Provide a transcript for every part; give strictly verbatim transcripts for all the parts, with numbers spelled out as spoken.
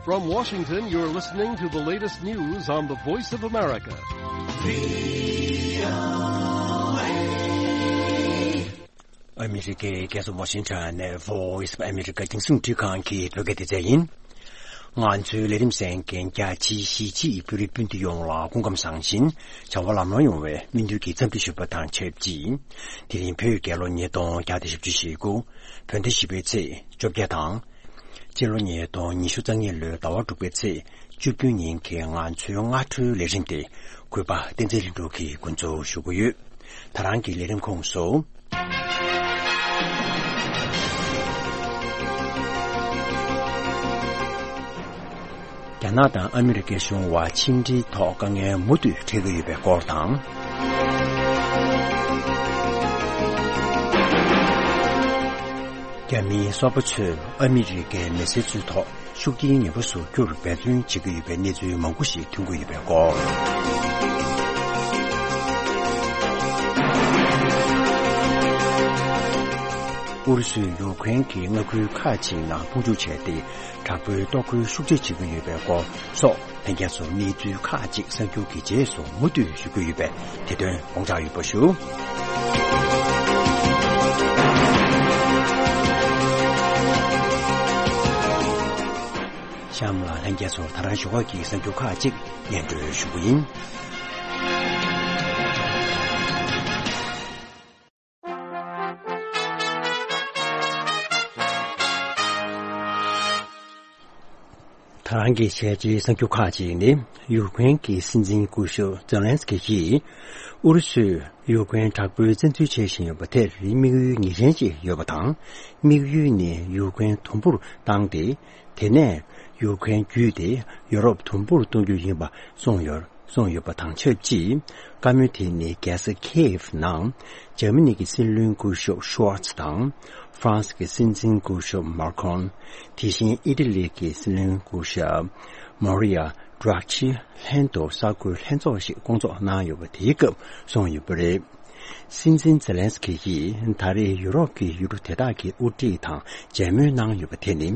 From Washington, you're listening to the latest news on the Voice of America. ཨ་མི་རི་ཀའི་རྒྱལ་ས་ཝ་ཤིང་ཊོན་ནས་Voice of America་རྒྱང་སྲིང་འཕྲིན་ཁང་གི་བོད་སྐད་སྡེ་ཚན་ཡིན། ང་ཚོའི་ལས་རིམ་གསན་མཁན་རྒྱ་ཆེའི་གཞིས་བྱེས་བོད་རིགས་སྤུན་ཟླ་ཡོངས་ལ་སྐུ་ཁམས་བཟང་ཞིང་བྱ་བ་ལམ་ལྷོང་ཡོང་བའི་སྨོན་འདུན་གྱི་འཚམས་འདྲི་ཞུ་བ་དང་ཆབས་ཅིག་དེ་རིང་བོད་རྒྱལ་ལོ་ཉིས་སྟོང་བརྒྱ་དང་བཞི་བཅུ་ཞེ་དགུ། བོད་ཟླ་བཞི་པའི་ཚེས་བཅོ་བརྒྱད་དང་། སྤྱི་ལོ་ཉིས་སྟོང་ཉི་ཤུ་རྩ་གཉིས་ལོའི་ཟླ་བ་དྲུག་པའི་ཚེས་བཅུ་བདུན་ཉིན་གྱི་ང་ཚོའི་སྔ་དྲོའི་ལས་རིམ་དེ་གུས་པ་བསྟན་འཛིན་ལྷུན་གྲུབ་ཀྱིས་འགོ་འཛུགས་ཞུ་གི་ཡོད། ད་རང་གི་ལས་རིམ་ཁོངས་སུ། རྒྱ་ནག་དང་ཨ་མི་རི་ཀའི་གཞུང་དབར་ཕྱི་འབྲེལ་ཐོག་དཀའ་ངལ་མུ་མཐུད་འཕྲད་ཀྱི་ཡོད་པའི་སྐོར་དང་། རྒྱ་མིའི་སོ་པ་ཚོས་ཨ་མི་རི་ཀའི་མི་སེར་ཚོའི་ཐོག་ཤུགས་རྐྱེན་ངན་པ་བཟོ་རྒྱུར་འབད་བརྩོན་བྱེད་ཀྱི་ཡོད་པའི་གནས་ཚུལ་མང་པོ་ཞིག་ཐོན་གྱི་ཡོད་པའི་སྐོར། ཨུ་རུ་སུས་ཡུཀ་རེན་གྱི་མངའ་ཁུལ་ཁག་ཅིག་ནང་དཔུང་འཇུག་བྱས་ཏེ། དྲག་པོའི་གཏོར་རྒོལ་ཤུགས་ཆེ་བྱེད་ཀྱི་ཡོད་པའི་སྐོར་སོགས་ལྷན་རྒྱས་ཚོར་གནས་ཚུལ་ཁག་ཅིག་གསར་འགྱུར་གྱི་རྗེས་སུ་མུ་མཐུད་ཞུ་རྒྱུ་ཡོད་པས་དེ་དོན་དགོངས་འཇགས་ཡོད་པ་ཞུ། གཤམ་ལ་ལྷན་རྒྱས་ཚོར་ད་རང་ཞོགས་ཀ་གི་གསར་འགྱུར་ཁག་ཅིག་སྙན་སྒྲོན་ཞུ་རྒྱུ་ཡིན། ད་རང་གི་ཞལ་ལྕེའི་གསར་འགྱུར་ཁག་ཅིག་ནི། ཡུཀ་རེན་གྱི་སྲིད་འཛིན་སྐུ་ཞབས་ཛེ་ལན་སི་ཀི་ཡིས། ཨུ་རུ་སུས་ཡུཀ་རེན་དྲག་པོའི་བཙན་འཛུལ་བྱེད་བཞིན་ཡོད་པ་དེར་དམིགས་ཡུལ་ངེས་ཅན་ཅིག་ཡོད་པ་དང་། དམིགས་ཡུལ་ནི་ཡུཀ་རེན་དུམ་བུར་བཏང་སྟེ། དེ་ནས་ཡུཀ་རེན་བརྒྱུད་དེ་ཡོ་རོབ་དུམ་བུར་གཏོང་རྒྱུ་ཡིན་པ་གསུངས་ཡོད། གསུངས་ཡོད་པ་དང་ཆབས་ཅིག་བཀའ་མོལ་དེ་ནི་རྒྱལ་ས་ཁེ་ཡེབ་ནང་འཇར་མ་ནི་གི་སྲིད་བློན་སྐུ་ཞབས་ཤུ་ཝར་ཚི་དང་། ཧྥ་རན་སི་གི་སྲིད་འཛིན་སྐུ་ཞབས་མཱ་ཁོན། དེ་བཞིན་ཨི་ཊ་ལི་གི་སྲིད་བློན་སྐུ་ཞབས་མོ་རི་ཡ་ཌྲག་ཆི་ལྷན་དུ་གསར་འགོད་ལྷན་ཚོགས་ཤིག་བསྐོང་ཚོགས་གནང་ཡོད་པ་དེའི་སྐབས་གསུངས་ཡོད་པ་རེད། སྲིད་འཛིན་ཛེ་ལན་སི་ཀི་ཡིས་ད་རེས་ཡུ་རོབ་ཀྱི་ཡུལ་གྲུ་དེ་དག་གི་དབུ་ཁྲིད་དང་མཇལ་མོལ་གནང་ཡོད་པ་དེ་ནི།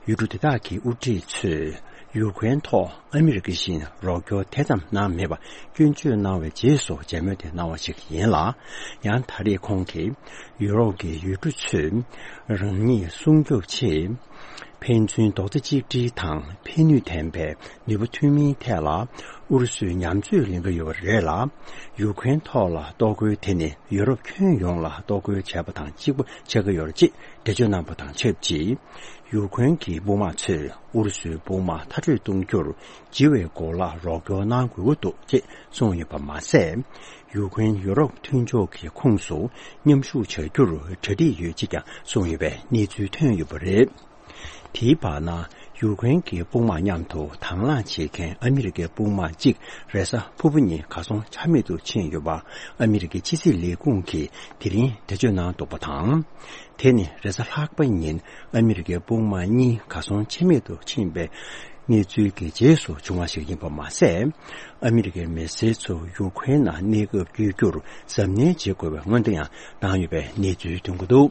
ཡུལ་གྲུ་དེ་དག་གི་དབུ་ཁྲིད་ཚོས་ཡུཀ་རེན་ཐོག་ཨ་མི་རི་ཀ་བཞིན་རོགས་སྐྱོར་དེ་ཙམ་གནང་མེད་པ་སྐྱོན་བརྗོད་གནང་བའི་རྗེས་སུ་མཇལ་མོལ་དེ་གནང་བ་ཞིག་ཡིན་ལ། ཡང་ད་རེས་ཁོང་གིས་ཡུ་རོབ་ཀྱི་ཡུལ་གྲུ་ཚོས་རང་ཉིད་སྲུང་སྐྱོབ་ཆེད། ཕན་ཚུན་རྡོག་རྩ་གཅིག་སྒྲིལ་དང་ཕན་ནུས་ལྡན་པའི་ནུས་པ་མཐུན་མིན་ཐད་ལ་ཨུ་རུ་སུས་ཉམས་ཚོད་ལེན་གྱི་ཡོད་པ་རེད་ལ། ཡུཀ་རེན་ཐོག་ལ་གཏོར་རྒོལ་དེ་ནི་ཡུ་རོབ་ཁྱོན་ཡོངས་ལ་གཏོར་རྒོལ་བྱས་པ་དང་གཅིག་པ་ཆགས་ཀྱི་ཡོད་རེད་ཅེས་འགྲེལ་བརྗོད་གནང་བ་དང་ཆབས་ཅིག་ཡུཀ་རེན་གྱི་དཔུང་དམག་ཚོས་ཨུ་རུ་སུའི་དཔུང་དམག་མཐར་སྐྲོད་གཏོང་རྒྱུར་ལྕི་བའི་གོ་ལ་རོགས་སྐྱོར་གནང་དགོས་ཀྱི་འདུག་ཅེས་གསུངས་ཡོད་པ་མ་ཟད། ཡུཀ་རེན་ཡུ་རོབ་མཐུན་ཕྱོགས་ཀྱི་ཁོངས་སུ་མཉམ་ཞུགས་བྱ་རྒྱུར་གྲ་སྒྲིག་ཡོད་ཅེས་ཀྱང་གསུངས་ཡོད་པའི་གནས་ཚུལ་ཐོན་ཡོད་པ་རེད། དེའི་བར་ན། ཡུཀ་རེན་གྱི་དཔུང་དམག་མཉམ་དུ་དང་བླངས་བྱེད་མཁན་ཨ་མི་རི་ཀའི་དཔུང་དམག་གཅིག་རེས་གཟའ་ཕུར་བུ་ཉིན་གར་སོང་ཆ་མེད་དུ་ཕྱིན་ཡོད་པ་ཨ་མི་རི་ཀའི་ཕྱི་སྲིད་ལས་ཁུངས་ཀྱིས་དེ་རིང་འགྲེལ་བརྗོད་གནང་འདུག་པ་དང་། དེ་ནི་རེས་གཟའ་ལྷག་པ་ཉིན་ཨ་མི་རི་ཀའི་དཔུང་དམག་གཉིས་གར་སོང་ཆ་མེད་དུ་ཕྱིན་པའི་གནས་ཚུལ་གྱི་རྗེས་སུ་བྱུང་བ་ཞིག་ཡིན་པ་མ་ཟད། ཨ་མི་རི་ཀའི་མི་སེར་ཚོ་ཡུཀ་རེན་ནང་གནས་སྐབས་བསྐྱོད་རྒྱུར་གཟབ་ནན་བྱེད་དགོས་པའི་སྔོན་འགྲོ་ཡང་བཏང་ཡོད་པའི་གནས་ཚུལ་ཐོན་གྱི་འདུག་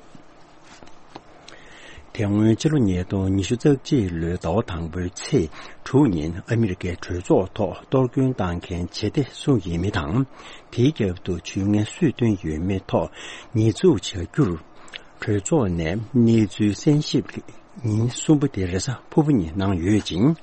དེ་སྔོན་ཕྱི་ལོ་ཉིས་སྟོང་ཉི་ཤུ་རྩ་གཅིག་ལོའི་ཟླ་བ་དང་པོའི་ཚེས་དྲུག་ཉིན་ཨ་མི་རི་ཀའི་གྲོས་ཚོགས་ཐོག་གཏོར་སྐྱོན་བཏང་མཁན་བྱེད་གཏེ་སུ་ཡིན་མིན་དང་། དེའི་རྒྱབ་ཏུ་ཇུས་ངན་སུས་བཏོན་ཡོད་མེད་ཐོག་ཉེས་འཛུགས་བྱ་རྒྱུར། གྲོས་ཚོགས་ནས་གནས་ཚུལ་གསན་ཞིབ་ཉིན་གསུམ་པ་དེ་རེས་གཟའ་ཕུར་བུ་ཉིན་གནང་ཡོད་ཅིང་།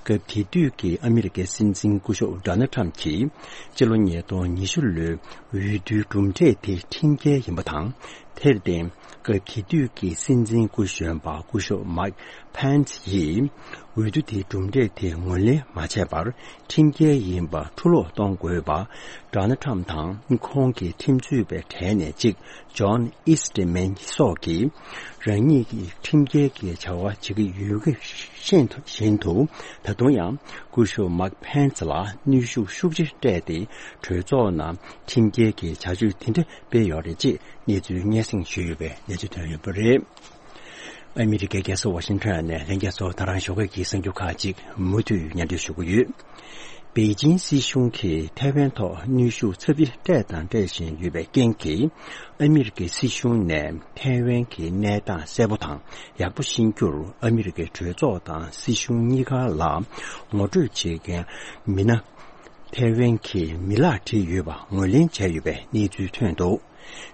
སྐབས་དེ་དུས་ཀྱི་ཨ་མི་རི་ཀའི་སྲིད་འཛིན་སྐུ་ཞབས་ཌོ་ནལ་ཊམ་གྱིས་ཕྱི་ལོ་ཉིས་སྟོང་ཉི་ཤུ་ལོའི་འོས་བསྡུའི་གྲུབ་འབྲས་དེ་ཁྲིམས་འགལ་ཡིན་པ་དང་། དེར་བརྟེན། སྐབས་དེ་དུས་ཀྱི་སྲིད་འཛིན་སྐུ་གཞོན་པ་སྐུ་ཞབས་མཱིག་ཕན་སི་ཡིས། འོས་བསྡུ་དེའི་གྲུབ་འབྲས་དེ་ངོས་ལེན་མ་བྱས་པར། ཁྲིམས་འགལ་ཡིན་པ་འཁྲུ་སློག་གཏོང་དགོས་པ། ཌོ་ནལ་ཊམ་དང་ཁོང་གི་ཁྲིམས་རྩོད་པའི་གྲས་ནས་གཅིག་ཇོན་ཨིས་ཏི་མན་སོགས་ཀྱིས། རང་ཉིད་ཀྱིས་ཁྲིམས་འགལ་གྱི་བྱ་བ་བྱེད་ཀྱི་ཡོད་ཀྱི་ཤེས་བཞིན་དུ། ད་དུང་ཡང་སྐུ་ཞབས་མཱིག་ཕན་སི་ལ་གནོན་ཤུགས་ཤུགས་ཆེ་སྤྲད་དེ། གྲོས་ཚོགས་ནང་ཁྲིམས་འགལ་གྱི་བྱ་སྤྱོད་དེ་འདྲ་སྤེལ་ཡོད་རེད་ཅེས་གནས་ཚུལ་སྙན་སེང་ཞུས་ཡོད་པའི་གནས་ཚུལ་ཐོན་ཡོད་པ་རེད། ཨ་མི་རི་ཀའི་རྒྱལ་ས་ཝ་ཤིང་ཊོན་ནས་ལྷན་རྒྱས་ཚོར་ད་རང་ཞོགས་ཀས་ཀྱི་གསར་འགྱུར་ཁག་ཅིག་མུ་མཐུད་སྙན་སྒྲོན་ཞུ་གི་ཡོད། པེ་ཅིང་སྲིད་གཞུང་གིས་ཐའེ་ཝན་ཐོག་གནོན་ཤུགས་ཚབས་ཆེ་སྤྲད་དང་སྤྲད་བཞིན་ཡོད་པའི་རྐྱེན་གྱིས། ཨ་མི་རི་ཀའི་སྲིད་གཞུང་ནས་ཐའེ་ཝན་གྱི་གནས་སྟངས་གསལ་པོ་དང་ཡག་པོ་ཤེས་རྒྱུར། ཨ་མི་རི་ཀའི་གྲོས་ཚོགས་དང་སྲིད་གཞུང་གཉིས་ཀ་ལ་ངོ་སྤྲོད་བྱེད་མཁན་མི་སྣ་ཐའེ་ཝན་གྱི་མི་ལག་བྲིས་ཡོད་པ་ངོས་ལེན་བྱས་ཡོད་པའི་གནས་ཚུལ་ཐོན་འདུག།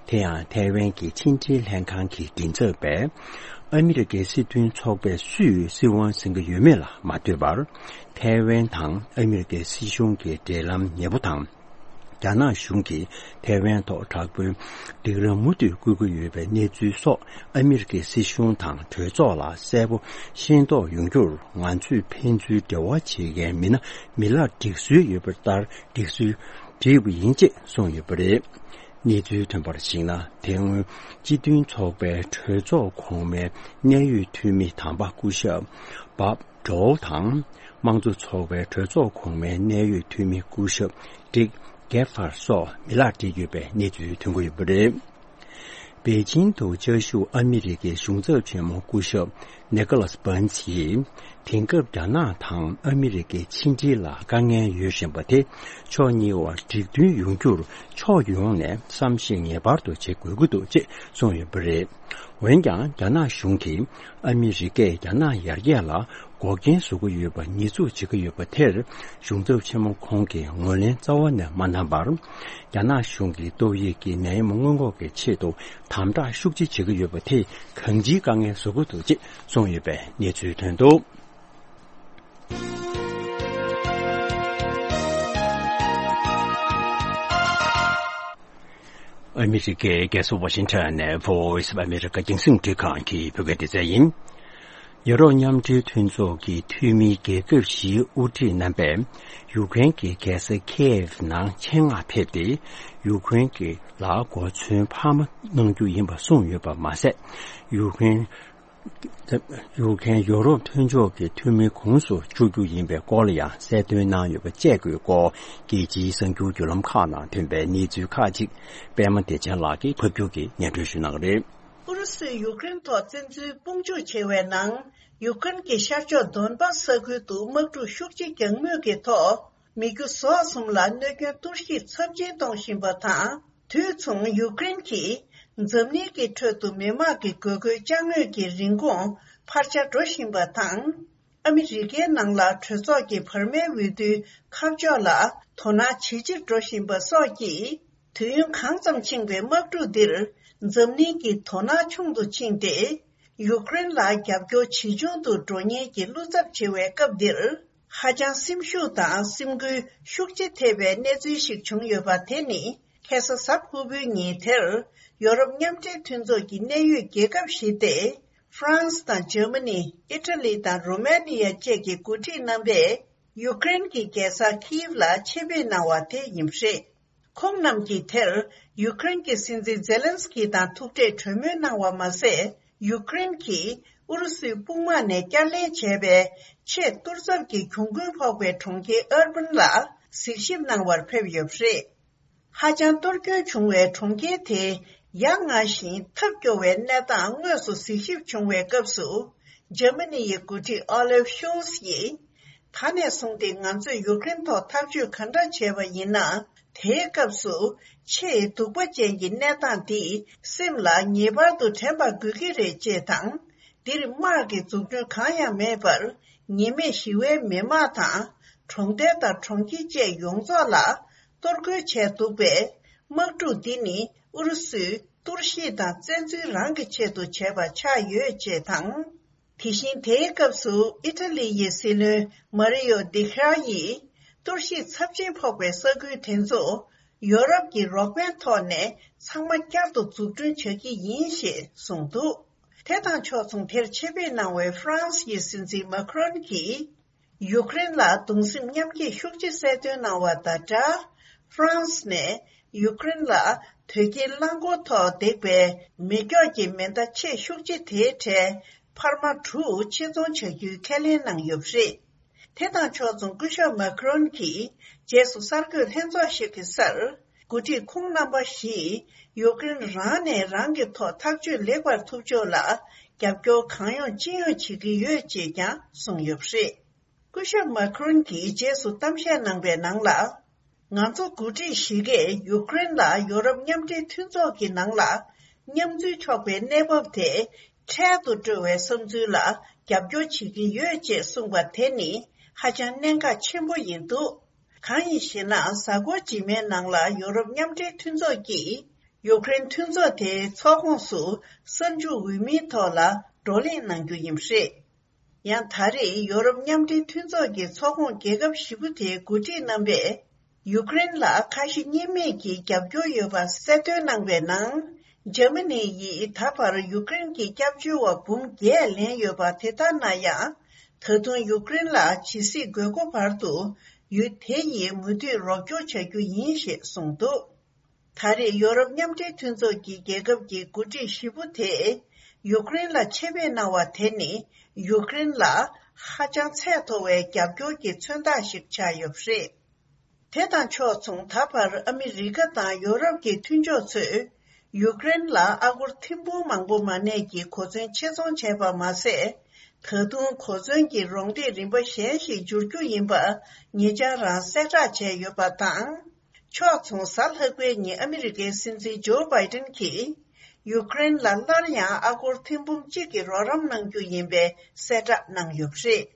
དེ་ཡང་ཐའེ་ཝན་གྱི་ཕྱི་འབྲེལ་ལྷན་ཁང་གི་མགྲིན་ཚབ་པས། ཨ་མི་རི་ཀའི་སྲིད་དོན་ཚོགས་པས་སུས་སྲིད་དབང་འཛིན་གྱི་ཡོད་མེད་ལ་མ་ལྟོས་པར། ཐའེ་ཝན་དང་ཨ་མི་རི་ཀའི་སྲིད་གཞུང་གི་འབྲེལ་ལམ་ཉེ་པོ་དང་། རྒྱ་ནག་གཞུང་གིས་ཐའེ་ཝན་ཐོག་དྲག་པོའི་སྒྲིག་ལམ་མུ་མཐུད་བསྐུལ་གྱི་ཡོད་པའི་གནས་ཚུལ་སོགས། ཨ་མི་རི་ཀའི་སྲིད་གཞུང་དང་གྲོས་ཚོགས་ལ་གསལ་པོ་ཤེས་རྟོགས་ཡོང་རྒྱུར། ང་ཚོས་ཕན་ཚུན་འབྲེལ་བ་བྱེད་མཁན་མི་སྣ་མི་ལག་སྒྲིག་སྲོལ་ཡོད་པ་ལྟར་སྒྲིག་སྲོལ་བྲིས་པ་ཡིན་ཅེས་གསུངས་ཡོད་པ་རེད། གནས་ཚུལ་ཐོན་པར་གཞིགས་ན། དེ་སྔོན་སྤྱི་མཐུན་ཚོགས་པའི་གྲོས་ཚོགས་གོང་མའི་གནད་ཡོད་འཐུས་མི་དམ་པ་སྐུ་ཞབས་བྷབ་ཌོལ་དང་། དམངས་གཙོ་ཚོགས་པའི་གྲོས་ཚོགས་གོང་མའི་གནད་ཡོད་འཐུས་མི་སྐུ་ཞབས་ཌིག་གེ་ཧྥར་སོགས་མི་ལག་བྲིས་ཡོད་པའི་གནས་ཚུལ་ཐོན་གྱི་ཡོད་པ་རེད། པེ་ཅིང་དུ་བཅའ་བཞུགས་ཨ་མི་རི་ཀའི་གཞུང་ཚབ་ཆེན་མོ་སྐུ་ཞབས་ནི་ཀོ་ལཱས་བྷན་ཛི་ཡིས། དེང་སྐབས་རྒྱ་ནག་དང་ཨ་མི་རི་ཀའི་ཕྱི་འབྲེལ་ལ་དཀའ་ངལ་ཡོད་བཞིན་པ་དེ་ཕྱོགས་གཉིས་བར་འགྲིག་མཐུན་ཡོང་རྒྱུར་ཕྱོགས་ཡོངས་ནས་བསམ་ཤེས་ངེས་པར་དུ་བྱེད་དགོས་ཀྱི་འདུག་ཅེས་གསུངས་ཡོད་པ་རེད། འོན་ཀྱང་རྒྱ་ནག་གཞུང་གིས་ཨ་མི་རི་ཀས་རྒྱ་ནག་ཡར་རྒྱས་ལ་འགོག་རྐྱེན་བཟོ་གི་ཡོད་པ་ཉེས་འཛུགས་བྱེད་ཀྱི་ཡོད་པ་དེར། གཞུང་ཚབ་ཆེན་མོ་ཁོང་གིས་ངོས་ལེན་རྩ་བ་ནས་མ་གནང་བར། རྒྱ་ནག་གཞུང་གིས་ཏོག་དབྱིབས་ཀྱི་ནད་ཡམས་སྔོན་འགོག་གི་ཆེད་དུ་དམ་དྲག་ཤུགས་ཆེ་བྱེད་ཀྱི་ཡོད་པ་དེས་གང་ཅིའི་དཀའ་ངལ་བཟོ་གི་འདུག་ཅེས་གསུངས་ཡོད་པའི་གནས་ཚུལ་ཐོན་འདུག། ཨ་མི་རི་ཀའི་རྒྱལ་ས་ཝ་ཤིང་ཊོན་ནས་Voice of America་རྒྱང་སྲིང་འཕྲིན་ཁང་གི་བོད་སྐད་སྡེ་ཚན་ཡིན། ཡུ་རོབ་མཉམ་འབྲེལ་མཐུན་ཚོགས་ཀྱི་འཐུས་མིའི་རྒྱལ་ཁབ་བཞིའི་དབུ་ཁྲིད་རྣམ་པས། ཡུཀ་རེན་གྱི་རྒྱལ་ས་ཁེ་ཡེབ་ནང་ཆེད་མངགས་ཕེབས་ཏེ། ཡུཀ་རེན་གྱི་ལ་གོ་མཚོན་འཕར་མ་གནང་རྒྱུ་ཡིན་པ་གསུངས་ཡོད་པ་མ་ཟད། ཡུཀ་རེན། ཡུཀ་རེན་ཡུ་རོབ་མཐུན་ཕྱོགས་ཀྱི་འཐུས་མི་ཁོངས་སུ་བཅུག་རྒྱུ་ཡིན་པའི་སྐོར་ལ་ཡང་གསལ་སྟོན་གནང་ཡོད་པ་བཅས་ཀྱི་སྐོར། རྒྱལ་སྤྱིའི་གསར་འགྱུར་བརྒྱུད་ལམ་ཁག་ནང་ཐོན་པའི་གནས་ཚུལ་ཁག་ཅིག་པད་མ་བདེ་ཆེན་ལགས་ཀྱིས་ཕབ་སྒྱུར་གྱིས་སྙན་སྒྲོན་ཞུ་གནང་གི་རེད། ཨུ་རུ་སུས་ཡུཀ་རེན་ཐོག་བཙན་འཛུལ་དཔུང་འཇུག་བྱས་པའི་ནང་། ཡུཀ་རེན་གྱི་ཤར་ཕྱོགས་དོན་པ་ས་ཁུལ་དུ་དམག་འཁྲུག་ཤུགས་ཆེ་རྒྱག་མུས་ཀྱི་ཐོག་མི་རྒྱུ་ཟོག་གསུམ་ལ་གནོད་སྐྱོན་གཏོར་བཤིག་ཚབས་ཆེན་གཏོང་བཞིན་པ་དང་། དུས་མཚུངས་ཡུཀ་རེན་གྱིས་འཛམ་གླིང་གི་ཁྲོད་དུ་མི་དམངས་ཀྱི་དགོས་མཁོའི་ཅ་དངོས་ཀྱི་རིན་གོང་འཕར་ཆ་འགྲོ་བཞིན་པ་དང་། ཨ་མི་རི་ཀའི་ནང་ལ་གྲོས་ཚོགས་ཀྱི་བར་མའི་འོས་བསྡུའི་ཁ་ཕྱོགས་ལ་དོ་སྣང་ཇེ་ཆེར་འགྲོ་བཞིན་པ་སོགས་ཀྱིས། དུས་ཡུན་གང་ཙམ་ཕྱིན་པའི་དམག་འཁྲུག་འདིར་འཛམ་གླིང་གི་དོ་སྣང་ཆུང་དུ་ཕྱིན་ཏེ། ཡུཀ་རེན་ལ་རྒྱབ་སྐྱོར་ཇེ་ཆུང་དུ་འགྲོ་ཉེན་གྱི་བློ་འཚབ་ཆེ་བའི་སྐབས་འདིར། ཧ་ཅང་སེམས་ཤུགས་དང་སེམས་འགུལ་ཤུགས་ཆེ་ཐེབས་པའི་གནས་ཚུལ་ཞིག་བྱུང་ཡོད་པ་དེ་ནི། ཁ་སང་གཟའ་ཕུར་བུའི་ཉིན་དེར། ཡོ་རོབ་མཉམ་འབྲེལ་མཐུན་ཚོགས་ཀྱི་གནད་ཡོད་རྒྱལ་ཁབ་བཞི་སྟེ། ཧྥ་རན་སི་དང་འཇར་མ་ནི། ཨི་ཊ་ལི་དང་རོ་མ་ནི་ཡ་བཅས་ཀྱི་འགོ་ཁྲིད་རྣམ་པས། ཡུཀ་རེན་གྱི་རྒྱལ་ས་ཁིབ་ལ་ཆེད་ཕེབས་གནང་བ་དེ་ཡིན་པ་རེད། ཁོང་རྣམས་ཀྱིས་དེར་ཡུཀ་རེན་གྱི་སྲིད་འཛིན་ཛེ་ལན་སི་ཀི་དང་ཐུག་འཕྲད་གྲོས་མོལ་གནང་བ་མ་ཟད། ཡུཀ་རེན་གྱིས་ཨུ་རུ་སུའི་དཔུང་དམག་ནས་བསྐྱར་ལེན་བྱས་པའི་ཆེས་གཏོར་ཚབ་ཀྱི་གྱོང་གུན་ཕོག་པའི་གྲོང་ཁྱེར་ཨར་པན་ལ་གཟིགས་ཞིབ་གནང་བར་ཕེབས་ཡོད་པ་རེད། ཧ་ཅང་གཏོར་སྐྱོན་བྱུང་བའི་གྲོང་ཁྱེར་དེའི་ཡ་ང་ཞིང་ཐབས་སྐྱོ་བའི་གནས་སྟངས་དངོས་སུ་གཟིགས་ཞིབ་བྱུང་བའི་སྐབས་སུ། འཇར་མ་ནི་ཡི་འགོ་ཁྲིད་ཨོ་ལེབ་ཤོལ་ཚ་ཡིས། ད་ནས་བཟུང་སྟེ་ང་ཚོས་ཡུཀ་རེན་ཐོག་ཐག་གཅོད་ག་འདྲ་བྱས་པ་ཡིན་ན། དེའི་སྐབས་སུ་ཆེས་སྡུག་པ་ཅན་གྱི་གནས་སྟངས་འདིས་སེམས་ལ་ངེས་པར་དུ་དྲན་པ་དགོས་ཀྱི་རེད་ཅེས་དང་། འདིར་དམག་གི་འཛུགས་སྐྲུན་གང་ཡང་མེད་པར། ཉེས་མེད་ཞི་བའི་མི་དམངས་དང་། གྲོང་རྡལ་དང་གྲོང་ཁྱེར་བཅས་ཡོངས་རྫོགས་ལ་གཏོར་རྒོལ་བྱས་འདུག་པས། དམག་འཁྲུག་འདི་ནི་ཨུ་རུ་སུས་གཏོར་བཤིག་དང་བཙན་འཛུལ་རང་གི་ཆེད་དུ་བྱས་པ་ཆགས་ཡོད་ཅེས་དང་། དེ་བཞིན་དེའི་སྐབས་སུ་ཨི་ཊ་ལི་ཡི་སྲིད་བློན་མ་རི་ཡོ་དི་ཁྲ་ཡིས། གཏོར་བཤིག་ཚབས་ཆེན་ཕོག་པའི་ས་ཁུལ་དེ་ཚོ་ཡོ་རོབ་ཀྱི་རོགས་ཕན་ཐོག་ནས་ཚང་མ་བསྐྱར་དུ་འཛུགས་སྐྲུན་བྱ་གི་ཡིན་ཞེས་གསུངས་འདུག། དེ་དང་ཕྱོགས་མཚུངས་དེར་ཆེད་ཕེབས་གནང་བའི་ཧྥ་རན་སི་ཡི་སྲིད་འཛིན་མཱ་ཁི་རོན་གྱིས། ཡུཀ་རེན་ལ་གདུང་སེམས་མཉམ་སྐྱེད་ཤུགས་ཆེ་གསལ་སྟོན་གནང་བ་དང་སྦྲགས། ཧྥ་རན་སི་ནས་ཡུཀ་རེན་ལ་དོས་སྐྱེལ་རླངས་འཁོར་ཐོག་འདེགས་པའི་མེ་སྒྱོགས་ཀྱི་མེ་མདའ་ཆེས་ཤུགས་ཆེ་དེའི་གྲས་འཕར་མ་དྲུག་ཕྱིར་ཚོང་བྱ་རྒྱུའི་ཁས་ལེན་གནང་ཡོད་པ་རེད། དེ་དང་ཕྱོགས་མཚུངས་སྐུ་ཞབས་མཱ་ཁི་རོན་གྱིས་རྗེས་སུ་གསར་འགོད་ལྷན་ཚོགས་ཤིག་གི་སར། འགོ་ཁྲིད་ཁོང་རྣམ་པ་བཞིས་ཡུཀ་རེན་རང་ནས་རང་གི་ཐོག་ཐག་གཅོད་ལེགས་པར་ཐུབ་ཕྱོགས་ལ་རྒྱབ་སྐྱོར་གང་ཡོང་ཅི་ཡོང་བྱེད་ཀྱི་ཡོད་ཅེས་ཀྱང་གསུངས་ཡོད་པ་རེད། སྐུ་ཞབས་མཱ་ཁྲོན་གྱིས་རྗེས་སུ་གཏམ་བཤད་གནང་པའི་ནང་ལ། ང་ཚོ་འགོ་ཁྲིད་བཞི་གས་ཡུཀ་རེན་ལ་ཡོ་རོབ་མཉམ་འབྲེལ་མཐུན་ཚོགས་ཀྱི་ནང་ལ་མཉམ་འཛུལ་ཆོག་པའི་གནས་བབ་དེ་འཕྲལ་དུ་སྤྲོད་པའི་བསམ་ཚུལ་ལ་རྒྱབ་སྐྱོར་བྱེད་ཀྱི་ཡོད་ཅེས་གསུངས་པ་དེ་ནི་ཧ་ཅང་གནད་འགག་ཆེན་པོ་ཡིན་འདུག་གང་ཡིན་ཞེ་ན། གཟའ་འཁོར་རྗེས་མའི་ནང་ལ་ཡོ་རོབ་མཉམ་འབྲེལ་མཐུན་ཚོགས་ཀྱིས་ཡུཀ་རེན་མཐུན་ཚོགས་དེའི་ཚོགས་ཁོངས་སུ་གསར་འཇུག་འོས་མིའི་ཐོག་ལ་བགྲོ་གླེང་གནང་རྒྱུ་ཡིན་པ་རེད། ཡང་ད་རེས་ཡོ་རོབ་མཉམ་འབྲེལ་མཐུན་ཚོགས་ཀྱི་ཚོགས་ཁོངས་རྒྱལ་ཁབ་བཞི་པོ་དེའི་འགོ་ཁྲིད་རྣམ་པས་ཡུཀ་རེན་ལ་ཁ་ཞེ་གཉིས་མེད་ཀྱིས་རྒྱབ་སྐྱོར་ཡོད་པ་གསལ་སྟོན་གནང་བའི་ནང་། འཇར་མ་ནི་ཡིས་ད་བར་ཡུཀ་རེན་གྱི་སྐྱབས་བཅོལ་བ་འབུམ་བརྒྱད་ལེན་ཡོད་པ་དེ་ལྟར་ན་ཡང་། ད་དུང་ཡུཀ་རེན་ལ་ཇི་སྲིད་དགོས་མཁོ་བར་དུ་ཡུལ་དེ་ཡིས་མུ་མཐུད་རོགས་སྐྱོར་བྱ་རྒྱུ་ཡིན་ཞེས་གསུངས་འདུག་ད་རེས་ཡོ་རོབ་མཉམ་འབྲེལ་མཐུན་ཚོགས་ཀྱི་རྒྱལ་ཁབ་ཀྱི་འགོ་ཁྲིད་བཞི་པོ་དེས་ཡུཀ་རེན་ལ་ཆེད་ཕེབས་གནང་བ་དེ་ནི་ཡུཀ་རེན་ལ་ཧ་ཅང་ཚད་མཐོ་བའི་རྒྱབ་སྐྱོར་གྱི་མཚོན་རྟགས་ཤིག་ཆགས་ཡོད་པ་རེད། དེ་དང་ཕྱོགས་མཚུངས། ད་བར་ཨ་མི་རི་ཀ་དང་ཡོ་རོབ་ཀྱི་མཐུན་ཕྱོགས་ཚོས་ཡུཀ་རེན་ལ་ཨ་སྒོར་ཐེར་འབུམ་མང་པོ་མ་གནས་ཀྱི་གོ་མཚོན་ཆེད་ཚོང་བྱས་པ་མ་ཟད། ད་དུང་གོ་མཚོན་གྱི་རོགས་འདེགས་རིམ་པ་གཞན་ཞིག་འབྱོར་རྒྱུ་ཡིན་པ་ཉེ་ཆར་རང་གསལ་བསྒྲགས་བྱས་ཡོད་པ་དང་། ཕྱོགས་མཚུངས། གཟའ་ལྷག་པའི་ཉིན་ཨ་མི་རི་ཀའི་སྲིད་འཛིན་ཇོ་བྷའི་ཏན་གྱིས་ཡུཀ་རེན་ལ་སླར་ཡང་ཨ་སྒོར་ཐེར་འབུམ་གཅིག་གི་རོགས་རམ་གནང་རྒྱུ་ཡིན་པའི་གསལ་བསྒྲགས་གནང་ཡོད་པ་རེད།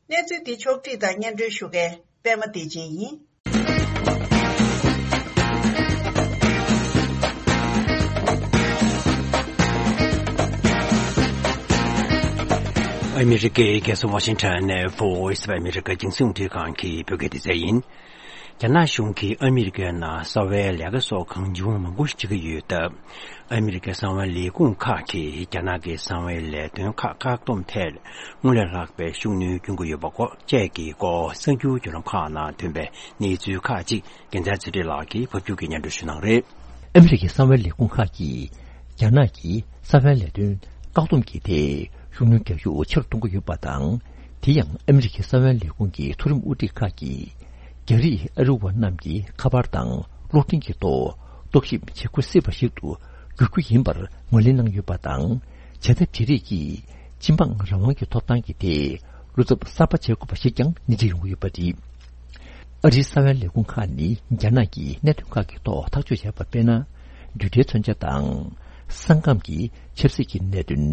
གནས་ཚུལ་འདི་ཕྱོགས་བསྒྲིགས་དང་སྙན་སྒྲོན་ཞུ་མཁན་པད་མ་བདེ་ཆེན་ཡིན། ཨ་མི་རི་ཀའི་རྒྱལ་ས་ཝ་ཤིང་ཊོན་ནས་Voice of America་རྒྱང་སྲིང་རླུང་འཕྲིན་ཁང་གི་བོད་སྐད་སྡེ་ཚན་ཡིན། རྒྱ་ནག་གཞུང་གིས་ཨ་མི་རི་ཀའི་ནང་གསང་བའི་ལས་ཀ་སོགས་གང་བྱུང་མང་པོ་ཞིག་བྱེད་ཀྱི་ཡོད་སྟབས། ཨ་མི་རི་ཀའི་གསང་བའི་ལས་ཁུངས་ཁག་གིས་རྒྱ་ནག་གི་གསང་བའི་ལས་དོན་ཁག་བཀག་སྡོམ་ཐད་སྔར་ལས་ལྷག་པའི་ཤུགས་སྣོན་སྐྱོན་གྱི་ཡོད་པ་སྐོར་བཅས་ཀྱི་སྐོར་གསར་འགྱུར་བརྒྱུད་ལམ་ཁག་ནང་ཐོན་པའི་གནས་ཚུལ་ཁག་ཅིག་རྒྱལ་མཚན་ཚེ་རིང་ལགས་ཀྱིས་ཕབ་སྒྱུར་གྱིས་སྙན་སྒྲོན་ཞུ་གནང་རེད། ཨ་མི་རི་ཀའི་གསང་བའི་ལས་ཁུངས་ཁག་གིས་རྒྱ་ནག་གི་གསང་བའི་ལས་དོན་བཀག་སྡོམ་གྱི་ཐད་ཤུགས་སྣོན་རྒྱག་རྒྱུ་ཆེ་རུ་གཏོང་གི་ཡོད་པ་དང་། དེ་ཡང་ཨ་མི་རི་ཀའི་གསང་བའི་ལས་ཁུངས་ཀྱི་མཐོ་རིམ་དབུ་ཁྲིད་ཁག་གིས་རྒྱ་རིགས་ཨ་རི་བ་རྣམས་ཀྱི་ཁ་པར་དང་གློག་འཕྲིན་གྱི་ཐོག་རྟོག་ཞིབ་བྱེད་དགོས་སྲིད་པ་ཞིག་ཏུ་འགྱུར་རྒྱུ་ཡིན་པར་ངོས་ལེན་གནང་ཡོད་པ་དང་། བྱ་ཐབས་དེ་རིགས་ཀྱིས་སྤྱི་འབངས་རང་དབང་གི་ཐོབ་ཐང་གི་ཐད་བློ་འཚབ་གསར་པ་བྱེད་དགོས་པ་ཞིག་ཀྱང་སྣེ་ཁྲིད་ཡོང་གི་ཡོད་པ་རེད། ཨ་རིའི་གསང་བའི་ལས་ཁུངས་ཁག་ནི་རྒྱ་ནག་གི་གནད་དོན་ཁག་གི་ཐོག་ཐག་གཅོད་བྱས་པ་དཔེར་ན། རྡུལ་ཕྲན་མཚོན་ཆ་དང་། ས་ཁམས་ཀྱི་ཆབ་སྲིད་ཀྱི་གནད་དོན།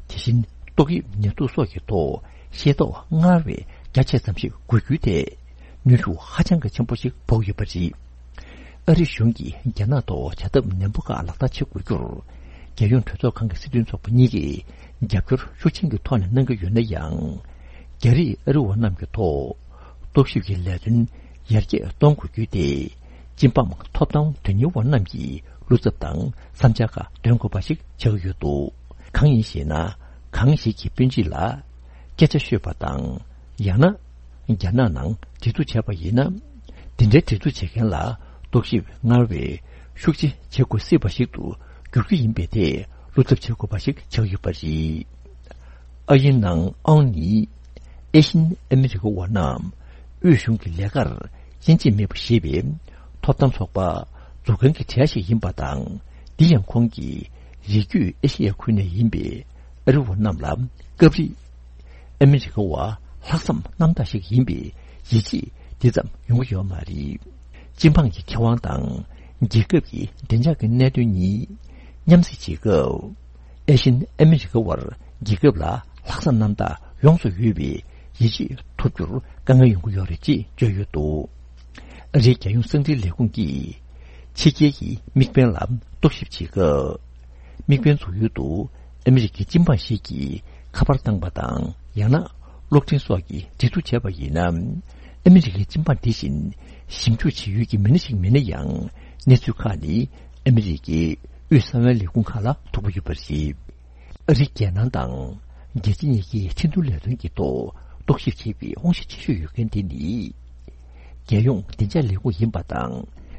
དེ་བཞིན་ཏོག་དབྱིབས་ནད་དུག་སོགས་ཀྱི་ཐོག་ཤེས་རྟོགས་སྔར་བས་རྒྱ་ཆེ་ཙམ་ཞིག་དགོས་རྒྱུའི་ཐད་ནུས་ཤུགས་ཧ་ཅང་གི་ཆེན་པོ་ཞིག་འབོག་ཡོད་པ་རེད། ཨ་རི་གཞུང་གིས་རྒྱ་ནག་ཐོག་བྱ་ཐབས་ནན་པོ་ཁག་ལག་བསྟར་བྱེད་དགོས་རྒྱུར། རྒྱལ་ཡོངས་གྲོས་ཚོགས་ཁང་གི་སྲིད་དོན་ཚོགས་པ་གཉིས་ཀས་རྒྱབ་སྐྱོར་ཤུགས་ཆེན་གྱི་ཐོག་ནས་གནང་གི་ཡོད་ན་ཡང་། རྒྱ་རིགས་ཨ་རི་བ་རྣམས་ཀྱི་ཐོག་རྟོག་ཞིབ་ཀྱི་ལས་དོན་ཡར་རྒྱས་གཏོང་དགོས་རྒྱུ་དེ། སྤྱི་འབངས་ཐོབ་ཐང་དོན་གཉེར་བ་རྣམས་ཀྱིས་བློ་འཚབ་དང་བསམ་འཆར་ཁག་འདོན་དགོས་པ་ཞིག་ཆགས་ཀྱི་ཡོད་འདུག་གང་ཡིན་ཞེ་ན། གང་ཞིག་གི་དཔོན་རིགས་ལ་སྐད་ཆ་ཤོད་པ་དང་། ཡང་ན། རྒྱ་ནག་ནང་འབྲེལ་གཏུག་བྱས་པ་ཡིན་ན། འདི་འདྲའི་འབྲེལ་གཏུག་བྱེད་མཁན་ལ་རྟོག་ཞིབ་སྔར་བས་ཤུགས་ཆེ་བྱེད་དགོས་སྲིད་པ་ཞིག་ཏུ་འགྱུར་རྒྱུ་ཡིན་པའི་ཐད་བློ་འཚབ་བྱེད་དགོས་པ་ཞིག་ཆགས་ཡོད་པ་རེད། ཨ་ཡིན་ནང་ཨང་ནི། ཨེ་ཤིན་ཨ་མི་རི་ཀ་བ་རྣམས་དབུས་གཞུང་གི་ལས་ཀར་དབྱེ་འབྱེད་མེད་པ་ཞེས་པའི་ཐོབ་ཐང་ཚོགས་པ་འཛུགས་མཁན་གྱི་གྲས་ཤིག་ཡིན་པ་དང་། འདི་ཡང་ཁོང་གིས་རི་རྒྱུད་ཨེ་ཤེ་ཡ་ཁུལ་ནས་ཡིན་པའི་ཨ་རི་བ་རྣམས་ལ་སྐབས་རེ་ཨ་མི་རི་ཀ་བ་ལྷག་བསམ་རྣམ་དག་ཞིག་ཡིན་པའི་ཡིད་ཆེས་འདི་ཙམ་ཡོང་གི་ཡོད་མ་རེད། སྤྱི་འབངས་ཀྱི་ཁེ་དབང་དང་རྒྱལ་ཁབ་ཀྱི་བདེ་འཇགས་ཀྱི་གནད་དོན་གཉིས་མཉམ་བསྲེས་བྱེད་སྐབས། ཨེ་ཤིན་ཨ་མི་རི་ཀ་བར་རྒྱལ་ཁབ་ལ་ལྷག་བསམ་རྣམ་དག་ཡོངས་སུ་ཡོད་པའི་ཡིད་ཆེས་ཐོབ་རྒྱུར་དཀའ་ངལ་ཡོང་གི་ཡོད་རེད་ཅེས་བརྗོད་ཡོད་འདུག་ཨ་རིའི་རྒྱལ་ཡོངས་གསང་འཕྲིན་ལས་ཁུངས་ཀྱིས་ཕྱི་རྒྱལ་གྱི་དམིགས་འབེན་ལ་རྟོག་ཞིབ་བྱེད་སྐབས། དམིགས་འབེན་འཛུགས་ཡུལ་དུ་ཨ་མི་རི་ཀའི་སྤྱི་འབངས་ཤིག་གིས་ཁ་པར་བཏང་པ་དང་། ཡང་ན་གློག་འཕྲིན་སོགས་ཀྱིས་འབྲེལ་གཏུག་བྱས་པ་ཡིན་ན། ཨ་མི་རི་ཀའི་སྤྱི་འབངས་དེ་བཞིན་ཞིབ་འཇུག་བྱེད་ཡུལ་གྱི་མི་སྣ་ཞིག་མིན་ན་ཡང་། གནས་ཚུལ་ཁག་ནི་ཨ་མི་རི་ཀའི་དབུས་གསང་བའི་ལས་ཁུངས་ཁག་ལ་ཐུག་གི་ཡོད་པ་རེད། ཨ་རིའི་རྒྱལ་ནང་དང་རྒྱལ་སྤྱི་གཉིས་ཀའི་ཁྲིན་ཏུའུ་ལས་དོན་གྱི་ཐོག་རྟོག་ཞིབ་བྱེད་པའི་དབང་ཤེད་ཆེ་ཤོས་ཡོད་མཁན་དེ་ནི། རྒྱལ་ཡོངས་བདེ་འཇགས་ལས་ཁུངས་ཡིན་པ་དང་།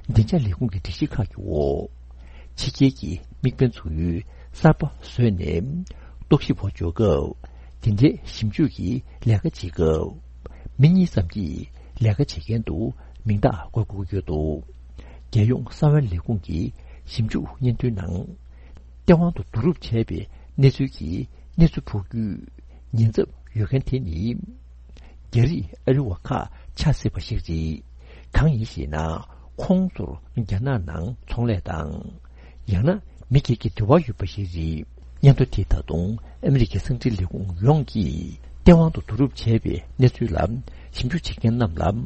བདེ་འཇགས་ལས་ཁུངས་ཀྱི་སྒྲིག་གཞི་ཁག་གི་འོག་ཕྱི་རྒྱལ་གྱི་དམིགས་འབེན་འཛུགས་ཡུལ་གསར་པ་བཟོས་ནས། རྟོག་ཞིབ་པ་འཇོག་སྐབས། དེ་འདྲའི་ཞིབ་འཇུག་གི་ལས་ཀ་བྱེད་སྐབས། མི་གཉིས་ཙམ་གྱིས་ལས་ཀ་བྱེད་མཁན་དུ་མིང་རྟགས་འགོད་དགོས་ཀྱི་ཡོད་འདུག་རྒྱལ་ཡོངས་གསང་བའི་ལས་ཁུངས་ཀྱི་ཞིབ་འཇུག་སྙན་ཐོའི་ནང་། སྟེས་དབང་དུ་བསྡུ་རུབ་བྱས་པའི་གནས་ཚུལ་གྱིས་གནས་ཚུལ་ཕོག་རྒྱུའི་ཉེན་ཚབས་ཡོད་མཁན་དེ་ནི། རྒྱ་རིགས་ཨ་རི་བ་ཁག་ཆགས་སྲིད་པ་ཞིག་རེད། གང་ཡིན་ཞེ་ན། ཁོང་ཚོར་རྒྱ་ནག་ནང་ཚོང་ལས་དང་། ཡང་ན་མི་སྒེར་གྱི་འབྲེལ་བ་ཡོད་པ་ཞིག་རེད། སྙན་ཐོ་དེས་ད་དུང་ཨ་མི་རི་ཀའི་གསང་འཕྲིན་ལས་ཁུངས་ཡོངས་ཀྱིས་སྟེས་དབང་དུ་བསྡུ་རུབ་བྱས་པའི་གནས་ཚུལ་ལ་ཞིབ་འཇུག་བྱེད་མཁན་རྣམས་ལ།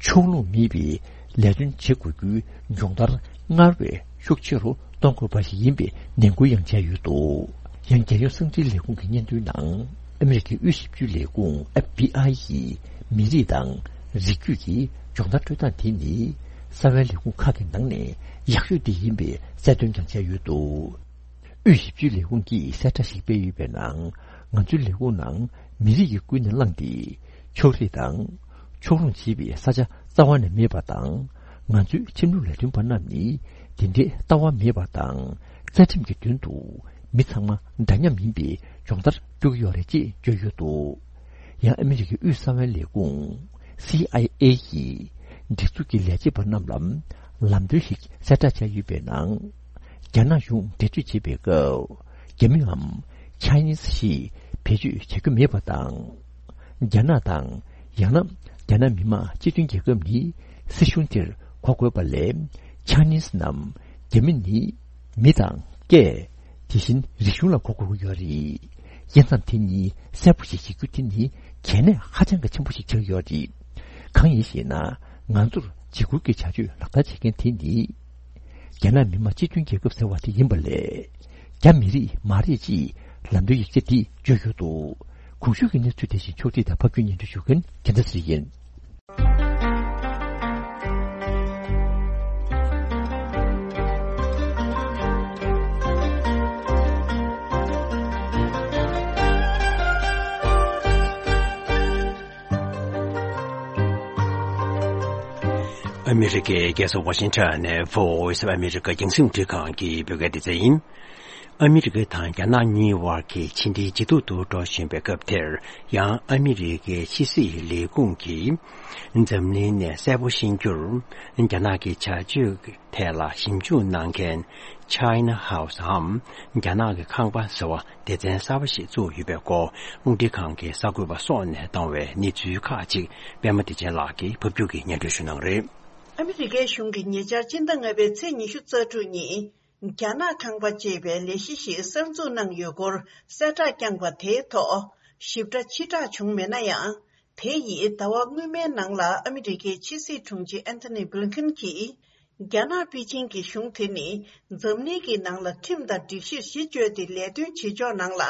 ཕྱོགས་ལྷུང་མེད་པའི་ལས་དོན་བྱེད་དགོས་རྒྱུའི་སྦྱོང་བརྡར་སྔར་བས་ཤུགས་ཆེ་རུ་གཏོང་དགོས་པ་ཞིག་ཡིན་པའི་ནན་སྐུལ་ཡང་བྱས་ཡོད་འདུག་ཡང་རྒྱལ་ཡོངས་གསང་འཕྲིན་ལས་ཁུངས་ཀྱི་སྙན་ཐོའི་ནང་། ཨ་མི་རི་ཀའི་དབུས་ཞིབ་འཇུག་ལས་ཁུངས་ཨེཕ་བི་ཨའི་ཡིས་མི་རིགས་དང་རིགས་རྒྱུད་ཀྱི་སྦྱོང་བརྡར་སྤྲོད་སྟངས་དེ་ནི་གསང་བའི་ལས་ཁུངས་ཁག་གི་ནང་ནས་ཡག་ཤོས་དེ་ཡིན་པའི་གསལ་སྟོན་ཀྱང་བྱས་ཡོད་འདུག་དབུས་ཞིབ་འཇུག་ལས་ཁུངས་ཀྱིས་གསལ་བསྒྲགས་ཤིག་སྤེལ་ཡོད་པའི་ནང་། ང་ཚོའི་ལས་ཁུངས་ནང་མི་རིགས་ཀྱིས་ཀུན་ནས་བསླངས་ཏེ། ཕྱོགས་རིས་དང་། ཕྱོགས་ལྷུང་བྱེད་པའི་ས་ཆ་རྩ་བ་ནས་མེད་པ་དང་། ང་ཚོའི་ཁྲིམས་ལུགས་ལས་དོན་པ་རྣམས་ནི་དེ་འདྲའི་ལྟ་བ་མེད་པ་དང་། རྩ་ཁྲིམས་ཀྱི་མདུན་དུ་མི་ཚང་མ་འདྲ་མཉམ་ཡིན་པའི་སྦྱོང་བརྡར་སྤྲོད་ཀྱི་ཡོད་རེད་ཅེས་བརྗོད་ཡོད་འདུག་ཡང་ཨ་མི་རི་ཀའི་དབུས་གསང་བའི་ལས་ཁུངས་སི་ཨའི་ཨེ་ཡིས་སྒྲིག་འཛུགས་ཀྱི་ལས་བྱེད་པ་རྣམས་ལ་ལམ་སྟོན་ཞིག་གསལ་བསྒྲགས་བྱས་ཡོད་པའི་ནང་། རྒྱ་ནག་གཞུང་འགྲེལ་བརྗོད་བྱེད་པའི་སྐབས། རྒྱ་མིའམ་Chinese་ཞེས་བེད་སྤྱོད་བྱ་རྒྱུ་མེད་པ་དང་། རྒྱ་ནག་དང་། ཡང་ན་རྒྱ་ནག་མི་དམངས་སྤྱི་མཐུན་རྒྱལ་ཁབ་ནི་སྲིད་གཞུང་དེར་གོ་དགོས་པ་ལས། Chinese་ནམ་རྒྱ་མི་ནི་མི་དང་སྐད། དེ་བཞིན་རིག་གཞུང་ལ་གོ་དགོས་ཀྱི་ཡོད་རེད། དབྱེ་མཚམས་དེ་གཉིས་གསལ་པོ་ཞིག་བྱེད་རྒྱུ་དེ་ནི་གལ་གནད་ཧ་ཅང་གི་ཆེན་པོ་ཞིག་ཆགས་ཡོད་རེད། གང་ཡིན་ཞེ་ན། ང་ཚོར་འཇིགས་སྐུལ་གྱི་བྱ་སྤྱོད་ལག་བསྟར་བྱེད་མཁན་དེ་ནི། རྒྱ་ནག་མི་དམངས་སྤྱི་མཐུན་རྒྱལ་ཁབ་ཟེར་བ་དེ་ཡིན་པ་ལས། རྒྱ་མི་རིགས་མ་རེད་ཅེས་ལམ་སྟོན་ཡིག་ཆ་འདིས་བརྗོད་ཡོད་འདུག་གོང་ཞུས་ཀྱི་གནས་ཚུལ་དེ་བཞིན་ཕྱོགས་སྒྲིག་དང་ཕབ་སྒྱུར་སྙན་སྒྲོན་ཞུ་མཁན་རྒྱལ་མཚན་ཚེ་རིང་ཡིན། ཨ་མི་རི་ཀའི་རྒྱལ་ས་ཝ་ཤིང་ཊོན་ནས་Voice of America་རྒྱང་སྲིང་འཕྲིན་ཁང་གི་བོད་སྐད་སྡེ་ཚན་ཡིན། ཨ་མི་རི་ཀ་དང་རྒྱ་ནག་གཉིས་དབར་གྱི་ཕྱི་འབྲེལ་ཇེ་སྡུག་ཏུ་འགྲོ་བཞིན་པའི་སྐབས་དེར། ཡང་ཨ་མི་རི་ཀའི་ཕྱི་སྲིད་ལས་ཁུངས་ཀྱིས་འཛམ་གླིང་ནས་གསལ་པོ་ཤེས་རྒྱུར། རྒྱ་ནག་གི་བྱ་སྤྱོད་ཐད་ལ་ཞིབ་འཇུག་གནང་མཁན་China House་འམ་རྒྱ་ནག་གི་ཁང་པ་ཟེར་བ་སྡེ་ཚན་གསར་པ་ཞིག་བཙུགས་ཡོད་པའི་སྐོར། རླུང་འཕྲིན་ཁང་གི་གསར་འགོད་པ་སོགས་ནས་བཏང་བའི་གནས་ཚུལ་ཁག་ཅིག་པད་མ་བདེ་ཆེན་ལགས་ཀྱིས་ཕབ་སྒྱུར་གྱིས་སྙན་སྒྲོན་ཞུ་གནང་རེད། ཨ་མི་རི་ཀའི་གཞུང་གིས་ཉེ་ཆར་སྤྱི་ཟླ་ལྔ་པའི་ཚེས་ཉི་ཤུ་རྩ་དྲུག་ཉིན། རྒྱ་ནག་ཁང་པ་ཅེས་པའི་ལས་གཞི་ཞིག་གསར་འཛུགས་གནང་ཡོད་སྐོར་གསལ་བསྒྲགས་བསྐྱངས་པ་དེའི་ཐོག་ཞིབ་ཕྲ་ཕྱིར་བསྒྲགས་བྱུང་མེད་ན་ཡང་། དེ་ཡིས་ཟླ་བ་སྔོན་མའི་ནང་ལ་ཨ་མི་རི་ཀའི་ཕྱི་སྲིད་དྲུང་ཆེ་ཨན་ཐོ་ནི་བྷི་ལིན་ཁིན་གྱིས། རྒྱ་ནག་པེ་ཅིང་གི་གཞུང་དེ་ནི་འཛམ་གླིང་གི་ནང་ལ་ཁྲིམས་དང་སྒྲིག་གཞིར་གཞི་བཅོལ་ཏེ་ལས་དོན་བྱེད་ཕྱོགས་ནང་ལ་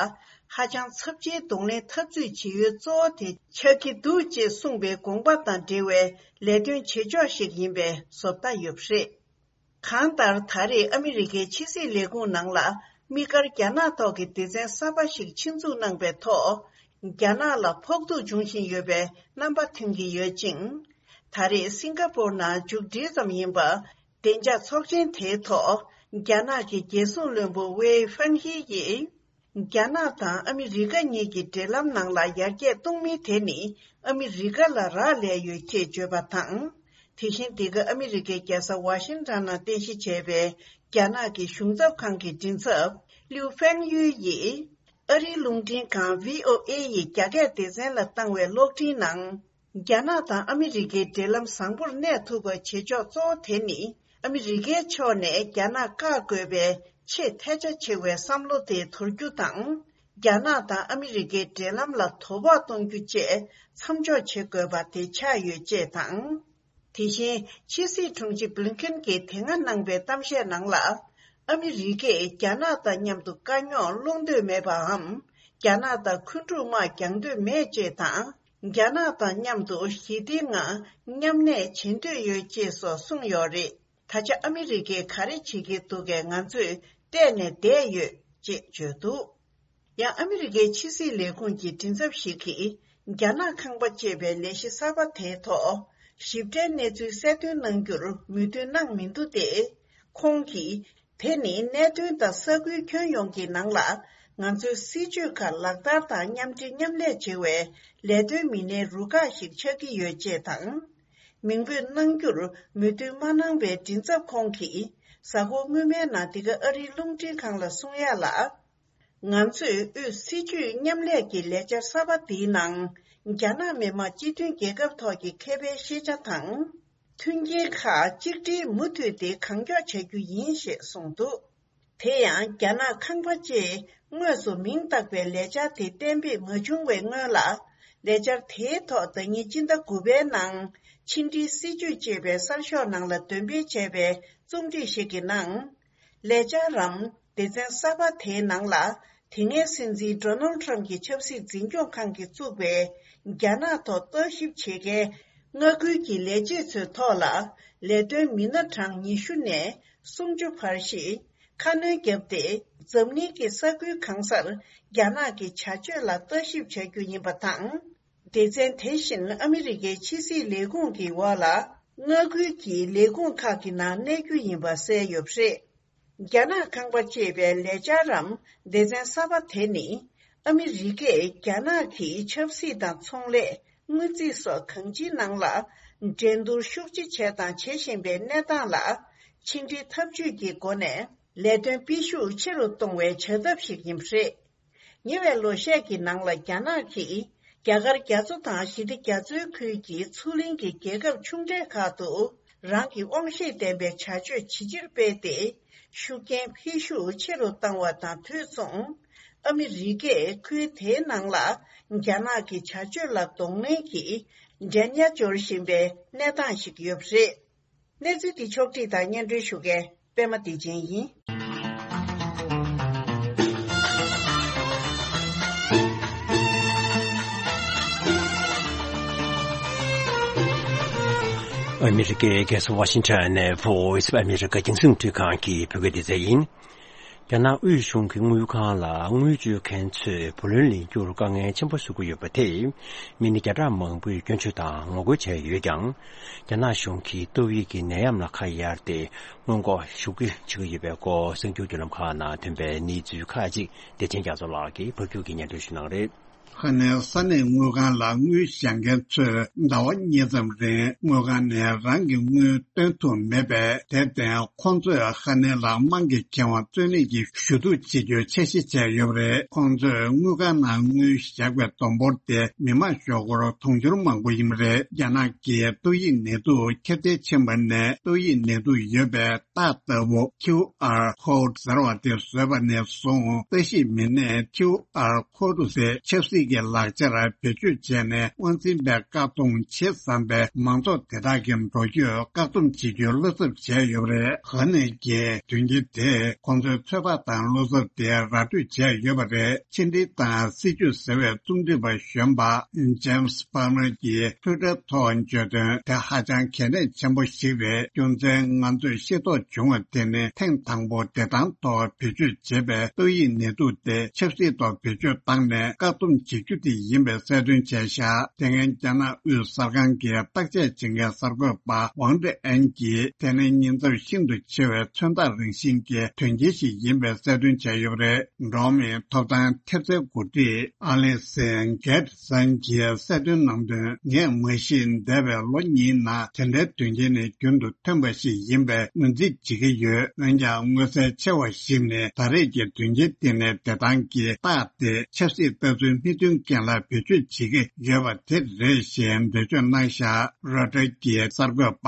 ཧ་ཅང་ཚབས་ཆེའི་གདོང་ལེན་འཐབ་རྩོད་བྱེད་ཡུལ་གཙོ་བོ་དེ་ཆགས་ཀྱི་འདུག་ཅེས་གསུངས་པའི་དགོངས་པ་དང་འབྲེལ་བའི་ལས་དོན་བྱེད་ཕྱོགས་ཤིག་ཡིན་པའི་བཟོ་ལྟ་ཡོད་པ་རེད། གང་ལྟར། ད་རེས་ཨ་མི་རི་ཀའི་ཕྱི་སྲིད་ལས་ཁུངས་ནང་ལ་དམིགས་བཀར་རྒྱ་ནག་ཐོག་གི་སྡེ་ཚན་གསར་པ་ཞིག་ཆེད་འཛུགས་གནང་པའི་ཐོག་རྒྱ་ནག་ལ་ཕོག་ཐུག་འབྱུང་བཞིན་ཡོད་པའི་རྣམ་པ་ཐོན་གྱི་ཡོད་ཅིང་། ད་རེས་སིང་ག་པོར་ནང་མཇུག་སྒྲིལ་ཙམ་ཡིན་པ། བདེ་འཇགས་ཚོགས་ཆེན་དེའི་ཐོག་རྒྱ་ནག་གི་རྒྱལ་སྲུང་བློན་པོ་ཝེ་ཧྥན་ཧི་ཡིས། རྒྱ་ནག་དང་ཨ་མི་རི་ཀ་གཉིས་ཀྱི་འབྲེལ་ལམ་ནང་ལ་ཡར་རྒྱས་གཏོང་མིན་དེ་ནི་ཨ་མི་རི་ཀ་ལ་རག་ལས་ཡོད་ཅེས་བརྗོད་པ་དང་། དེ་བཞིན་འདི་ག་ཨ་མི་རི་ཀའི་རྒྱལ་ས་ཝ་ཤིང་ཊོན་ནང་རྟེན་གཞི་བྱས་པའི་རྒྱ་ནག་གི་གཞུང་ཚབ་ཁང་གི་མགྲིན་ཚབ་ལིའུ་ཧྥེང་ཡུས་ཡིས་ཨ་རིའི་རླུང་འཕྲིན་ཁང་བྷི་ཨོ་ཨེ་ཡི་རྒྱ་སྐད་སྡེ་ཚན་ལ་བཏང་བའི་གློག་འཕྲིན་ནང་། རྒྱ་ནག་དང་ཨ་མི་རི་ཀའི་འབྲེལ་ལམ་བཟང་པོར་གནས་ཐུབ་པ་བྱེད་ཕྱོགས་གཙོ་བོ་དེ་ནི་ཨ་མི་རི་ཀའི་ཕྱོགས་ནས་རྒྱ་ནག་བཀག་དགོས་པའི་ཆེས་ཐལ་ཆ་ཆེ་བའི་བསམ་བློ་དེ་དོར་རྒྱུ་དང་། རྒྱ་ནག་དང་ཨ་མི་རི་ཀའི་འབྲེལ་ལམ་ལ་དོ་ཕོག་གཏོང་རྒྱུ་བཅས་མཚམས་འཇོག་བྱེད་དགོས་པ་དེ་ཆགས་ཡོད་ཅེས་དང་། དེ་བཞིན་ཕྱི་སྲིད་དྲུང་ཆེ་བྷི་ལིན་ཁིན་གྱིས་དེ་སྔ་གནང་པའི་གཏམ་བཤད་ནང་ལ། ཨ་མི་རི་ཀས་རྒྱ་ནག་དང་མཉམ་དུ་དཀའ་རྙོག་སློང་འདོད་མེད་པའམ། རྒྱ་ནག་དང་འཁོན་འཁྲུག་དམག་རྒྱག་འདོད་མེད་ཅེས་དང་། རྒྱ་ནག་དང་མཉམ་དུ་ཞི་བདེའི་ངང་མཉམ་གནས་བྱེད་འདོད་ཡོད་ཅེས་སོགས་གསུངས་ཡོད་རེད། ད་ཆ་ཨ་མི་རི་ཀས་ག་རེ་བྱེད་ཀྱི་འདུག་གས་ང་ཚོས་བལྟས་ནས་བསྡད་ཡོད་ཅེས་བརྗོད་འདུག་ཡང་ཨ་མི་རི་ཀའི་ཕྱི་སྲིད་ལས་ཁུངས་ཀྱི་མགྲིན་ཚབ་ཞིག་གིས། རྒྱ་ནག་ཁང་པ་ཅེས་པའི་ལས་གཞི་གསར་པ་དེའི་ཐོག་ཞིབ་ཕྲའི་གནས་ཚུལ་གསལ་སྟོན་གནང་རྒྱུར་མོས་མཐུན་གནང་མི་འདུག་སྟེ། ཁོང་གིས། དེ་ནི་གནད་དོན་དང་ས་ཁུལ་ཁྱོན་ཡོངས་ཀྱི་ནང་ལ་ང་ཚོའི་སྲིད་ཇུས་ཁག་ལག་བསྟར་དང་མཉམ་འབྲེལ་མཉམ་ལས་བྱེད་པའི་ལས་དོན་མི་སྣའི་རུ་ཁག་ཞིག་ཆགས་ཀྱི་ཡོད་ཅེས་དང་། མིང་འབོད་གནང་རྒྱུར་མོས་མཐུན་མ་གནང་པའི་མགྲིན་ཚབ་ཁོང་གིས་གཟའ་འཁོར་སྔོན་མའི་ནང་འདི་ག་ཨ་རིའི་རླུང་འཕྲིན་ཁང་ལ་གསུང་ཡ་ལ། ང་ཚོས་དབུས་སྲིད་ཇུས་མཉམ་ལས་ཀྱི་ལས་འཆར་གསར་པ་འདིའི་ནང་ རྒྱ་ནག་མི་དམངས་སྤྱི་མཐུན་རྒྱལ་ཁབ་ཐོག་གི་ཁེ་ཕན་ཤེས་བྱ་དང་། མཐུན་རྐྱེན་ཁག་གཅིག་སྒྲིལ་མུ་མཐུད་དེ་གང་མགྱོགས་བྱ་རྒྱུ་ཡིན་ཞེས་གསུངས་འདུག་དེ་ཡང་རྒྱ་ནག་ཁང་པ་ཅེས་དངོས་སུ་མིང་བཏགས་པའི་ལས་འཆར་དེ་གཏན་འབེབས་མ་བྱུང་བའི་སྔོན་ལ། ལས་འཆར་དེའི་ཐོག་ཟླ་ཉིན་སྤྱི་ཟླ་དགུ་པའི་ནང་ཕྱི་འབྲེལ་སྲིད་ཇུས་ཅེས་པའི་གསར་ཤོག་ནང་ལ་འདོན་སྤེལ་བྱས་པའི་རྩོམ་སྒྲིག་ཞིག་གི་ནང་། ལས་འཆར་རམ་སྡེ་ཚན་གསར་པ་དེའི་ནང་ལ། དེ་སྔའི་སྲིད་འཛིན་ཌོ་ནལ་ཁྲམ་གྱི་ཆབ་སྲིད་འཛིན་སྐྱོང་ཁང་གིས་བཙུགས་པའི་རྒྱ་ནག་ཐོག་ལྟ་ཞིབ་བྱེད་མཁན་མངའ་ཁུལ་གྱི་ལས་བྱེད་ཚོའི་ཐོག་ལ་ལས་དོན་མི་སྣ་གྲངས་ཉི་ཤུ་ནས་སུམ་ཅུ་བར་ཞིག་ཁ་སྣོན་བརྒྱབ་སྟེ། འཛམ་གླིང་གི་ས་ཁུལ་གང་སར་རྒྱ་ནག་གི་བྱ་སྤྱོད་ལ་ལྟ་ཞིབ་བྱ་རྒྱུ་ཡིན་པ་དང་། སྡེ་ཚན་དེ་བཞིན་ཨ་མི་རི་ཀའི་ཕྱི་སྲིད་ལས་ཁུངས་ཀྱི་འོག་ལ་མངའ་ཁུལ་གྱི་ལས་ཁུངས་ཁག་གི་ནང་གནས་རྒྱུ་ཡིན་པ་གསལ་ཡོད་པ་རེད། རྒྱ་ནག་ཁང་པ་ཅེས་པའི་ལས་འཆར་རམ་སྡེ་ཚན་གསར་པ་དེ་ནི། ཨ་མི་རི་ཀས་རྒྱ་ནག་གི་ཆབ་སྲིད་དང་ཚོང་ལས། དངུལ་རྩིས་སོགས་གང་ཅིའི་ནང་ལ། འགྲན་བསྡུར་ཤུགས་ཆེ་བྱས་དང་བྱེད་བཞིན་པའི་གནས་སྟངས་ལ། ཕྱི་འབྲེལ་འཐབ་ཇུས་ཀྱི་སྒོ་ནས། ལས་དོན་སྤེལ་ཤུགས་ཆེ་རུ་གཏོང་བའི་བྱ་ཐབས་ཤིག་ཡིན་པ་རེད། ཉེ་བའི་ལོ་ཤས་ཀྱི་ནང་ལ་རྒྱ་ནག་གིས། རྒྱ་གར་རྒྱ་མཚོ་དང་ཞི་བདེ་རྒྱ་མཚོའི་ཁུལ་གྱི་མཚོ་གླིང་གི་རྒྱལ་ཁབ་ཆུང་གྲས་ཁག་ཏུ། རང་གི་དབང་ཤེད་ལྡན་པའི་བྱ་སྤྱོད་ཇེ་ཆེར་སྤེལ་ཏེ། ཤུགས་རྐྱེན་འཕེལ་ཤུགས་ཆེ་རུ་བཏང་བ་དང་དུས་མཚུངས། ཨ་མི་རི་ཀས་ཁུལ་དེའི་ནང་ལ་རྒྱ་ནག་གི་བྱ་སྤྱོད་ལ་གདོང་ལེན་གྱིས་འགྲན་ཉར་འབྱོར་བཞིན་པའི་གནས་སྟངས་ཤིག་ཡོད་པ་རེད། གནས་ཚུལ་འདི་ཕྱོགས་བསྒྲིགས་དང་སྙན་སྒྲོན་ཞུ་མཁན་པད་མ་བདེ་ཆེན་ཡིན། ཨ་མི་རི་ཀའི་རྒྱལ་ས་ཝ་ཤིང་ཊོན་ནས་Voice of America་རྒྱང་སྲིང་འཕྲུལ་ཁང་གི་བོད་སྐད་སྡེ་ཚན་ཡིན། རྒྱ་ནག་དབུས་གཞུང་གི་དངུལ་ཁང་ལ་དངུལ་སྤྱོད་མཁན་ཚོས་བུ་ལོན་ལེན་རྒྱུར་དཀའ་ངལ་ཆེན་པོ་བཟོ་གི་ཡོད་པ་དེས་མི་སྣ་བརྒྱ་ཕྲག་མང་པོས་སྐྱོན་བརྗོད་དང་ངོ་རྒོལ་བྱས་ཡོད་ཀྱང་། རྒྱ་ནག་གཞུང་གིས་ཏོག་དབྱིབས་ཀྱི་ནད་ཡམས་ལ་ཁ་གཡར་ཏེ་སྔོན་འགོག་ཤུགས་ཆེ་བྱེད་ཀྱི་ཡོད་པའི་སྐོར་གསར་འགྱུར་བརྒྱུད་ལམ་ཁག་ནང་ཐོན་པའི་གནས་ཚུལ་ཁག་ཅིག་བདེ་ཆེན་རྒྱ་མཚོ་ལགས་ཀྱིས་ཕབ་སྒྱུར་གྱིས་སྙན་སྒྲོན་ཞུ་གནང་རེད། ཧ་ནེ་ས་གནས་དངུལ་ཁང་ལ་དངུལ་བཞག་མཁན་ཚོས་ཟླ་བ་གཉིས་ཙམ་རིང་དངུལ་ཁང་ནས་རང་གི་དངུལ་བཏོན་ཐུབ་མེད་པས། དེར་བརྟེན་ཁོང་ཚོས་ཧ་ནེ་ལ་དམངས་ཀྱི་ཁེ་དབང་རྩོད་ལེན་གྱི་ཞུ་གཏུག་བྱེད་རྒྱུའི་འཆར་གཞི་བྱས་ཡོད་པ་རེད། ཁོང་ཚོས་དངུལ་ཁང་ནང་དངུལ་བཞག་པའི་བསྡོམས་འབོར་དེ་མི་མང་ཞོགས་ཁོག་དུང་ཕྱུར་མང་པོ་ཡིན་པ་རེད། རྒྱ་ནག་གིས་ཏོག་དབྱིབས་ནད་དུག་ཁྱབ་གདལ་ཕྱིན་པ་ནས་ཏོག་དབྱིབས་ནད་དུག་ཡོད་པའི་རྟགས་ལྟ་བུ་ཁིའུ་ཨར་ཁོ་ཌི་ཟེར་བ་དེ་བཟོས་པ་ནས་བཟུང་། ལྟ་ཞིབ་མི་སྣས་ཁིའུ་ཨར་ཁོ་ཌི་ཟེར་ཆབ་སྲིད་ཀྱི་ལག་ཆར་བེད་སྤྱོད་བྱས་ནས་དབང་འཛིན་པས་བཀག་སྡོམ་བྱེད་བསམ་པའི་མང་ཚོགས་དེ་དག་གི་འགྲོ་སྐྱོད་བཀག་སྡོམ་བྱེད་རྒྱུའི་བློ་འཚབ་བྱས་ཡོད་པ་རེད། ཧ་ནེ་གིས་དོན་རྐྱེན་དེས་ཁོང་ཚོའི་ཚོད་དཔག་དང་བློ་འཚབ་དེ་ར་སྤྲོད་བྱས་ཡོད་པ་རེད། ཕྱི་འབྲེལ་དང་སྲིད་ཇུས་ཟེར་བའི་རྩོམ་སྒྲིག་པ་གཞོན་པ་James Palmer་གྱིས་Twitter་ཐོག་བརྗོད་དོན་དེ་ཧ་ཅང་གལ་གནད་ཆེན་པོ་ཞིག་རེད། རྒྱུ་མཚན་ང་ཚོས་ཤེས་རྟོགས་བྱུང་བ་དེ་ནི་ཐེངས་དང་པོ་བདེ་ཐང་ཐོག་བེད་སྤྱོད་བྱས་པའི་ཏོག་དབྱིབས་ནད་དུག་དེ་ཆབ་སྲིད་ཐོག་བེད་སྤྱོད་བཏང་ནས་བཀག་སྡོམ་བྱེད་རྒྱུ་དེ་ཡིན་པའི་གསལ་སྟོན་བྱས་བཞག་དེ་སྔོན་རྒྱ་ནག་དབུས་གསར་ཁང་གི་བརྟག་དཔྱད་བྱེད་མཁན་གསར་འགོད་པ་ཝང་ཀྲི་ཨན་གྱིས་དེ་ནི་ཉེན་ཚབས་ཤིན་ཏུ་ཆེ་བའི་མཚོན་རྟགས་རང་བཞིན་གྱི་དོན་རྐྱེན་ཞིག་ཡིན་པའི་གསལ་སྟོན་བྱས་ཡོད་པ་རེད། འགྲོ་བ་མིའི་ཐོབ་ཐང་ཐེབས་རྩའི་འགོ་ཁྲིད་ཨ་ལི་སན་གྷེ་ཊི་སན་གྱིས་གསལ་སྟོན་གནང་དོན། ངས་མ་གཞི་འདས་པའི་ལོ་གཉིས་ནང་དེ་འདྲའི་དོན་རྐྱེན་ནི་རྒྱུན་དུ་ཐོན་པ་ཞིག་ཡིན་པའི་ངོས་འཛིན་བྱེད་ཀྱི་ཡོད། འོན་ཀྱང་མངོན་གསལ་ཆེ་བ་ཞིག་ནི་ད་རེས་ཀྱི་དོན་རྐྱེན་དེ་ནི་བདེ་ཐང་གི་རྟགས་དེ་ཆབ་སྲིད་ལྟ་ཚུལ་མི་མཐུན་རྐྱེན་ལ་བེད་སྤྱོད་བྱེད་ཀྱི་ཡོད་པ་དེ་རེད་ཞེས་འགྲེལ་བརྗོད་གནང་བཞག་རོའི་ཊར་གྱི་གསར་འགོད་པ་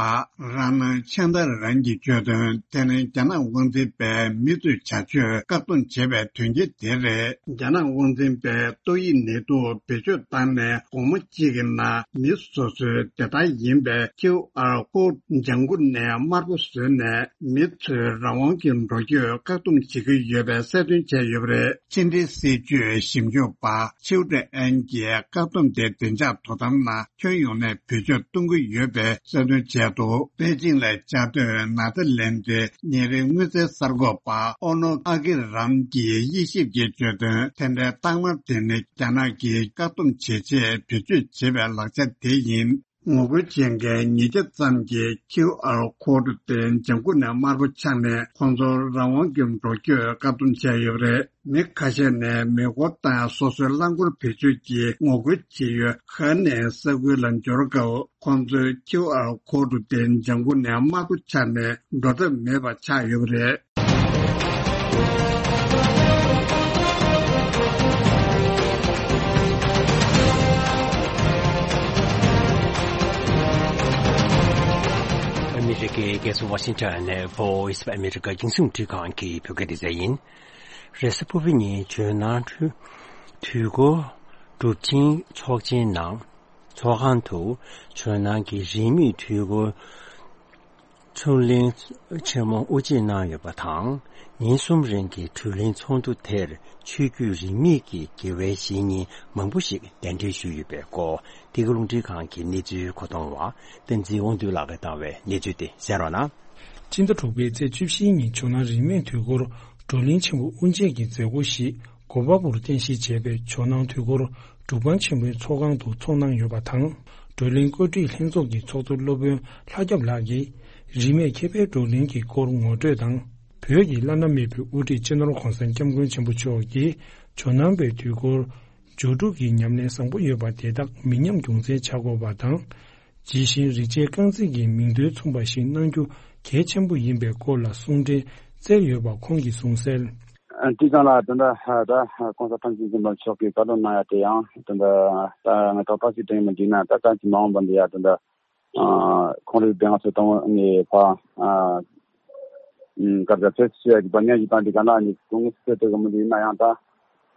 ར་ན་ཆན་དར་རན་གྱིས་བརྗོད་དོན། དེ་ནི་རྒྱ་ནག་དབང་འཛིན་པས་མི་ཚོའི་བྱ་སྤྱོད་བཀག་སྡོམ་བྱས་པའི་དོན་རྐྱེན་དེ་རེད། རྒྱ་ནག་དབང་འཛིན་པས་ཏོག་དབྱིབས་ནད་དུག་བེད་སྤྱོད་བཏང་ནས་དགོང་མོ་གཅིག་གི་ནང་མི་སོ་སོའི་བདེ་ཐང་ཡིན་པའི་ཁིའུ་ཨར་ཀོ་ཌི་ལྗང་ཁུ་ནས་དམར་པོ་བཟོས་ནས་མི་ཚོའི་རང་དབང་གི་འགྲོ་སྐྱོད་བཀག་སྡོམ་བྱེད་ཀྱི་ཡོད་པའི་གསལ་སྟོན་བྱས་ཡོད་པ་རེད། ཕྱི་འབྲེལ་སྲིད་ཇུས་ཞིབ་འཇུག་པ་ཆིའུ་ཀྲི་ཨན་གྱིས་བཀག་སྡོམ་དེ་བདེ་འཇགས་དོ་དམ་ནང་ཁྱོན་ཡོངས་ནས་བེད་སྤྱོད་གཏོང་གི་ཡོད་པའི་གསལ་སྟོན་བྱས་འདུག་པེ་ཅིང་ལ་བཅའ་སྡོད་ནཱ་ཐ་ལན་ཌའི་ཉིན་རེའི་དངུལ་རྩའི་གསར་འགོད་པ་ཨོ་ནོ་ཨ་ཀི་རམ་གྱིས་དབྱེ་ཞིབ་ཀྱིས་བརྗོད་དོན། དེ་འདྲའི་རྟགས་མ་དེ་ནི་རྒྱ་ནག་གིས་བཀག་སྡོམ་བྱེད་ཆེད་བེད་སྤྱོད་བྱེད་པའི་ལག་ཆ་དེ་ཡིན། ངོ་རྒོལ་བྱེད་མཁན་ཉིས་བརྒྱ་ཙམ་གྱིས་ཁིའུ་ཨར་ཀོ་ཌི་དེ་ལྗང་ཁུ་ནས་དམར་པོ་ཆགས་ནས་ཁོང་ཚོར་རང་དབང་གི་འགྲོ་སྐྱོད་བཀག་སྡོམ་བྱས་ཡོད་པ་རེད། མི་ཁ་ཤས་ནས་མེ་འཁོར་དང་སོ་སོའི་རླངས་འཁོར་བེད་སྤྱོད་ཀྱིས་ངོ་རྒོལ་བྱེད་ཡུལ་ཧ་ནེ་ས་ཁུལ་ལ་འབྱོར་སྐབས། ཁོང་ཚོས་ཁིའུ་ཨར་ཀོ་ཌི་དེ་ལྗང་ཁུ་ནས་དམར་པོ་ཆགས་ནས་འགྲོ་ཐབས་མེད་པ་ཆགས་ཡོད་པ་རེད། རྒྱལ་ས་ཝ་ཤིང་ཊོན་ནས་Voice of America རྒྱང་སྲིང་རླུང་འཕྲིན་ཁང་གི་བོད་སྐད་སྡེ་ཚན་ཡིན། རེས་གཟའ་ཕུར་བུ་ཉིན་ཇོ་ནང་དུས་འཁོར་སྒྲུབ་ཆེན་ཚོགས་ཆེན་ནང་ཚོགས་ཁང་དུ་ཇོ་ནང་གི་རིས་མེད་དུས་འཁོར་ཚུར་ལེན་ཆེན་མོ་དབུ་འབྱེད་གནང་ཡོད་པ་དང་། ཉིན་གསུམ་རིང་གི་བགྲོ་གླེང་ཚོགས་འདུ་དེར་ཆོས་བརྒྱུད་རིས་མེད་ཀྱི་དགེ་བའི་བཤེས་གཉེན་མང་པོ་ཞིག་གདན་འདྲེན་ཞུས་ཡོད་པའི་སྐོར། འདི་ག་རླུང་འཕྲིན་ཁང་གི་གནས་ཚུལ་མཁོ་གཏོང་བ་བསྟན་འཛིན་དབང་འདུས་ལགས་ཀྱིས་བཏང་བའི་གནས་ཚུལ་དེ་གསན་རོགས་གནང་། སྤྱི་ཟླ་དྲུག་པའི་ཚེས་བཅུ་བཞིའི་ཉིན་ཇོ་ནང་རིས་མེད་དུས་འཁོར་བགྲོ་གླེང་ཆེན་པོ་དབུ་འབྱེད་ཀྱི་མཛད་སྒོ་ཞིག་གོ་པལ་པུར་རྟེན་གཞི་བྱས་པའི་ཇོ་ནང་དུས་འཁོར་སྒྲུབ་ཁང་ཆེན་མོའི་ཚོགས་ཁང་དུ་ཚོགས་གནང་ཡོད་པ་དང་། བགྲོ་གླེང་བཀོད་སྒྲིག་ལྷན་ཚོགས་ཀྱི་ཚོགས་གཙོ་སློབ་དཔོན་ལྷ་སྐྱབས་ལགས་ཀྱིས། རིས་མེད་མཁས་པའི་བགྲོ་གླེང་གི་སྐོར་ངོ་སྤྲོད་དང་། བོད་ཀྱི་བླ་ན་མེད་པའི་དབུ་ཁྲིད་སྤྱི་ནོར་༧གོང་ས་༧སྐྱབས་མགོན་ཆེན་པོ་མཆོག་གིས་ཇོ་ནང་པའི་དུས་འཁོར་སྦྱོར་དྲུག་གི་ཉམས་ལེན་བཟང་པོ་ཡོད་པ་དེ་དག་མི་ཉམས་རྒྱུན་འཛིན་བྱ་དགོས་པ་དང་། ཇི་བཞིན་རིག་བྱེད་རྐང་འཛིན་གྱི་མིང་དོན་མཚུངས་པ་ཞིག་གནང་རྒྱུ་གལ་ཆེན་པོ་ཡིན་པའི་སྐོར་ལ་གསུང་འཕྲིན་བསྩལ་ཡོད་པ་ཁོང་གིས་གསུངས་གསལ། ཨ། དེ་ཙང་ལ་ད་ལྟ་ད་༧གོང་ས་༧སྐྱབས་མགོན་ཆེན་པོ་མཆོག་གིས་བཀའ་སློབ་གནང་ཡ་དེ་ཡང་ད་ལྟ་ད་ང་ཏོག་ཏོག་ཅིག་དྲན་མི་འདུག་ན། ད་ད་ཅི་མ་འོངས་པ་འདི་ཡ་ད་ལྟ་ཨ་ཁོང་རིགས་དེ་ང་ཚོ་དང་ནི་ཕ་ཨ་ཨུམ་སྐར་རྒྱ་ཚོད་ཆེ་ཡ་གི་བ་ཉག་གི་སྟངས་འདི་ག་ན་ནི་ཀུང་སི་ཏོ་གི་མི་འདུག་ན་ཡང་ད་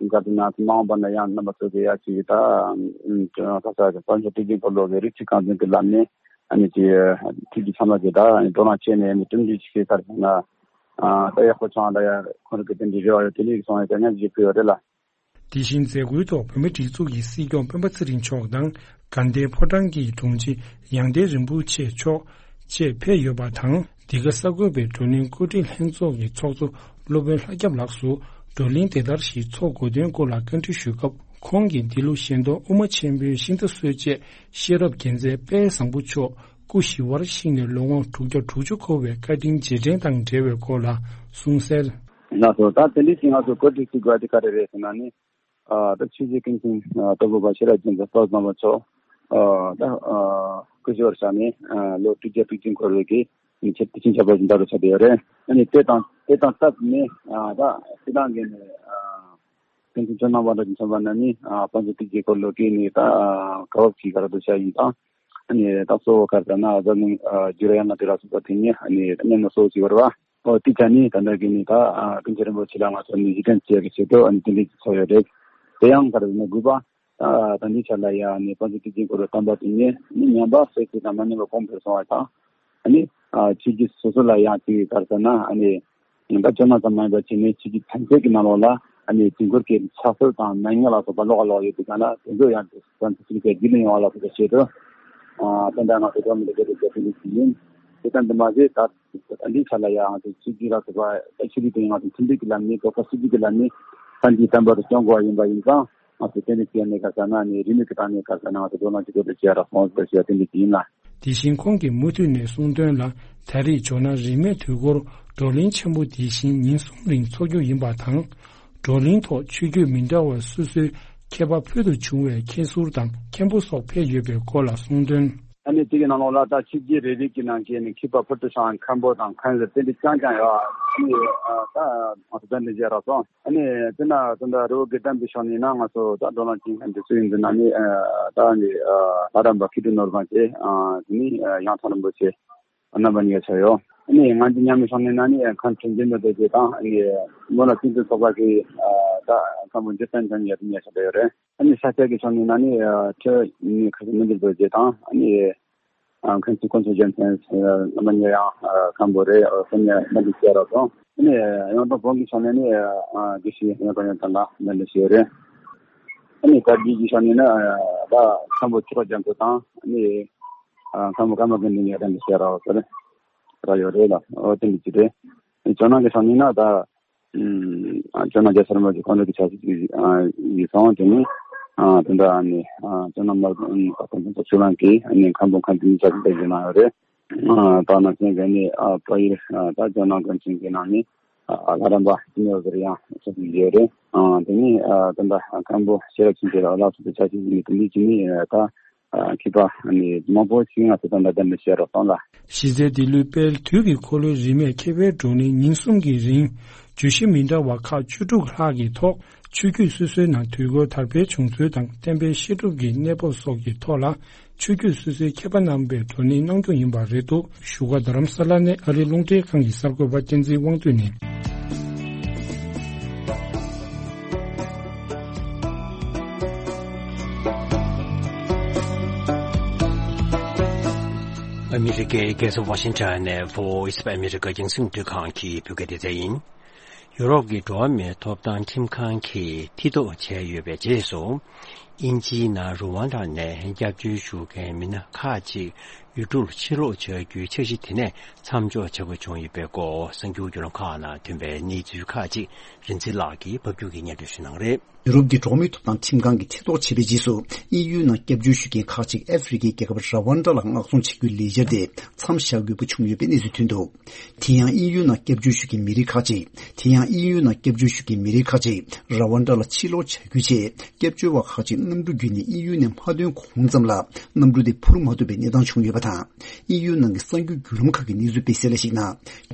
སྐར་དེ་ན་ཚོ་མ་འོངས་པ་ན་ཡང་རྣམ་པ་ཚོ་གི་ཡ་ཅིག་ད་ཨུམ་ད་ས་ས་གི་དཔལ་འབྱོར་སྟེགས་ཅན་སྐོར་ལོག་གི་རིག་བྱེད་རྐང་འཛིན་གི་ལམ་ནས་ཨ་ནི་ཅི་ཁྲིད་ཀྱི་ཚང་མ་གི་ད་བགྲོ་གླེང་བྱས་ནས་ནི་གྲུབ་འབྲས་ཅིག་གི་སར་ན་ཨ་ད་ཡག་པོ་བྱུང་ད་ཡ་ཁོང་རིགས་གི་དེ་འདྲ་རེ་བ་ཡོད། དེ་ནི་སོང་ཡ་ད་ཉག་ཅིག་ཕུལ་ཡོད་རེད་ལ། དེ་བཞིན་མཛད་སྒོའི་ཐོག་བོད་མིའི་སྒྲིག་འཛུགས་ཀྱི་སྲིད་སྐྱོང་སྤེན་པ་ཚེ་རིང་མཆོག་དང་དགའ་ལྡན་ཕོ་བྲང་གི་དྲུང་ཆེ་ཡང་བསྟན་རིན་པོ་ཆེ་མཆོག་བཅས་ཕེབས་ཡོད་པ་དང་། འདི་ག་གསར་འགོད་པས་བགྲོ་གླེང་བཀོད་སྒྲིག་ལྷན་ཚོགས་ཀྱི་ཚོགས་གཙོ་སློབ་དཔོན་ལྷ་སྐྱབས་ལགས་སུ་བགྲོ་གླེང་དེ་ལྟར་ཞིག་ཚོགས་དགོས་དོན་སྐོར་ལ་བཀའ་འདྲི་ཞུས་སྐབས། ཁོང་གིས་འདི་ལོ་གཞན་སྟོང་དབུ་མ་ཆེན་པོའི་ཤིང་རྟ་གསོལ་ཆེད་ཤེས་རབ་རྒྱལ་མཚན་དཔལ་བཟང་པོ་མཆོག་སྐུ་ཞི་བར་གཤེགས་ནས་ལོ་ངོ་དྲུག་བརྒྱ་དྲུག་ཅུ་འཁོར་བའི་བཀའ་དྲིན་རྗེས་དྲན་དང་འབྲེལ་བའི་སྐོར་ལ་གསུངས་གསལ། ལགས་སོ། ད་དེ་འདྲའི་ཅིག་ང་ཚོ་བཀོད་སྒྲིག་ཅིག་དགོས་དེ་ག་རེ་རེད་ཟེར་ན་ནི། ཨ་ད་ཆོས་རྗེ་ཀུན་མཁྱེན་ཨ་སྟག་ཕུ་པ་ཤེས་རབ་རྒྱལ་མཚན་དཔལ་བཟང་པོ་མཆོག་ཨ་ད་ཨ་སྐུ་ཞི་བར་གཤེགས་ནས་ཨ་ལོ་དྲུག་བརྒྱ་དྲུག་ཅུ་འཁོར་བའི་གི་ཆེད་དུ་ཆིན་ཆབ་པ་ཞིག་འདྲ་རུ་ཆགས་བསྡད་ཡོད་རེད། ཨ་ནི་དེ་དང་དེ་དང་སྟབས་ནས་ཨ་ད་སྤྱི་བཏང་གི་ནས་ཨ་ཀུན་མཁྱེན་ཇོ་ནང་པ་འདྲ་ཞིག་མཚོན་པ་ན་ནི་ཨ་དཔལ་འབྱོར་སྟེགས་ཅན་སྐོར་ལོག་གི་ནི་ད་ཨ་ག་བབ་ཅིག་ག་ར་འདུག་བྱ་ཡིན་དང་། ཨ་ནི་ད་གཙོ་བོ་ག་རེ་ཟེར་ན་ཨ་ད་ནི་ཨ་ཇུ་ར་ཡ་ང་དེ་ལ་སོགས་པ་དེ་ནི་ཨ་ནི་ད་ནི་ན་གཙོ་བོ་ཅིག་ཡོད་རེད་བ། ཨོ་དེ་ཆ་ནི་ད་ལྟ་གི་ནི་ད་ཨ་ཀུན་མཁྱེན་རིན་པོ་ཆེ་ལ་ང་ཚོ་ནི་གཞི་རྟེན་བྱེད་ཀྱི་ཆེད་དུ་ཨ་ནི་དེ་འདྲའི་ཚོགས་ཡོད་རེད། དེ་ཡང་ག་རེ་ཟེར་ན་དགོས་པ། ད་ད་འདི་ཆ་ལ་ཡང་ནི་དཔལ་འབྱོར་སྟེགས་ཅན་སྐོར་ལ་བསྟན་པ་དེ་ནི་ནི་ཉམས་པ་གསོས་ཚུལ་དང་མ་ཉམས་པ་གོང་འཕེལ་སོང་བ་དང་། ཨ་ནི་ཨ་ཆོས་བརྒྱུད་སོ་སོ་ལ་ཡང་ཅིག་ག་རེ་ཟེར་ན་ཨ་ནི་ད་ཇོ་ནང་ཙམ་མ་ཡིན་པ་ཅིག་ནི་ཆོས་བརྒྱུད་ཐམས་ཅད་ཀྱི་ནང་ལོགས་ལ་ཨ་ནི་དུས་འཁོར་གྱི་ཕྱག་སྲོལ་དང་མན་ངག་ལ་སོགས་པ་ཀློག་ཀློག་ཡོད་པའི་སྒང་ལ་དེ་ཚོ་ཡང་དེ་ཚོ་ཚུལ་གྱི་རྒྱུད་ལ་ཡོང་བ་ལ་སོགས་པའི་ཆེད་དུ་ཨ་བསྟན་པ་ང་ཚོ་འགྲོ་མི་འདུག་གི་རེད་ཟེར་དེ་འདྲ་ཞིག་ཡིན། དེ་ལྟར་འདི་མ་ཟད་ད་འདི་ཆ་ལ་ཡང་ང་ཚོ་ཆོས་བརྒྱུད་ལ་སོགས་པ་ཆོས་བརྒྱུད་དེ་ང་ཚོ་མཐུན་སྒྲིལ་གྱི་ལམ་ནས་རྡོག་རྩ་གཅིག་སྒྲིལ་གྱི་ལམ་ནས་བསྟན་པའི་བསྟན་པ་དེ་སྐྱོང་དགོས་པ་ཡིན་པ་ཡིན་ཙང་། ང་ཚོ་དེ་འདྲ་བྱས་ནས་ག་ཟེར་ན་ནི་རིས་མེད་ཀྱི་སྟེང་ནས་ག་ཟེར་ན་ང་ཚོ་བགྲོ་གླེང་བྱེད་དགོས་འདུག་ཅེས་ར་སོང་ཟེར་ཞེས་དེ་འདྲ་ཅིག་ཡིན་ལ། དེ་བཞིན་ཁོང་གིས་མུ་མཐུད་ནས་གསུངས་དོན་ལ། ད་རེས་ཇོ་ནང་རིས་མེད་དུས་འཁོར་བགྲོ་གླེང་ཆེན་པོ་དེ་བཞིན་ཉིན་གསུམ་རིང་འཚོགས་རྒྱུ་ཡིན་པ་དང་། བགྲོ་གླེང་ཐོག་ཆོས་བརྒྱུད་མི་འདྲ་བ་སོ་སོའི་མཁས་པ་ཕུལ་དུ་བྱུང་བའི་མཁན་ཟུར་དང་མཁན་པོ་སོགས་ཕེབས་ཡོད་པའི་སྐོར་ལ་གསུངས་དོན། ཨ་ནི་དེ་གི་ནང་ལོགས་ལ་ད་ཆོས་བརྒྱུད་རེ་རེ་གི་ནང་གི་ནི་མཁས་པ་ཕུལ་དུ་བྱུང་བའི་མཁན་པོ་དང་མཁན་ཟུར་དེ་འདྲ་རྐྱང་རྐྱང་ཡོད། ཨ་ནི་ད་ང་ཚོ་ད་འདི་མཇལ་རག་སོང་། ཨ་ནི་དེ་ན་དེ་འདྲ་རི་བོ་དགེ་ལྡན་པའི་ཕྱོགས་ནས་ན་ང་ཚོ་ད་བགྲོ་གླེང་བྱེད་མཁན་དེ་ཚོ་ཡིན་འདི་ན་ནི་ད་ནི་ལྷ་རམས་པ་མཁས་གྲུབ་ནོར་བཟང་བྱས། དེ་ནི་ཡང་ཚང་རིན་པོ་ཆེ་རྣམ་པ་གཉིས་ཀ་ཆགས་ཡོད། ཨ་ནི་ང་ཚོ་མཉམ་མེད་ཕྱོགས་ནས་ན་ནི་མཁན་དྲིན་ཅན་མི་རྡོ་རྗེ་དང་། ཨ་ནི་མོ་ལ་བསྟན་འཛིན་ཚོགས་པ་གི་ད་མཁན་པོ་འཇིག་རྟེན་ཅན་ཡ་དེ་གཉིས་ཆགས་ཡོད་རེད། ཨ་ནི་ས་སྐྱ་གི་ཕྱོགས་ནས་ན་ནི་ཁྲི་ནི་ཁ་སང་མི་འདུག་རྡོ་རྗེ་དང་། ཨ་ནི། ཨ་མཁན་ཆེན་དཀོན་མཆོག་རྒྱལ་མཚན་རྣམ་པ་གཉིས་ཡང་མཁན་པོ་རེད། སོ་ནི་མ་འདི་བྱས་རོགས་སོང་། ཨ་ནི་ཡང་དང་བོན་གྱི་ཕྱོགས་ནས་ནི་དགེ་བཤེས་ཡང་དང་ཡང་དང་ལ་མ་འདི་བྱས་རེད། ཨ་ནི་དར་རྒྱས་ཀྱི་ཕྱོགས་ནས་ནི་ད་མཁན་པོ་ཆོས་གྲགས་རྒྱ་མཚོ་དང་། ཨ་ནི་མཁན་པོ་ཀརྨ་དགེ་འདུན་ཡང་དང་འདི་བྱས་རོགས་ཟེར་ར་ཡོད་རེད་ལ། འོ་དེ་འདི་ཅི་རེད། ཇོ་ནང་གི་ཕྱོགས་ནས་ན་ད། ཨ་ཇོ་ནང་རྒྱལ་མཚན་རིན་པོ་ཆེ་ཁོང་རང་གི་ཆབ་སྲིད་ཅིག་ཨ་ཡིན་སོང་། དེ་ནི་ཨ་དེ་འདྲ་ཨ་ནི་ཨ་ཇོ་ནང་མར་ཨ་ཁོང་ཚོ་ཆུ་ལང་གི་ཨ་ནི་མཁན་པོ་མཁན་དེ་ནི་ཆབ་སྲིད་པ་ཞིག་གནང་ཡོད་རེད། ཨ་ད་ནང་བཞིན་གི་ནི་ཨ་ཕ་ཡུལ་ཨ་ད་ཇོ་ནང་དགོན་ཆེན་གི་ནང་ནི་ཨ་ལྷ་རམས་པ་ཅི་ནས་ཟེར་ཡང་ཆབ་སྲིད་ཡོད་རེད། ཨ་དེ་ནི་ཨ་དེ་འདྲ་མཁན་པོ་ཤེས་རབ་ཆོས་འཕེལ་ལགས་སོགས་ཀྱི་ཆབ་སྲིད་ཅིག་ནི་དེ་འདི་ཅི་ནི་ཨ་ད། མཁས་པ་མང་པོ་ཞིག་ང་ཚོ་དང་འདྲ་འདྲ་བཤད་རོགས་གཏོང་ལ། གཞི་རྩའི་འདི་ལོའི་དཔལ་དུས་ཀྱི་འཁོར་ལོའི་རིས་མེད་མཁས་པའི་བགྲོ་གླེང་ཉིན་གསུམ་གྱི་རིང་བརྗོད་གཞི་མི་འདྲ་བ་ཁག་བཅུ་དྲུག་ལྷག་གི་ཐོག་ཆོས་བརྒྱུད་སོ་སོའི་ནང་དུས་འཁོར་དར་འཕེལ་བྱུང་ཚུལ་དང་བསྟན་པའི་བཤད་སྒྲུབ་ཀྱི་གནས་བབ་སོགས་ཀྱི་ཐོག་ལ་ ཆོས་བརྒྱུད་སོ་སོའི་མཁས་པ་རྣམ་པས་བགྲོ་གླེང་གནང་རྒྱུ་ཡིན་པ་རེད་འདུག་བཞུགས་སྒར་རྡ་རམ་ས་ལ་ནས་ཨ་རིའི་རླུང་འཕྲིན་ཁང་གི་གསར་འགོད་པ་བསྟན་འཛིན་དབང་འདུས་ནས། ཨ་མི་རི་ཀའི་རྒྱལ་ས་ཝ་ཤིང་ཊོན་ནས་Voice of America རྒྱང་སྲིང་བརྒྱུད་ཁང་གི་བོད་སྐད་སྡེ་ཚན་ཡིན། ཡུ་རོབ་ཀྱི་འགྲོ་བ་མིའི་ཐོབ་ཐང་ཁྲིམས་ཁང་གིས་མཐིལ་རྟོགས་བྱས་ཡོད་པའི་རྗེས་སུ། དབྱིན་ཇིའི་ནང་རུ་ཝན་ཌ་ནས་སྐྱབས་བཅོལ་ཞུ་མཁན་མི་སྣ་ཁག་ཅིག་ཡུལ་གྲུར་ཕྱིར་ལོག་བྱ་རྒྱུའི་འཆར་གཞི་དེ་ནས་མཚམས་འཇོག་བྱ་དགོས་བྱུང་ཡོད་པའི་སྐོར། གསར་འགྱུར་བརྒྱུད་ལམ་ཁག་ནང་ཐོན་པའི་གནས་ཚུལ་ཁག་ཅིག་རིན་འཛིན་ལགས་ཀྱིས་ཕབ་སྒྱུར་གྱིས་སྙན་སྒྲོན་ཞུ་གནང་རེད། ཡུ་རོབ་ཀྱི་འགྲོ་བ་མིའི་ཐོབ་ཐང་ཁྲིམས་ཁང་གིས་མཐིལ་རྟོགས་བྱས་པའི་རྗེས་སུ། དབྱིན་ཡུལ་ནང་སྐྱབས་བཅོལ་ཞུ་མཁན་ཁག་ཅིག་ཨ་ཧྥེ་རི་ཁའི་རྒྱལ་ཁབ་ར་ཝན་ཌ་ལ་མངགས་གཏོང་བྱེད་རྒྱུའི་ལས་འཆར་དེ་མཚམས་བཞག་དགོས་པ་བྱུང་ཡོད་པའི་གནས་ཚུལ་ཐོན་འདུག་དེ་ཡང་དབྱིན་ཡུལ་ནང་སྐྱབས་བཅོལ་ཞུ་མཁན་མི་རིགས་ཁག་ཅིག་དེ་ཡང་དབྱིན་ཡུལ་ནང་སྐྱབས་བཅོལ་ཞུ་མཁན་མི་རིགས་ཁག་ཅིག་ར་ཝན་ཌ་ལ་ཕྱིར་ལོག་བྱ་རྒྱུའི་ཆེད། སྐྱབས་བཅོལ་བ་ཁག་ཅིག་གནམ་གྲུ་བརྒྱུད་ནས་དབྱིན་ཡུལ་ནས་མ་ཐོན་གོང་ཙམ་ལ། གནམ་གྲུ་དེ་འཕུར་མ་ཐུབ་པའི་གནས་སྟངས་བྱུང་ཡོད་པ་དང་། དབྱིན་ཡུལ་ནང་གི་གསར་འགྱུར་བརྒྱུད་ལམ་ཁག་གིས་གནས་ཚུལ་སྤེལ་གསལ་ལ་གཞིགས་ན།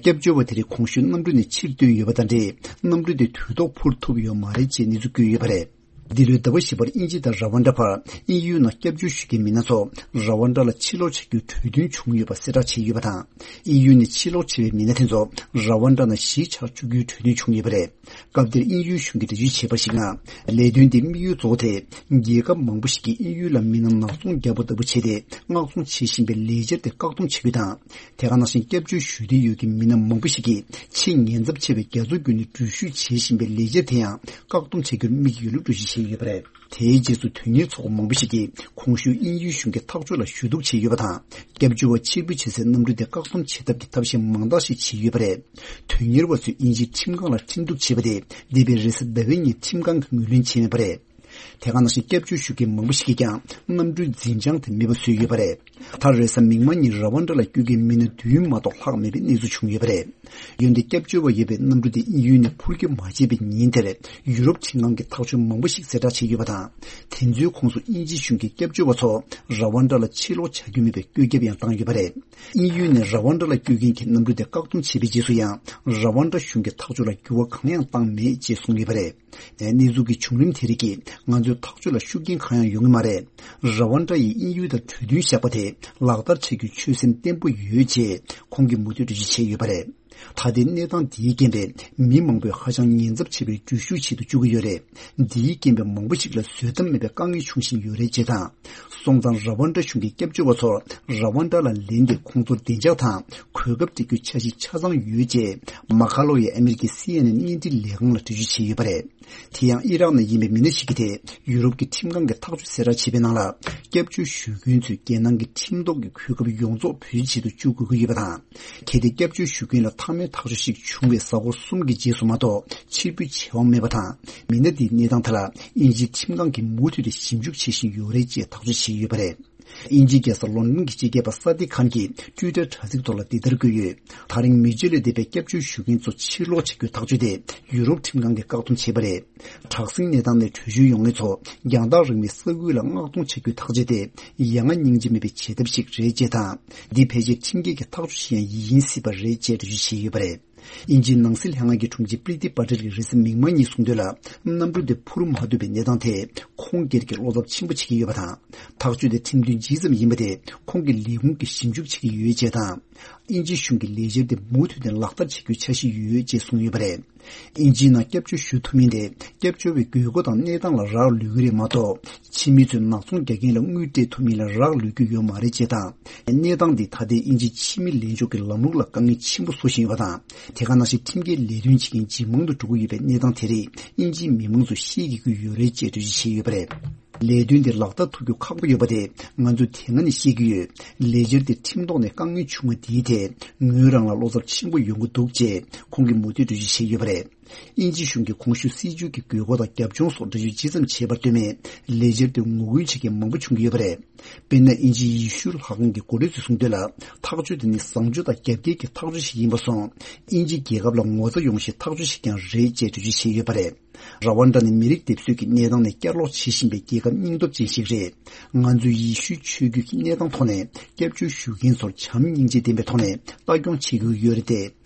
སྐྱབས་བཅོལ་བ་དེ་རིགས་གོང་ཞུས་གནམ་གྲུ་ནས་ཕྱིར་བཏོན་ཡོད་པ་དང་འབྲེལ། གནམ་གྲུ་དེ་དུས་ཐོག་འཕུར་ཐུབ་ཡོད་མ་རེད་ཅེས་གནས་ཚུལ་བཀོད་ཡོད་པ་རེད། འདི་ལོའི་ཟླ་བ་བཞི་པར་དབྱིན་ཇི་དང་ར་ཝན་ཌ་བར་དབྱིན་ཡུལ་ནང་སྐྱབས་བཅོལ་ཞུ་མཁན་མི་སྣ་ཚོ་ར་ཝན་ཌ་ལ་ཕྱིར་ལོག་བྱ་རྒྱུའི་གྲོས་མཐུན་བྱུང་ཡོད་པ་གསལ་བསྒྲགས་བྱས་ཡོད་པ་དང་། དབྱིན་ཡུལ་ནས་ཕྱིར་ལོག་བྱས་པའི་མི་སྣ་དེ་ཚོ་ར་ཝན་ཌ་ནང་གཞིས་ཆགས་བཅུག་རྒྱུའི་གྲོས་མཐུན་བྱུང་ཡོད་པ་རེད། སྐབས་དེར་དབྱིན་ཡུལ་གཞུང་གིས་འགྲེལ་བརྗོད་བྱས་པར་གཞིགས་ན། ལས་དོན་དེའི་དམིགས་ཡུལ་གཙོ་བོ་དེ། རྒྱལ་ཁབ་མང་པོ་ཞིག་གིས་དབྱིན་ཡུལ་ལ་མི་སྣ་ནག་ཚོང་རྒྱག་པ་ལྟ་བུ་བྱས་ཏེ། མངགས་གཏོང་བྱེད་བཞིན་པའི་ལས་འཆར་དེ་བཀག་སྡོམ་བྱེད་རྒྱུ་དང་། དེ་ག་ནང་བཞིན་སྐྱབས་བཅོལ་ཞུ་འདོད་ཡོད་ཀྱི་མི་སྣ་མང་པོ་ཞིག་གིས་ཆེས་ཉེན་ཚབས་ཆེ་བའི་རྒྱ་མཚོ་བརྒྱུད་ནས་འགྲུལ་བཞུད་བྱེད་བཞིན་པའི་ལས་འཆར་དེ་ཡང་བཀག་སྡོམ་བྱ་རྒྱུར་དམིགས་ཡོད་ལུགས་འགྲེལ་བརྗོད་བྱས་ཡོད་པ་རེད། དེའི་རྗེས་སུ་དོན་གཉེར་ཚོགས་པ་མང་པོ་ཞིག་གིས་གོང་ཞུས་དབྱིན་ཡུལ་གཞུང་གི་ཐག་གཅོད་ལ་ཞུ་གཏུག་བྱས་ཡོད་པ་དང་། སྐྱབས་བཅོལ་བ་ཕྱིར་འབུད་བྱེད་སའི་གནམ་གྲུ་དེ་བཀག་སྡོམ་བྱེད་ཐབས་ཀྱི་ཐབས་ཤེས་མང་དག་ཞིག་བྱས་ཡོད་པ་རེད། དོན་གཉེར་བ་ཚོས་དབྱིན་ཇིའི་ཁྲིམས་ཁང་ལ་འཕྲིན་གཏུག་བྱས་པ་དེ་འདས་པའི་རེས་གཟའ་ཟླ་བའི་ཉིན་ཁྲིམས་ཁང་གིས་ངོས་ལེན་བྱས་མེད་པ་རེད། དེ་ག་ནང་བཞིན་སྐྱབས་བཅོལ་ཞུ་མཁན་མང་པོ་ཞིག་གིས་ཀྱང་གནམ་གྲུའི་འཛིན་བྱང་དེ་མེད་པ་བཟོས་ཡོད་པ་རེད། མཐར་རེས་གཟའ་མིག་དམར་ཉིན་ར་ཝན་ཌ་ལ་སྐྱོད་མཁན་མི་སྣ་བདུན་མ་གཏོགས་ལྷག་མེད་པའི་གནས་ཚུལ་བྱུང་ཡོད་པ་རེད། འོན་ཏེ་སྐྱབས་བཅོལ་བ་ཡོད་པའི་གནམ་གྲུ་དེ་དབྱིན་ཡུལ་ནས་འཕུར་སྐྱོད་མ་བྱས་པའི་ཉིན་དེར་ཡུ་རོབ་ཁྲིམས་ཁང་གིས་ཐག་གཅོད་མང་པོ་ཞིག་གསལ་བསྒྲགས་བྱས་ཡོད་པ་དང་། དེ་ཚོའི་ཁོངས་སུ་དབྱིན་ཇི་གཞུང་གིས་སྐྱབས་བཅོལ་བ་ཚོ་ར་ཝན་ཌ་ལ་ཕྱིར་ལོག་བྱ་རྒྱུ་མེད་པའི་བཀོད་ཁྱབ་ཡང་བཏང་ཡོད་པ་རེད། དབྱིན་ཡུལ་ནས་ར་ཝན་ཌ་ལ་སྐྱོད་མཁན་གྱི་གནམ་གྲུ་དེ་བཀག་སྡོམ་བྱས་པའི་རྗེས་སུ་ཡང་ར་ཝན་ཌ་གཞུང་གིས་ཐག་གཅོད་ལ་འགྱུར་བ་གང་ཡང་བཏང་མེད་ཅེས་གསུངས་ཡོད་པ་རེད། གནས་ཚུལ་གྱི་བྱུང་རིམ་དེ་རིགས་ཀྱིས་ང་ཚོའི་ཐག་གཅོད་ལ་ཤུགས་རྐྱེན་གང་ཡང་ཡོང་གི་མ་རེད། ར་ཝན་ཌ་ཡིས་དབྱིན་ཡུལ་དང་གྲོས་མཐུན་བཞག་པ་དེ་ལག་བསྟར་བྱ་རྒྱུའི་ཆོད་སེམས་བརྟན་པོ་ཡོད་ཅེས་ཁོང་གིས་མུ་མཐུད་འགྲེལ་བརྗོད་བྱས་ཡོད་པ་རེད། ད་ལྟའི་གནས་སྟངས་འདིའི་རྐྱེན་པས་མི་མང་པོས་ཧ་ཅང་ཉེན་ཚབས་ཆེ་བའི་འགྲུལ་བཞུད་བྱེད་དུ་བཅུག་གི་ཡོད་རེད། འདིའི་རྐྱེན་པས་མང་པོ་ཞིག་ལ་བཟོད་ཐབས་མེད་པའི་དཀའ་ངལ་འབྱུང་བཞིན་ཡོད་རེད་ཅེས་དང་། སོང་ཙང་ར་ཝན་ཌ་གཞུང་གིས་སྐྱབས་བཅོལ་བ་ཚོར་ར་ཝན་ཌ་ལ་ལེན་ཏེ་ཁོང་ཚོར་བདེ་འཇགས་དང་གོ་སྐབས་སྤྲད་རྒྱུའི་འཆར་གཞི་ཆ་ཚང་ཡོད་ཅེས་མ་ཁ་ལོ་ཡིས་ཨ་མེ་རི་ཀའི་སི་ཨེན་ཨེན་བརྙན་འཕྲིན་ལས་ཁང་ལ་འགྲེལ་བརྗོད་བྱས་ཡོད་པ་རེད། དེ་ཡང་ཨི་རག་ནས་ཡིན་པའི་མི་སྣ་ཞིག་གིས་དེ་ཡུ་རོབ་ཀྱི་ཁྲིམས་ཁང་གིས་ཐག་གཅོད་གསལ་བསྒྲགས་བྱས་པའི་ནང་ལ། སྐྱབས་བཅོལ་ཞུ་མཁན་ཚོས་རྒྱལ་ནང་གི་ཁྲིམས་ཐོག་གི་གོ་སྐབས་ཡོངས་རྫོགས་བེད་སྤྱོད་བྱེད་དུ་བཅུག་དགོས་ཀྱི་ཡོད་པ་དང་། གལ་ཏེ་སྐྱབས་བཅོལ་ཞུ་མཁན་ལ་མཐའ་མའི་ཐག་གཅོད་ཞིག་བྱུང་བའི་གཟའ་འཁོར་གསུམ་གྱི་རྗེས་སུ་མ་གཏོགས་ཕྱིར་འབུད་བྱེད་དབང་མེད་པ་དང་། མི་སྣ་འདིའི་གནས་སྟངས་ཐད་ལ་དབྱིན་ཇིའི་ཁྲིམས་ཁང་གིས་མུ་མཐུད་དེ་ཞིབ་འཇུག་བྱེད་བཞིན་ཡོད་རེད་ཅེས་ཐག་གཅོད་བྱས་ཡོད་པ་རེད། དབྱིན་ཇིའི་རྒྱལ་ས་ལོན་ཌོན་གྱི་སྤྱི་ཁྱབ་པ་ས་ཏི་ཁཱན་གྱིས་ཊུའི་ཊར་དྲ་ཚིགས་ཐོག་ལ་འདི་ལྟར་བཀོད་ཡོད། ད་རིང་མི་སྤྱོད་ལས་འདས་པའི་སྐྱབས་བཅོལ་ཞུ་མཁན་ཚོ་ཕྱིར་ལོག་བྱ་རྒྱུའི་ཐག་གཅོད་དེ་ཡུ་རོབ་ཁྲིམས་ཁང་གིས་བཀག་སྡོམ་བྱས་པ་རེད། དྲག་ཟིང་གནས་སྟངས་ནས་བྲོས་བྱོལ་ཡོང་མཁན་ཚོ་རྒྱང་ཐག་རིང་བའི་ས་ཁུལ་ལ་མངགས་གཏོང་བྱ་རྒྱུའི་ཐག་གཅོད་དེ་ཡ་ང་སྙིང་རྗེ་མེད་པའི་བྱེད་ཐབས་ཤིག་རེད་ཅེས་དང་། འདི་ཕལ་ཆེར་ཁྲིམས་འགལ་གྱི་ཐག་གཅོད་ཞིག་ཡང་ཡིན་སྲིད་པ་རེད་ཅེས་འགྲེལ་བརྗོད་བྱས་ཡོད་པ་རེད། དབྱིན་ཇིའི་ནང་སྲིད་ལྷན་ཁང་གི་དྲུང་ཆེ་པྲི་ཏི་པ་ཏེལ་གྱིས་རེས་གཟའ་མིག་དམར་ཉིན་གསུངས་དོན་ལ། གནམ་གྲུ་དེ་འཕུར་མ་ཐུབ་པའི་གནས་སྟངས་དེས་ཁོང་སྒེར་གྱི་བློ་འཚབ་ཆེན་པོ་བྱེད་ཀྱི་ཡོད་པ་དང་། ཐག་གཅོད་དེ་ཁྲིམས་མཐུན་ཇི་ཙམ་ཡིན་པ་དེ་ཁོང་གི་ལས་ཁུངས་ཀྱིས་ཞིབ་འཇུག་བྱེད་ཀྱི་ཡོད་ཅེས་དང་། དབྱིན་ཇི་གཞུང་གིས་ལས་འཆར་དེ་མུ་མཐུད་ནས་ལག་བསྟར་བྱེད་རྒྱུའི་འཆར་གཞི་ཡོད་ཅེས་གསུངས་ཡོད་པ་རེད། དབྱིན་ཇིའི་ནང་སྐྱབས་བཅོལ་ཞུ་ཐུབ་མིན་དེ་སྐྱབས་བཅོལ་བའི་དགོས་མཁོ་དང་གནས་སྟངས་ལ་རག་ལུས་ཀྱི་རེད་མ་གཏོགས། ཕྱི་མི་ཚོས་ནག་ཚོང་རྒྱག་མཁན་ལ་དངུལ་སྤྲད་ཐུབ་མིན་ལ་རག་ལུས་ཀྱི་ཡོད་མ་རེད་ཅེས་དང་། གནས་སྟངས་འདིས་ད་ལྟའི་དབྱིན་ཇིའི་ཕྱི་མི་ལེན་ཕྱོགས་ཀྱི་ལམ་ལུགས་ལ་དཀའ་ངལ་ཆེན་པོ་བཟོ་བཞིན་ཡོད་པ་དང་། དེ་ག་ནང་བཞིན་ཁྲིམས་འགལ་ལས་དོན་བྱེད་མཁན་ཇེ་མང་དུ་འགྲོ་གི་ཡོད་པའི་གནས་སྟངས་དེ་རིགས་དབྱིན་ཇིའི་མི་མང་ཚོས་ཤེས་དགོས་ཀྱི་ཡོད་རེད་ཅེས་འགྲེལ་བརྗོད་བྱས་ཡོད་པ་རེད། ལས་དོན་དེ་ལག་བསྟར་ཐུབ་རྒྱུ་ཁག་པོ་ཡོད་པ་དེ་ང་ཚོས་དེ་སྔ་ནས་ཤེས་ཀྱི་ཡོད། ལས་འཆར་དེ་ཁྲིམས་ཐོག་ནས་དཀའ་ངལ་བྱུང་བ་དེའི་ཐད་ངོས་རང་ལ་བློ་འཚབ་ཆེན་པོ་ཡོང་གི་འདུག་ཅེས་ཁོང་གིས་མུ་མཐུད་འགྲེལ་བརྗོད་བྱས་ཡོད་པ་རེད། དབྱིན་ཇི་གཞུང་གིས་གོང་ཞུས་སྲིད་བྱུས་ཀྱི་དགོས་མཁོ་དང་རྒྱབ་ལྗོངས་སོགས་འགྲེལ་བརྗོད་ཇི་ཙམ་བྱས་པར་ལྟོས་མེད། ལས་འཆར་དེ་ངོ་རྒོལ་བྱེད་མཁན་མང་པོ་བྱུང་གི་ཡོད་པ་རེད། དཔེར་ན། དབྱིན་ཇིའི་ཡེ་ཤུའི་ལྷ་ཁང་གི་འགོ་ཁྲིད་ཚོས་གསུངས་དོན་ལ། ཐག་གཅོད་དེ་ནི་བཟང་སྤྱོད་དང་རྒྱབ་འགལ་གྱི་ཐག་གཅོད་ཞིག་ཡིན་པ་སོང་། དབྱིན་ཇི་རྒྱལ་ཁབ་ལ་ངོ་ཚ་ཡོང་ཤེས་ཐག་གཅོད་ཞིག་ཀྱང་རེད་ཅེས་འགྲེལ་བརྗོད་བྱས་ཡོད་པ་རེད། ར་ཝན་ཌ་ནི་མི་རིགས་སྡེབ་གསོད་ཀྱི་གནས་སྟངས་ནས་བསྐྱར་ལོག་བྱེད་བཞིན་པའི་རྒྱལ་ཁབ་སྙིང་སྟོབས་ཅན་ཞིག་རེད། ང་ཚོས་ཡེ་ཤུའི་ཆོས་བརྒྱུད་ཀྱི་གནས་སྟངས་ཐོག་ནས་སྐྱབས་བཅོལ་ཞུ་མཁན་ཚོར་བྱམས་སྙིང་རྗེ་ལྡན་པའི་ཐོག་ནས་ལྟ་སྐྱོང་བྱེད་དགོས་ཀྱི་ཡོད་རེད་དེ།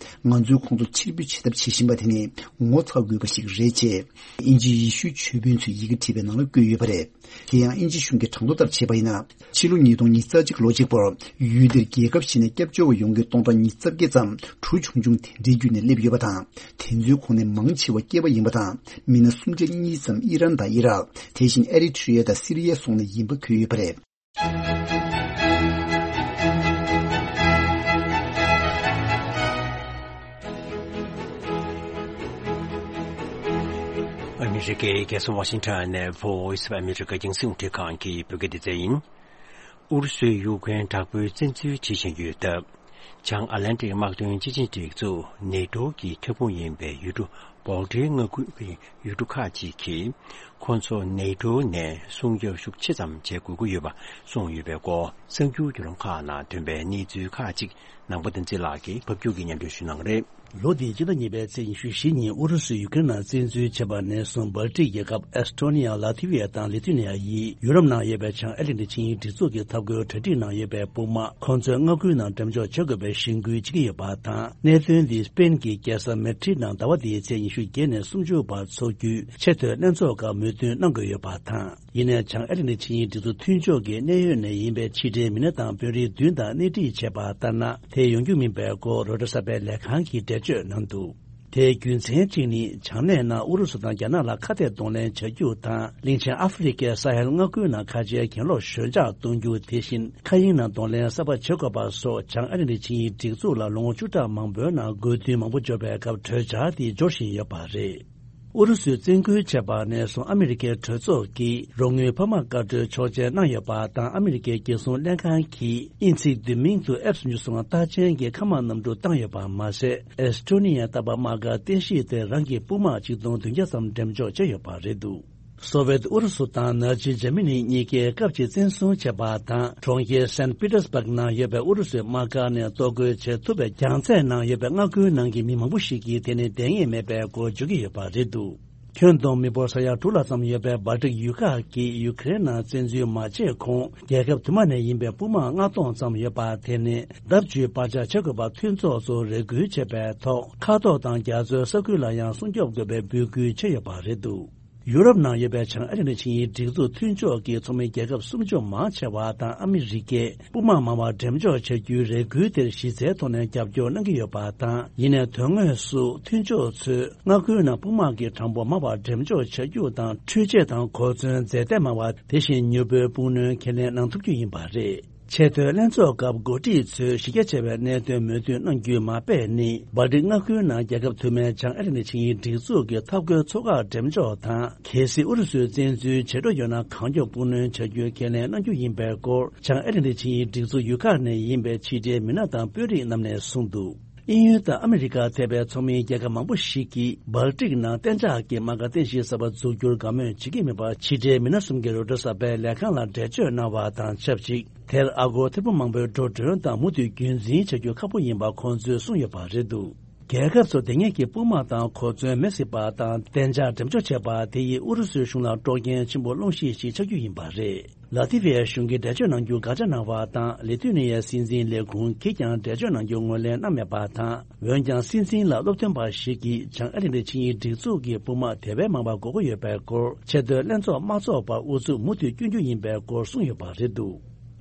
ང་ཚོས་ཁོང་ཚོ་ཕྱིར་འབུད་བྱེད་ཐབས་བྱེད་བཞིན་པ་དེ་ནི་ངོ་ཚ་དགོས་པ་ཞིག་རེད་ཅེས། དབྱིན་ཇིའི་ཡེ་ཤུའི་ཆོས་དཔོན་ཚོས་ཡི་གེ་བྲིས་པའི་ནང་ལ་བཀོད་ཡོད་པ་རེད། དེ་ཡང་དབྱིན་ཇི་གཞུང་གིས་གྲངས་ཐོ་ལྟར་བྱས་པ་ཡིན་ན། ཕྱི་ལོ་ཉིས་སྟོང་ཉི་ཤུ་རྩ་གཅིག་ལོ་གཅིག་པོར་ཡུལ་དེར་རྒྱལ་ཁབ་གཞན་ནས་སྐྱབས་བཅོལ་བ་ཡོང་མཁན་སྟོང་ཕྲག་ཉི་ཤུ་རྩ་བརྒྱད་ཙམ་གྲུ་ཆུང་ཆུང་དེ་འདྲའི་བརྒྱུད་ནས་སླེབས་ཡོད་པ་དང་། དེ་ཚོའི་ཁོངས་ནས་མང་ཆེ་བ་སྐྱེས་པ་ཡིན་པ་དང་། མི་སྣ་སུམ་ཆ་གཉིས་ཙམ་ཨི་རན་དང་ཨི་རག་དེ་བཞིན་ཨེ་རི་ཐི་རི་ཡ་དང་སི་རི་ཡའི་སོགས་ནས་ཡིན་པ་འཁོད་ཡོད་པ་རེད། ཨ་མི་རི་ཀའི་རྒྱལ་ས་ཝ་ཤིང་ཊོན་ནས་Voice of America རྒྱང་སྲིང་རླུང་འཕྲིན་ཁང་གི་བོད་སྐད་སྡེ་ཚན་ཡིན། ཨུ་རུ་སུས་ཡུཀ་རེན་དྲག་པོའི་བཙན་འཛུལ་བྱེད་བཞིན་ཡོད་སྟབས། བྱང་ཨ་ལན་ཏིག་དམག་དོན་སྤྱི་ཆིངས་སྒྲིག་འཛུགས་ནེ་ཏོ་གི་ཐོན་ཁུངས་ཡིན་པའི་ཡུལ་གྲུ་སྦལ་ཏིག་མངའ་ཁུལ་གྱི་ཡུལ་གྲུ་ཁག་ཅིག་གིས་ཁོ་ཚོ་ནེ་ཏོ་ནས་སྲུང་སྐྱོབ་ཤུགས་ཆེ་ཙམ་བྱེད་དགོས་ཀྱི་ཡོད་པ་གསུངས་ཡོད་པའི་སྐོར་གསར་འགྱུར་བརྒྱུད་ལམ་ཁག་ནང་ཐོན་པའི་གནས་ཚུལ་ཁག་ཅིག་ནང་པ་བསྟན་འཛིན་ལགས་ཀྱིས་ཕབ་སྒྱུར་གྱིས་སྙན་སྒྲོན་ཞུ་གནང་གི་རེད། ལོ་འདིའི་སྤྱི་ཟླ་གཉིས་པའི་ཚེས་ཉི་ཤུ་བཞི་ཉིན་ཨུ་རུ་སུས་ཡུ་ཀེ་རེན་ནང་བཙན་འཛུལ་བྱས་པ་ནས་བཟུང་སྦལ་ཏིག་རྒྱལ་ཁབ་ཨེས་ཏོ་ནི་ཡ། ལ་ཐི་ཝི་ཡ་དང་ལི་ཐུ་ནི་ཡ་ཡིས་ཡུ་རོབ་ནང་ཡོད་པའི་བྱང་ཨེ་ལན་ཏི་ཆིངས་ཡིག་སྒྲིག་འཛུགས་ཀྱི་འཐབ་རྒོལ་གྲ་སྒྲིག་ནང་ཡོད་པའི་དཔུང་དམག་ཁོ་ཚོའི་མངའ་ཁུལ་ནང་འགྲེམས་འཇོག་བྱེད་དགོས་པའི་གཞེན་སྐུལ་བྱེད་ཀྱི་ཡོད་པ་དང་། གནད་དོན་འདི་སྤེན་གྱི་རྒྱལ་ས་མེ་ཌི་རིད་ནང་ཟླ་བ་འདིའི་ཚེས་ཉི་ཤུ་བརྒྱད་ནས་སུམ་ཅུ་བར་འཚོགས་རྒྱུའི་ཆེས་མཐོའི་ལྷན་ཚོགས་སྐབས་མོས་མཐུན་གནང་དགོས་ཡོད་པ་དང་། ཡིན་ནའི་བྱང་ཨེ་ལན་ཏི་ཆིངས་ཡིག་སྒྲིག་འཛུགས་མཐུན་ཕྱོགས་ཀྱི་གནད་ཡོད་ནས་ཡིན་པའི་ཕྱི་འབྲེལ་མི་སྣ་དང་དཔོན་རིགས་བདུན་དང་སྣེ་ཁྲིད་བྱས་པ་ལྟར་ན། དེ་ཡོང་རྒྱུ་མིན་པའི་སྐོར་རོའི་ཊར་གསར་པའི་ལས་ཁང་གིས་འགྲེལ་བརྗོད་གནང་འདུག་དེའི་རྒྱུ་མཚན་གཅིག་ནི། བྱང་སྣེ་ནང་ཨུ་རུ་སུ་དང་རྒྱ་ནག་ལ་ཁ་གཏད་གདོང་ལེན་བྱ་རྒྱུ་དང་། གླིང་ཆེན་ཨ་ཧྥེ་རི་ཁའི་ས་ཧེལ་མངའ་ཁུལ་ནང་ཁ་ཆེའི་གྱེན་ལོག་ཞོད་འཇགས་གཏོང་རྒྱུ། དེ་བཞིན་མཁའ་དབྱིངས་ནང་གདོང་ལེན་གསར་པ་བྱེད་དགོས་པ་སོགས་བྱང་ཨ་ལན་ཏི་ཆིངས་ཡིག་སྒྲིག་འཛུགས་ལ་ལོ་ངོ་བཅུ་ཕྲག་མང་པོའི་ནང་དགོས་འདུན་མང་པོ་འབྱོར་བའི་སྐབས་གྲོས་འཆར་དེ་འབྱོར་བཞིན་ཡོད་པ་རེད། ཨུ་རུ་སུས་བཙན་སྐུལ་བྱས་པ་ནས་བཟུང་ཨ་མི་རི་ཀའི་གྲོས་ཚོགས་ཀྱིས་རོགས་དངུལ་འཕར་མ་བཀའ་འཁྲོལ་ཆོག་མཆན་གནང་ཡོད་པ་དང་། ཨ་མི་རི་ཀའི་རྒྱལ་སྲུང་ལྷན་ཁང་གིས་དབྱིན་ཚིག་བསྡུས་མིང་དུ་ཨེཕ་སུམ་ཅུ་སོ་ལྔ་རྟགས་ཅན་གྱི་མཁའ་དམག་གནམ་གྲུ་བཏང་ཡོད་པ་མ་ཟད། ཨེས་ཏོ་ནི་ཡའི་རྟ་པ་དམག་སྒར་རྟེན་གཞི་དེར་རང་གི་དཔུང་དམག་ཆིག་སྟོང་བདུན་བརྒྱ་ཙམ་འགྲེམས་འཇོག་བྱས་ཡོད་པ་རེད་འདུག་སོ་ཝེད་ཨུ་རུ་སུ་དང་ནཱ་ཛི་འཇར་མ་ནི་གཉིས་ཀས་སྐབས་གཅིག་བཙན་བཟུང་བྱས་པ་དང་། གྲོང་ཁྱེར་སན་པི་ཏར་སྦག་ནང་ཡོད་པའི་ཨུ་རུ་སུའི་དམག་སྒར་ནས་གཏོར་རྒོལ་བྱེད་ཐུབ་པའི་རྒྱལ་རྩེ་ནང་ཡོད་པའི་མངའ་ཁུལ་ནང་གི་མི་མང་པོ་ཞིག་གིས་དེ་ནི་བསྡད་ངེས་མེད་པའི་སྐོར་བརྗོད་ཀྱི་ཡོད་པ་རེད་འདུག་ཁྱོན་བསྡོམས་མི་འབོར་ས་ཡ་དྲུག་ལྷག་ཙམ་ཡོད་པའི་སྦལ་ཏིག་ཡུལ་ཁག་གིས་ཡུ་ཀེ་རེན་ནང་བཙན་འཛུལ་མ་བྱས་གོང་རྒྱལ་ཁབ་དུ་མ་ནས་ཡིན་པའི་དཔུང་དམག་ལྔ་སྟོང་ཙམ་ཡོད་པ། དེ་ནི་ལྡབ་བཅུའི་བར་ཆད་བྱེད་དགོས་པ་མཐུན་ཚོགས་གཙོས་རེ་སྐུལ་བྱས་པའི་ཐོག་མཁའ་ཐོག་དང་རྒྱ་མཚོའི་ས་ཁུལ་ལ་ཡང་སྲུང་སྐྱོབ་དགོས་པའི་འབོད་སྐུལ་བྱས་ཡོད་པ་རེད་འདུག་ཡུ་རོབ་ནང་ཡོད་པའི་བྱང་ཨ་ལན་ཏི་ཆིངས་ཡིག་སྒྲིག་འཛུགས་མཐུན་ཕྱོགས་ཀྱི་ཚོགས་མི་རྒྱལ་ཁབ་སུམ་ཅུ་མང་ཆེ་བ་དང་ཨ་མི་རི་ཀས་དཔུང་དམག་མང་བ་འགྲེམས་འཇོག་བྱ་རྒྱུའི་རེ་སྐུལ་དེར་གཞི་རྩའི་ཐོག་ནས་རྒྱབ་སྐྱོར་གནང་གི་ཡོད་པ་དང་། ཡིན་ནའི་དོན་དངོས་སུ་མཐུན་ཕྱོགས་ཚོས་མངའ་ཁུལ་ནང་དཔུང་དམག་གི་གྲངས་འབོར་མང་བ་འགྲེམས་འཇོག་བྱ་རྒྱུ་དང་། འཕྲུལ་ཆས་དང་གོ་མཚོན་རྫས་གཏེར་མང་བ། དེ་བཞིན་མྱུར་པོའི་སྤུངས་སྣོན་ཁས་ལེན་གནང་ཐུབ་རྒྱུ་ཡིན་པ་རེད། ཆེས་མཐོའི་ལྷན་ཚོགས་སྐབས་འགོ་ཁྲིད་ཚོས་གཞི་རྒྱ་ཆེ་བའི་གནད་དོན་མོས་མཐུན་གནང་རྒྱུའི་མ་དཔེ་ནི། སྦལ་ཏིག་མངའ་ཁུལ་ནང་རྒྱལ་ཁབ་དུ་མའི་བྱང་ཨ་ལན་ཏི་ཆིངས་ཡིག་སྒྲིག་འཛུགས་ཀྱི་འཐབ་རྒོལ་ཚོགས་ཁག་འགྲེམས་འཇོག་དང་། གལ་སྲིད་ཨུ་རུ་སུས་བཙན་འཛུལ་བྱེད་འགྲོ་ཡོད་ན། གང་མགྱོགས་སྤུངས་སྣོན་བྱ་རྒྱུའི་ཁས་ལེན་གནང་རྒྱུ་ཡིན་པའི་སྐོར། བྱང་ཨ་ལན་ཏི་ཆིངས་ཡིག་སྒྲིག་འཛུགས་ཡུལ་ཁག་ནས་ཡིན་པའི་ཕྱི་འབྲེལ་མི་སྣ་དང་དཔོན་རིགས་རྣམས་ནས་གསུངས་འདུག་དབྱིན་ཡུལ་དང་ཨ་མི་རི་ཀ་ཐེ་བའི་ཚོགས་མིའི་རྒྱལ་ཁབ་མང་པོ་ཞིག་གིས་སྦལ་ཏིག་ནང་གཏན་འཇགས་ཀྱི་དམག་སྒར་རྟེན་གཞི་གསར་པ་འཛུགས་རྒྱུར་དགའ་མོས་བྱེད་ཀྱི་མེད་པ། ཕྱི་འབྲེལ་མི་སྣ་གསུམ་གྱིས་རོའི་ཊར་གསར་པའི་ལས་ཁང་ལ་འགྲེལ་བརྗོད་གནང་བ་དང་ཆབས་ཅིག་དེར་ཨ་སྒོར་ཐེར་འབུམ་མང་པོའི་འགྲོ་གྲོན་དང་མུ་མཐུད་རྒྱུན་འཛིན་བྱ་རྒྱུ་ཁག་པོ་ཡིན་པ་ཁོང་ཚོས་གསུངས་ཡོད་པ་རེད་འདུག་རྒྱལ་ཁབ་ཚོ་དེ་སྔོན་གྱི་དཔུང་དམག་དང་གོ་མཚོན་མེ་བསྲེགས་པ་དང་གཏན་འཇགས་འགྲེམས་འཇོག་བྱས་པ་དེ་ཡིས་ཨུ་རུ་སུའི་གཞུང་ལ་དཀྲོག་རྐྱེན་ཆེན་པོ་སློང་གཞི་ཞིག་ཆགས་རྒྱུ་ཡིན་པ་རེད། ལ་ཐི་ཝའི་གཞུང་གིས་འགྲེལ་བརྗོད་གནང་རྒྱུ་དགག་བྱ་གནང་བ་དང་། ལི་ཐུ་ནི་ཡའི་སྲིད་འཛིན་ལས་ཁུངས་ཀྱིས་ཀྱང་འགྲེལ་བརྗོད་གནང་རྒྱུ་ངོས་ལེན་གནང་མེད་པ་དང་། འོན་ཀྱང་སྲིད་འཛིན་ལ་སློབ་སྟོན་པ་ཞིག་གིས་བྱང་ཨ་ལན་ཏི་ཆིངས་ཡིག་སྒྲིག་འཛུགས་ཀྱི་དཔུང་དམག་དེ་བས་མང་བ་དགོས་མཁོ་ཡོད་པའི་སྐོར། ཆེས་མཐོའི་ལྷན་ཚོགས་མ་འཚོགས་པར་ཨུ་ཚུགས་མུ་མཐུད་བསྐྱོན་རྒྱུ་ཡིན་པའི་སྐོར་གསུངས་ཡོད་པ་རེད་འདུག་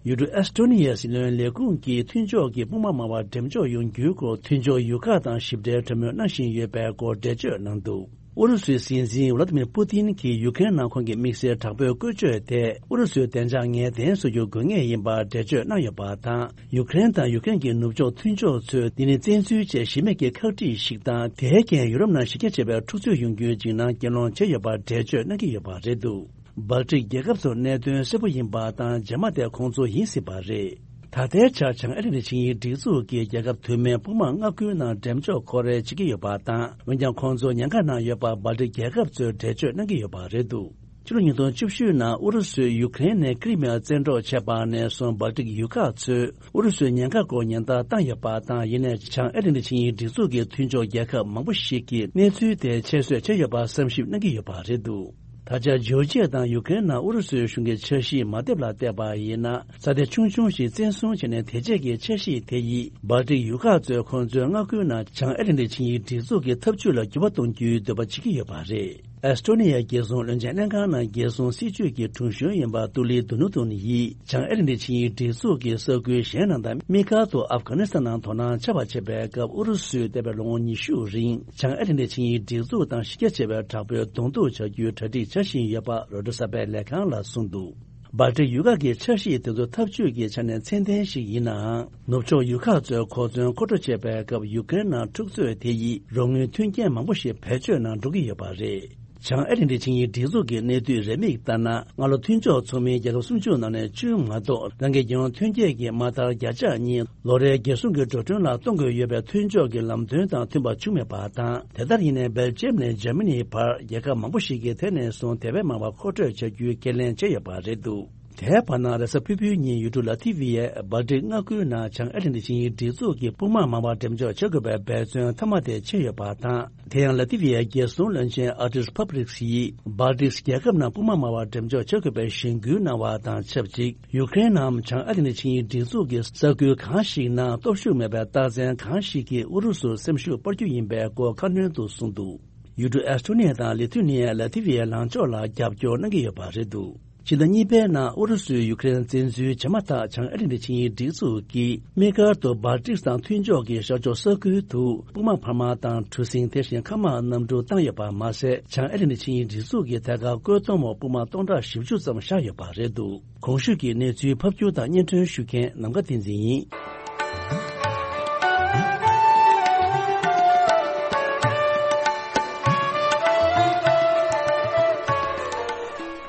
ཡུལ་གྲུ་ཨེས་ཏོ་ནི་ཡའི་སྲིད་བློན་ལས་ཁུངས་ཀྱིས་མཐུན་ཕྱོགས་ཀྱི་དཔུང་དམག་མང་བ་འགྲེམས་འཇོག་ཡོང་རྒྱུའི་སྐོར་མཐུན་ཕྱོགས་ཡུལ་ཁག་དང་ཞིབ་ཕྲའི་གྲོས་མོལ་གནང་བཞིན་ཡོད་པའི་སྐོར་འགྲེལ་བརྗོད་གནང་འདུག་ཨུ་རུ་སུའི་སྲིད་འཛིན་ཝ་ལ་ཏི་མིར་པུ་ཏིན་གྱིས་ཡུ་ཀེ་རེན་ནང་ཁོང་གི་དམིགས་བསལ་དྲག་པོའི་བཀོལ་སྤྱོད་དེ་ཨུ་རུ་སུའི་བདེ་འཇགས་ངེས་གཏན་བཟོ་རྒྱུ་དགོས་ངེས་ཡིན་པར་འགྲེལ་བརྗོད་གནང་ཡོད་པ་དང་། ཡུ་ཀེ་རེན་དང་ཡུ་ཀེ་རེན་གྱི་ནུབ་ཕྱོགས་མཐུན་ཕྱོགས་ཚོས་འདི་ནི་བཙན་འཛུལ་བཅས་གཞི་མེད་ཀྱི་ཁག་དཀྲིས་ཤིག་དང་། དེའི་རྐྱེན་ཡུ་རོབ་ནང་གཞི་རྒྱ་ཆེ་བའི་འཁྲུག་རྩོད་ཡོང་རྒྱུའི་འཇིགས་སྣང་སྐྱེད་སློང་བྱས་ཡོད་པར་འགྲེལ་བརྗོད་གནང་གི་ཡོད་པ་རེད་འདུག་སྦལ་ཏིག་རྒྱལ་ཁབ་ཚོར་གནད་དོན་གསལ་པོ་ཡིན་པ་དང་། རྗེས་མ་དེ་ཁོང་ཚོ་ཡིན་སྲིད་པ་རེད། ད་ལྟའི་ཆར་བྱང་ཨ་ལན་ཏི་ཆིངས་ཡིག་སྒྲིག་འཛུགས་ཀྱི་རྒྱལ་ཁབ་དུ་མའི་དཔུང་དམག་མངའ་ཁུལ་ནང་འགྲེམས་འཇོག་ཁོ་རེ་བྱེད་ཀྱི་ཡོད་པ་དང་། འོན་ཀྱང་ཁོང་ཚོ་ཉེན་ཁ་ནང་ཡོད་པ་སྦལ་ཏིག་རྒྱལ་ཁབ་ཚོས་འགྲེལ་བརྗོད་གནང་གི་ཡོད་པ་རེད་འདུག་ཕྱི་ལོ་ཉིས་སྟོང་བཅུ་བཞི་ནང་ཨུ་རུ་སུས་ཡུ་ཀེ་རེན་ནས་ཀི་རི་མི་ཡ་བཙན་འཕྲོག་བྱས་པ་ནས་བཟུང་སྦལ་ཏིག་ཡུལ་ཁག་ཚོས་ཨུ་རུ་སུའི་ཉེན་ཁ་སྐོར་ཉེན་བརྡ་བཏང་ཡོད་པ་དང་། ཡིན་ནའི་བྱང་ཨེ་ལན་ཏི་ཆིངས་ཡིག་སྒྲིག་འཛུགས་ཀྱི་མཐུན་ཕྱོགས་རྒྱལ་ཁབ་མང་པོ་ཞིག་གིས་གནས་ཚུལ་དེ་ཁྱད་གསོད་བྱས་ཡོད་པར་བསམ་ཞིབ་གནང་གི་ཡོད་པ་རེད་འདུག་ད་ཆ་ཇོར་ཇི་ཡ་དང་ཡུ་ཀེ་རེན་ནང་ཨུ་རུ་སུའི་གཞུང་གི་འཆར་གཞི་མ་བསྡེབས་ལ་བལྟས་པ་ཡིན་ན། ས་ཆ་ཆུང་ཆུང་ཞིག་བཙན་བཟུང་བྱས་ནས་དེ་རྗེས་ཀྱི་འཆར་གཞི་དེ་ཡིས་སྦལ་ཏིག་ཡུལ་ཁག་ཚོས་ཁོང་ཚོའི་མངའ་ཁུལ་ནང་བྱང་ཨེ་ལན་ཏི་ཆིངས་ཡིག་སྒྲིག་འཛུགས་ཀྱི་འཐབ་ཇུས་ལ་འགྱུར་བ་གཏོང་རྒྱུའི་འདོད་པ་བྱེད་ཀྱི་ཡོད་པ་རེད། ཨེ་སི་ཊོ་ནི་ཡའི་རྒྱལ་སྲུང་བློན་ཆེན་ལྷན་ཁང་ནང་རྒྱལ་སྲུང་སྲིད་ཇུས་ཀྱི་དྲུང་གཞོན་ཡིན་པ་ཏུ་ལི་དུ་ནུ་དུན་ཡིས་བྱང་ཨེ་ལན་ཏི་ཆིངས་ཡིག་སྒྲིག་འཛུགས་ཀྱི་ས་ཁུལ་གཞན་རྣམས་དང་དམིགས་བཀར་དུ་ཨབ་གྷ་ནི་སི་ཐན་ནང་དོ་སྣང་བྱ་བ་བྱེད་པའི་སྐབས། ཨུ་རུ་སུས་འདས་པའི་ལོ་ངོ་ཉི་ཤུ་རིང་བྱང་ཨེ་ལན་ཏི་ཆིངས་ཡིག་སྒྲིག་འཛུགས་དང་གཞི་རྒྱ་ཆེ་བའི་དྲག་པོའི་གདོང་ཐུག་བྱ་རྒྱུའི་གྲ་སྒྲིག་བྱ་བཞིན་ཡོད་པ་རོའི་ཊར་གསར་པའི་ལས་ཁང་ལ་གསུངས་འདུག་སྦལ་ཏིག་ཡུལ་ཁག་གི་འཆར་གཞི་དེ་ཚོ་འཐབ་ཇུས་ཀྱི་ཆ་ནས་ཚད་ལྡན་ཞིག་ཡིན་ནའང་། ནུབ་ཕྱོགས་ཡུལ་ཁག་ཚོས་གོ་མཚོན་མཁོ་སྤྲོད་བྱེད་པའི་སྐབས། ཡུ་ཀེ་རེན་ནང་འཁྲུག་རྩོད་དེ་ཡིས་རོགས་དངུལ་མཐུན་རྐྱེན་མང་པོ་ཞིག་བེད་སྤྱོད་ནང་འགྲོ་གི་ཡོད་པ་རེད། བྱང་ཨེ་ལན་ཏི་ཆིངས་ཡིག་སྒྲིག་འཛུགས་ཀྱི་གནས་སྡུད་རེའུ་མིག་ལྟར་ན། སྔ་ལོ་མཐུན་ཕྱོགས་ཚོགས་མིའི་རྒྱལ་ཁབ་སུམ་ཅུ་ནང་ནས་བཅུ་མ་གཏོགས། རང་གི་རྒྱལ་ཡོངས་ཐོན་སྐྱེད་ཀྱི་མ་མཐར་བརྒྱ་ཆ་གཉིས་ལོ་རེའི་རྒྱལ་སྲུང་གི་འགྲོ་གྲོན་ལ་གཏོང་དགོས་ཡོད་པའི་མཐུན་ཕྱོགས་ཀྱི་ལམ་སྟོན་དང་མཐུན་པ་བྱུང་མེད་པ་དང་། དེ་ལྟར་ཡིན་ནའི་སྦེལ་ཇམ་ནས་འཇར་མ་ནིའི་བར་རྒྱལ་ཁབ་མང་པོ་ཞིག་གིས་དེ་ནས་བཟུང་དེ་བས་མང་བ་མཁོ་སྤྲོད་བྱ་རྒྱུའི་ཁས་ལེན་བྱས་ཡོད་པ་རེད་འདུག་དེའི་བར་ན་རེས་གཟའ་ཕུར་བུའི་ཉིན་ཡུལ་གྲུ་ལ་ཐི་ཝི་ཡས་སྦལ་ཏིག་མངའ་ཁུལ་ནང་བྱང་ཨེ་ལན་ཏི་ཆིངས་ཡིག་སྒྲིག་འཛུགས་ཀྱི་དཔུང་དམག་མང་བ་འགྲེམས་འཇོག་བྱ་དགོས་པའི་འབད་བརྩོན་མཐའ་མ་དེ་བྱས་ཡོད་པ་དང་། དེ་ཡང་ལ་ཐི་ཝི་ཡའི་རྒྱལ་སྲུང་བློན་ཆེན་ཨར་ཏིས་ཕབ་རིགས་ཡིས་སྦལ་ཏིག་རྒྱལ་ཁབ་རྣམས་དཔུང་དམག་མང་བ་འགྲེམས་འཇོག་བྱ་དགོས་པའི་གཞེན་སྐུལ་གནང་བ་དང་ཆབས་ཅིག་ཡུ་ཀེ་རེན་ནམ་བྱང་ཨ་ཏི་ནི་ཆིངས་ཡིག་སྒྲིག་འཛུགས་ཀྱི་ས་ཁུལ་གང་ཞིག་ནང་སྟོབས་ཤུགས་མེད་པའི་རྟགས་མཚན་གང་ཞིག་གིས་ཨུ་རུ་སུར་སེམས་ཤུགས་སྤར་རྒྱུ་ཡིན་པའི་སྐོར་ཁ་སྣོན་དུ་གསུངས་འདུག་ཡུལ་གྲུ་ཨེ་སི་ཊོ་ནི་ཡ་དང་ལི་ཐུ་ནི་ཡ་ལ་ཐི་ཝི་ཡའི་ལངས་ཕྱོགས་ལ་རྒྱབ་སྐྱོར་གནང་གི་ཡོད་པ་རེད་འདུག་ཕྱི་ཟླ་གཉིས་པའི་ནང་ཨུ་རུ་སུས་ཡུ་ཀེ་རེན་བཙན་འཛུལ་བྱས་མ་ཐག་བྱང་ཨ་ཏི་ནི་ཆིངས་ཡིག་སྒྲིག་འཛུགས་ཀྱིས་དམིགས་བཀར་དུ་སྦལ་ཏིག་དང་མཐུན་ཕྱོགས་ཀྱི་ཤར་ཕྱོགས་ས་ཁུལ་དུ་དཔུང་དམག་འཕར་མ་དང་གྲུ་གཟིངས། དེ་བཞིན་མཁའ་དམག་གནམ་གྲུ་བཏང་ཡོད་པ་མ་ཟད། བྱང་ཨ་ཏི་ནི་ཆིངས་ཡིག་སྒྲིག་འཛུགས་ཀྱི་ཐད་ཀར་བཀོད་གཏོང་འོག་དཔུང་དམག་སྟོང་ཕྲག་བཞི་བཅུ་ཙམ་བཞག་ཡོད་པ་རེད་འདུག་གོང་ཞུས་ཀྱི་གནས་ཚུལ་ཕབ་སྒྱུར་དང་སྙན་སྒྲོན་ཞུ་མཁན་ནམ་མཁའ་བསྟན་འཛིན་ཡིན།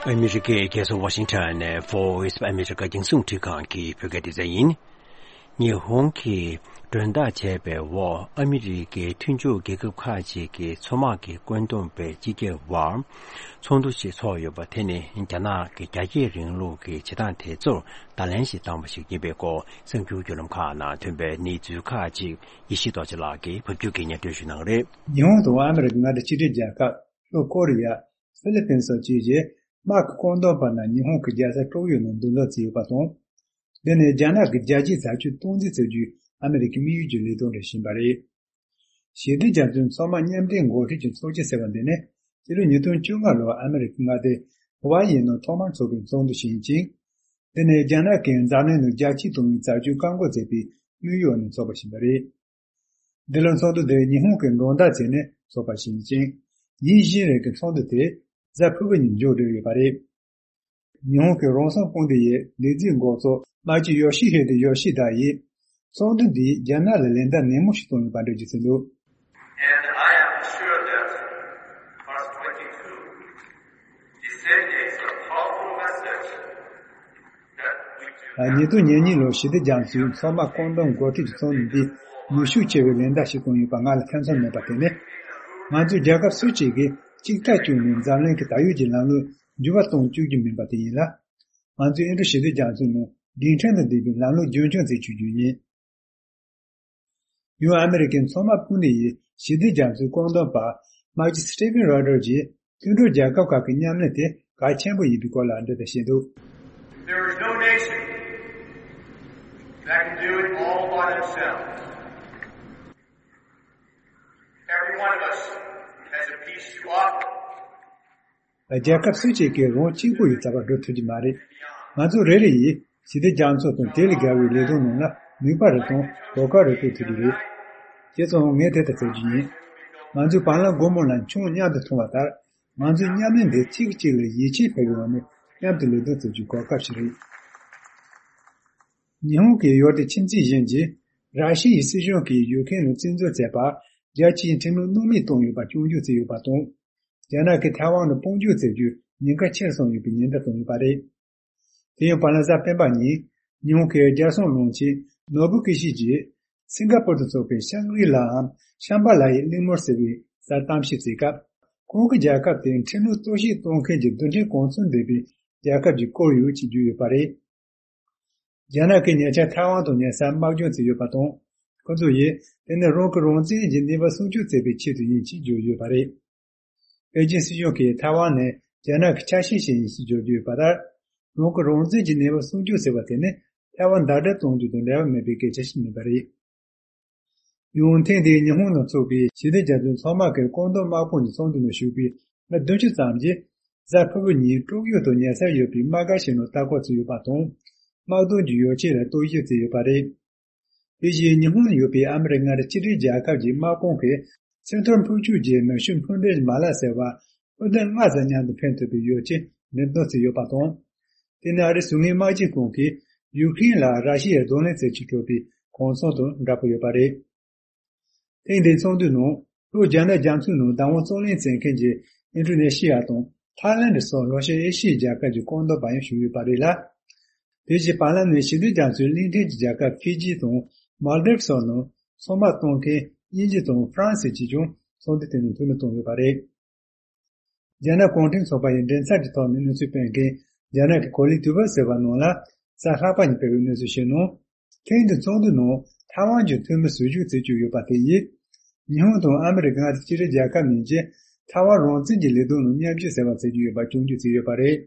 ཨ་མི་རི་ཀའི་རྒྱལ་ས་ཝ་ཤིང་ཊོན་ནས་Voice of America རྒྱང་སྲིང་རླུང་འཕྲིན་ཁང་གི་བོད་སྐད་སྡེ་ཚན་ཡིན། ཉི་ཧོང་གིས་མགྲོན་བདག་བྱས་པའི་འོག་ཨ་མི་རི་ཀའི་མཐུན་ཕྱོགས་རྒྱལ་ཁབ་ཁག་ཅིག་གི་མཚོ་དམག་གི་བཀོད་འདོམས་པའི་སྤྱི་སྒེར་བར་ཚོགས་འདུ་ཞིག་ཚོགས་ཡོད་པ་དེ་ནི་རྒྱ་ནག་གི་རྒྱ་སྐྱེད་རིང་ལུགས་ཀྱི་བྱེད་སྟངས་དེ་ཚོར་བརྡ་ལན་ཞིག་བཏང་བ་ཞིག་ཡིན་པའི་སྐོར་གསར་འགྱུར་བརྒྱུད་ལམ་ཁག་ནང་ཐོན་པའི་གནས་ཚུལ་ཁག་ཅིག་ཡེ་ཤེས་རྡོ་རྗེ་ལགས་ཀྱིས་ཕབ་སྒྱུར་གྱིས་སྙན་སྒྲོན་ཞུ་གནང་གི་རེད། ཉི་ཧོང་དང་ཨ་མི་རི་ཀ་མངའ་སྡེ་གཅིག་སྒྲིལ་རྒྱལ་ཁབ། ལྷོ་ཀོ་རི་ཡ། ཧྥི་ལི་པིན་སོགས་བཅས་ཀྱི་དམག་གི་བཀོད་འདོམས་པ་རྣམས་ཉི་ཧོང་གི་རྒྱལ་ས་ཀྲོག་ཡོ་ནང་མདུན་ལམ་བརྩིས་ཡོད་པ་དང་། འདི་ནི་རྒྱ་ནག་གི་རྒྱལ་སྤྱིའི་བྱ་སྤྱོད་སྟངས་འཛིན་བྱ་རྒྱུའི་ཨ་མི་རི་ཀའི་དམིགས་ཡུལ་གྱི་ལས་དོན་རེད་བཞིན་པ་རེད། ཞི་བདེ་རྒྱ་མཚོའི་མཚོ་དམག་མཉམ་འབྲེལ་འགོ་ཁྲིད་ཀྱི་ཚོགས་ཆེན་ཟེར་བ་འདི་ནི་སྤྱི་ལོ་ཉིས་སྟོང་བཅོ་ལྔ་ལོར་ཨ་མི་རི་ཀའི་མངའ་སྡེ་ཧ་ཝཱ་ཡི་ནང་ཐོག་མར་འཚོགས་པའི་ཚོགས་འདུ་ཞིག་ཡིན་ཅིང་། འདི་ནི་རྒྱ་ནག་གིས་འཛམ་གླིང་ནང་རྒྱ་སྐྱེད་གཏོང་བའི་བྱ་སྤྱོད་བཀག་འགོག་མཛད་པའི་དམིགས་ཡུལ་ནས་འཚོགས་པ་ཞིག་ཡིན་པ་རེད། འདི་ལོའི་ཚོགས་འདུ་འདིར་ཉི་ཧོང་གིས་མགྲོན་བདག་བྱས་ནས་འཚོགས་པ་ཞིག་ཡིན་ཅིང་། ཉིན་བཞིའི་རིང་གི་ཚོགས་འདུ་དེ་གཟའ་ཕུར་བུ་ཉིན་མཇུག་བསྒྲིལ་ཡོད་པ་རེད། ཉི་ཧོང་གི་རང་སྲུང་དཔུང་སྡེ་ཡི་ལས་འཛིན་འགོ་གཙོ་དམག་སྤྱི་ཡོ་ཤི་ཧི་དེ་ཡོ་ཤི་དཱ་ཡིས་ཚོགས་འདུ་འདིས་རྒྱ་ནག་ལ་ལན་བརྡ་ནན་མོ་ཞིག་གཏོང་ཡོད་པ་འགྲེལ་བརྗོད་བྱས་འདུག And I am sure that verse twenty-two is sending a powerful message that we do ཉིས་སྟོང་ཉེར་གཉིས་ལོར་ཞི་བདེ་རྒྱ་མཚོའི་མཚོ་དམག་བཀོད་འདོམས་འགོ་ཁྲིད་ཀྱི་ཚོགས་འདུ་འདིས་ནུས་ཤུགས་ཆེ་བའི་ལན་བརྡ་ཞིག་བཏང་ཡོད་པ་ང་ལ་ཐེ་ཚོམ་མེད་པ་དེ་ནི། ང་ཚོས་རྒྱལ་ཁབ་སུ་གཅིག་གིས་གཅིག་ཐག་གཅོད་ནས་འཛམ་གླིང་གི་ད་ཡོད་ཀྱི་ལམ་ལུགས་འགྱུར་བ་གཏོང་བཅུག་རྒྱུ་མིན་པ་དེ་ཡིན་ལ། ང་ཚོས་ཨིན་ཌོ་ཞི་བདེ་རྒྱ་མཚོའི་ནང་རྒྱུན་ཕྲན་དུ་ལྡན་པའི་ལམ་ལུགས་རྒྱུན་འཁྱོངས་བྱེད་རྒྱུ་ཡིན། ཡང་ཨ་མི་རི་ཀའི་མཚོ་དམག་དཔུང་སྡེ་ཡི་ཞི་བདེ་རྒྱ་མཚོའི་བཀོད་འདོམས་པ་དམག་སྤྱི་སི་ཊི་ཕན་རོ་ཌར་གྱིས་མཐུན་གྲོགས་རྒྱལ་ཁབ་ཁག་གི་མཉམ་ལས་དེ་གལ་ཆེན་པོ་ཡིན་པའི་སྐོར་ལ་འདི་ལྟར་བཤད་འདུག There is no nation that can do it all by themselves. Every one of us has a piece to offer. རྒྱལ་ཁབ་སུ་གཅིག་གིས་རང་གཅིག་པུ་ཡི་རྩ་བ་སྒྲུབ་ཐུབ་ཀྱི་མ་རེད། ང་ཚོ་རེ་རེ་ཡིས་ཞི་བདེ་རྒྱ་མཚོ་དང་དེ་ལས་བརྒལ་བའི་ལས་དོན་ནང་ལ་ནུས་པ་རེ་དང་གོ་སྐབས་རེ་སྤྲོད་ཐུབ་ཀྱི་རེད། བྱས་ཙང་ངས་དེ་ལྟར་ཟེར་རྒྱུ་ཡིན། ང་ཚོས་བ་ལང་སྒོར་མོ་ལ་མཆོང་མཉམ་དུ་འཐུང་བ་ལྟར། ང་ཚོའི་མཉམ་ལས་འདི་གཅིག་གིས་གཅིག་ལ་ཡིད་ཆེས་འཕེར་བའི་ངང་ནས་མཉམ་དུ་ལས་དོན་བྱེད་རྒྱུའི་གོ་སྐབས་ཤིག་རེད། ཉི་ཧོང་གི་ཡུལ་དེའི་ཁྱིམ་མཚེས་གཞན་གྱིས་ར་ཤི་ཡའི་སྲིད་གཞུང་གིས་ཡུ་ཁེན་ལ་བཙན་འཛུལ་བྱས་པར་རྒྱལ་སྤྱིའི་ཁྲིམས་ལུགས་སྣང་མེད་བཏང་ཡོད་པར་སྐྱོན་བརྗོད་བྱས་ཡོད་པ་དང་། རྒྱ་ནག་གིས་ཐའེ་ཝན་ལ་དཔུང་འཇུག་བྱེད་རྒྱུའི་ཉེན་ཁ་ཆེར་སོང་ཡོད་པའི་ཉེན་བརྡ་བཏང་ཡོད་པ་རེད། དེ་ཡང་བར་ལ་གཟའ་སྤེན་པ་ཉིན་ཉི་ཧོང་གི་རྒྱལ་སྲུང་བློན་ཆེན་ནོ་བུ་ཀི་ཤི་ཇིས་སིང་ག་པུར་དུ་འཚོགས་པའི་ཤང་གྷི་ལའམ་ཤམ་བྷ་ལ་ཡི་གླིང་མོར་ཟེར་བའི་སར་གཏམ་བཤད་བྱེད་སྐབས། ཁོང་གིས་རྒྱལ་ཁབ་དེ་ཁྲིམས་ལུགས་གཏོར་བཤིག་གཏོང་མཁན་གྱི་རྡུལ་ཕྲན་གོ་མཚོན་ལྡན་པའི་རྒྱལ་ཁབ་ཅིག་བསྐོར་ཡོད་ཅེས་བརྗོད་ཡོད་པ་རེད། རྒྱ་ནག་གིས་ཉེ་ཆར་ཐའེ་ཝན་དང་ཉེ་སར་དམག་སྦྱོང་བྱས་ཡོད་པ་དང་། ཁོ་ཚོ་ཡིས་དེ་ནི་རང་གི་རང་བཙན་གྱི་གནས་བབ་སྲུང་སྐྱོབ་བྱེད་པའི་ཆེད་དུ་ཡིན་ཅེས་བརྗོད་ཡོད་པ་རེད། པེ་ཅིན་སྲིད་གཞུང་གིས་ཐའེ་ཝན་ནི་རྒྱ་ནག་གི་ཆ་ཤས་ཤིག་ཡིན་ཞེས་བརྗོད་ཀྱི་ཡོད་པ་ལྟར། རང་གི་རང་བཙན་གྱི་གནས་བབ་སྲུང་སྐྱོབ་ཟེར་བ་དེ་ནི་ཐའེ་ཝན་ཟླ་སྒྲིལ་གཏོང་རྒྱུ་དང་འབྲེལ་བ་མེད་པའི་སྐད་ཆ་ཞིག་མིན་པ་རེད། ཡང་ཐེངས་འདིའི་ཉི་ཧོང་ནང་ཚོགས་པའི་ཞི་བདེ་རྒྱ་མཚོའི་ཚོགས་མི་གི་བཀོད་འདོམས་དམག་དཔུང་གི་ཚོགས་འདུ་ནང་ཞུགས་པའི་མི་བདུན་ཅུ་ཙམ་གྱིས་གཟའ་ཕུར་བུ་ཉིན་ཀྲོག་ཡོ་དང་ཉེ་སར་ཡོད་པའི་དམག་སྒར་ཞིག་ནང་ལྟ་སྐོར་བྱས་ཡོད་པ་དང་། དམག་དོན་གྱི་ཡོ་བྱད་ལ་གཏོར་བཤིག་བྱས་ཡོད་པ་རེད། དེ་བཞིན་ཉི་ཧོང་ཡོད་པའི་ཨ་མི་རི་ཀ་མངའ་སྡེ་གཅིག་སྒྲིལ་རྒྱལ་ཁབ་ཀྱི་དམག་དཔུང་གིས་སེང་ཐོར་འཕུར་སྐྱོད་ཀྱི་ནུས་ཤུགས་འཕུར་མདེལ་མ་ལག་ཟེར་བ་འཕུར་མདེལ་ལྔ་ཙམ་མཉམ་དུ་འཕེན་ཐུབ་པའི་ཡོ་བྱད་འགྲེམས་སྟོན་བྱས་ཡོད་པ་དང་། དེ་ནི་ཨ་རིའི་གཞུང་དངུལ་དམག་སྤྱི་ཁང་གིས་ཡུཀ་རེན་ལ་ར་ཤི་ཡའི་གདོང་ལེན་བྱེད་ཆེད་སྤྲོད་པའི་གུང་སེང་དང་འདྲ་པོ་ཡོད་པ་རེད། ཐེངས་འདིའི་ཚོགས་འདུའི་ནང་ལྷོ་རྒྱ་ནག་རྒྱ་མཚོའི་ནང་བདག་དབང་རྩོད་ལེན་བྱེད་མཁན་གྱི་ཨིན་ཌོ་ནེ་ཤི་ཡ་དང་ཐའི་ལན་སོགས་ལྷོ་ཤར་ཨེ་ཤི་ཡའི་རྒྱལ་ཁབ་ཀྱི་བཀོད་འདོམས་པ་ཡང་ཞུགས་ཡོད་པ་རེད་ལ། དེ་བཞིན་བར་ལམ་ནས་ཞི་བདེ་རྒྱ་མཚོའི་གླིང་ཕྲན་གྱི་རྒྱལ་ཁབ་ཧྥི་ཇི་དང་མཱལ་ཌིབ་སོགས་ནང་ཚོང་དམག་གཏོང་མཁན་དབྱིན་ཇི་དང་ཧྥ་རན་སི་བཅས་ཀྱང་ཚོགས་འདུ་དེ་ནང་འཐུས་མི་བཏང་ཡོད་པ་རེད། རྒྱ་ནག་གུང་ཁྲན་ཚོགས་པ་ཡི་མགྲིན་ཚབ་ཀྱི་ཐོག་ནས་གནས་ཚུལ་སྤེལ་མཁན་རྒྱ་ནག་གི་གོ་ལའི་དུས་བབ་ཟེར་བ་ནང་ལ་གཟའ་ལྷག་པ་ཉིན་སྤེལ་བའི་གནས་ཚུལ་ཞིག་ནང་། ཐེངས་འདིའི་ཚོགས་འདུའི་ནང་ཐའེ་ཝན་གྱི་འཐུས་མི་ཟུར་ཞུགས་བྱེད་ཀྱི་ཡོད་པ་དེ་ཡིས། ཉི་ཧོང་དང་ཨ་མི་རི་ཀ་མངའ་སྡེ་གཅིག་སྒྲིལ་རྒྱལ་ཁབ་གཉིས་ཀྱིས་ཐའེ་ཝན་རང་བཙན་གྱི་ལས་དོན་ནང་མཉམ་ཞུགས་ཟེར་བ་བྱེད་ཀྱི་ཡོད་པ་སྐྱོན་བརྗོད་བྱས་ཡོད་པ་རེད།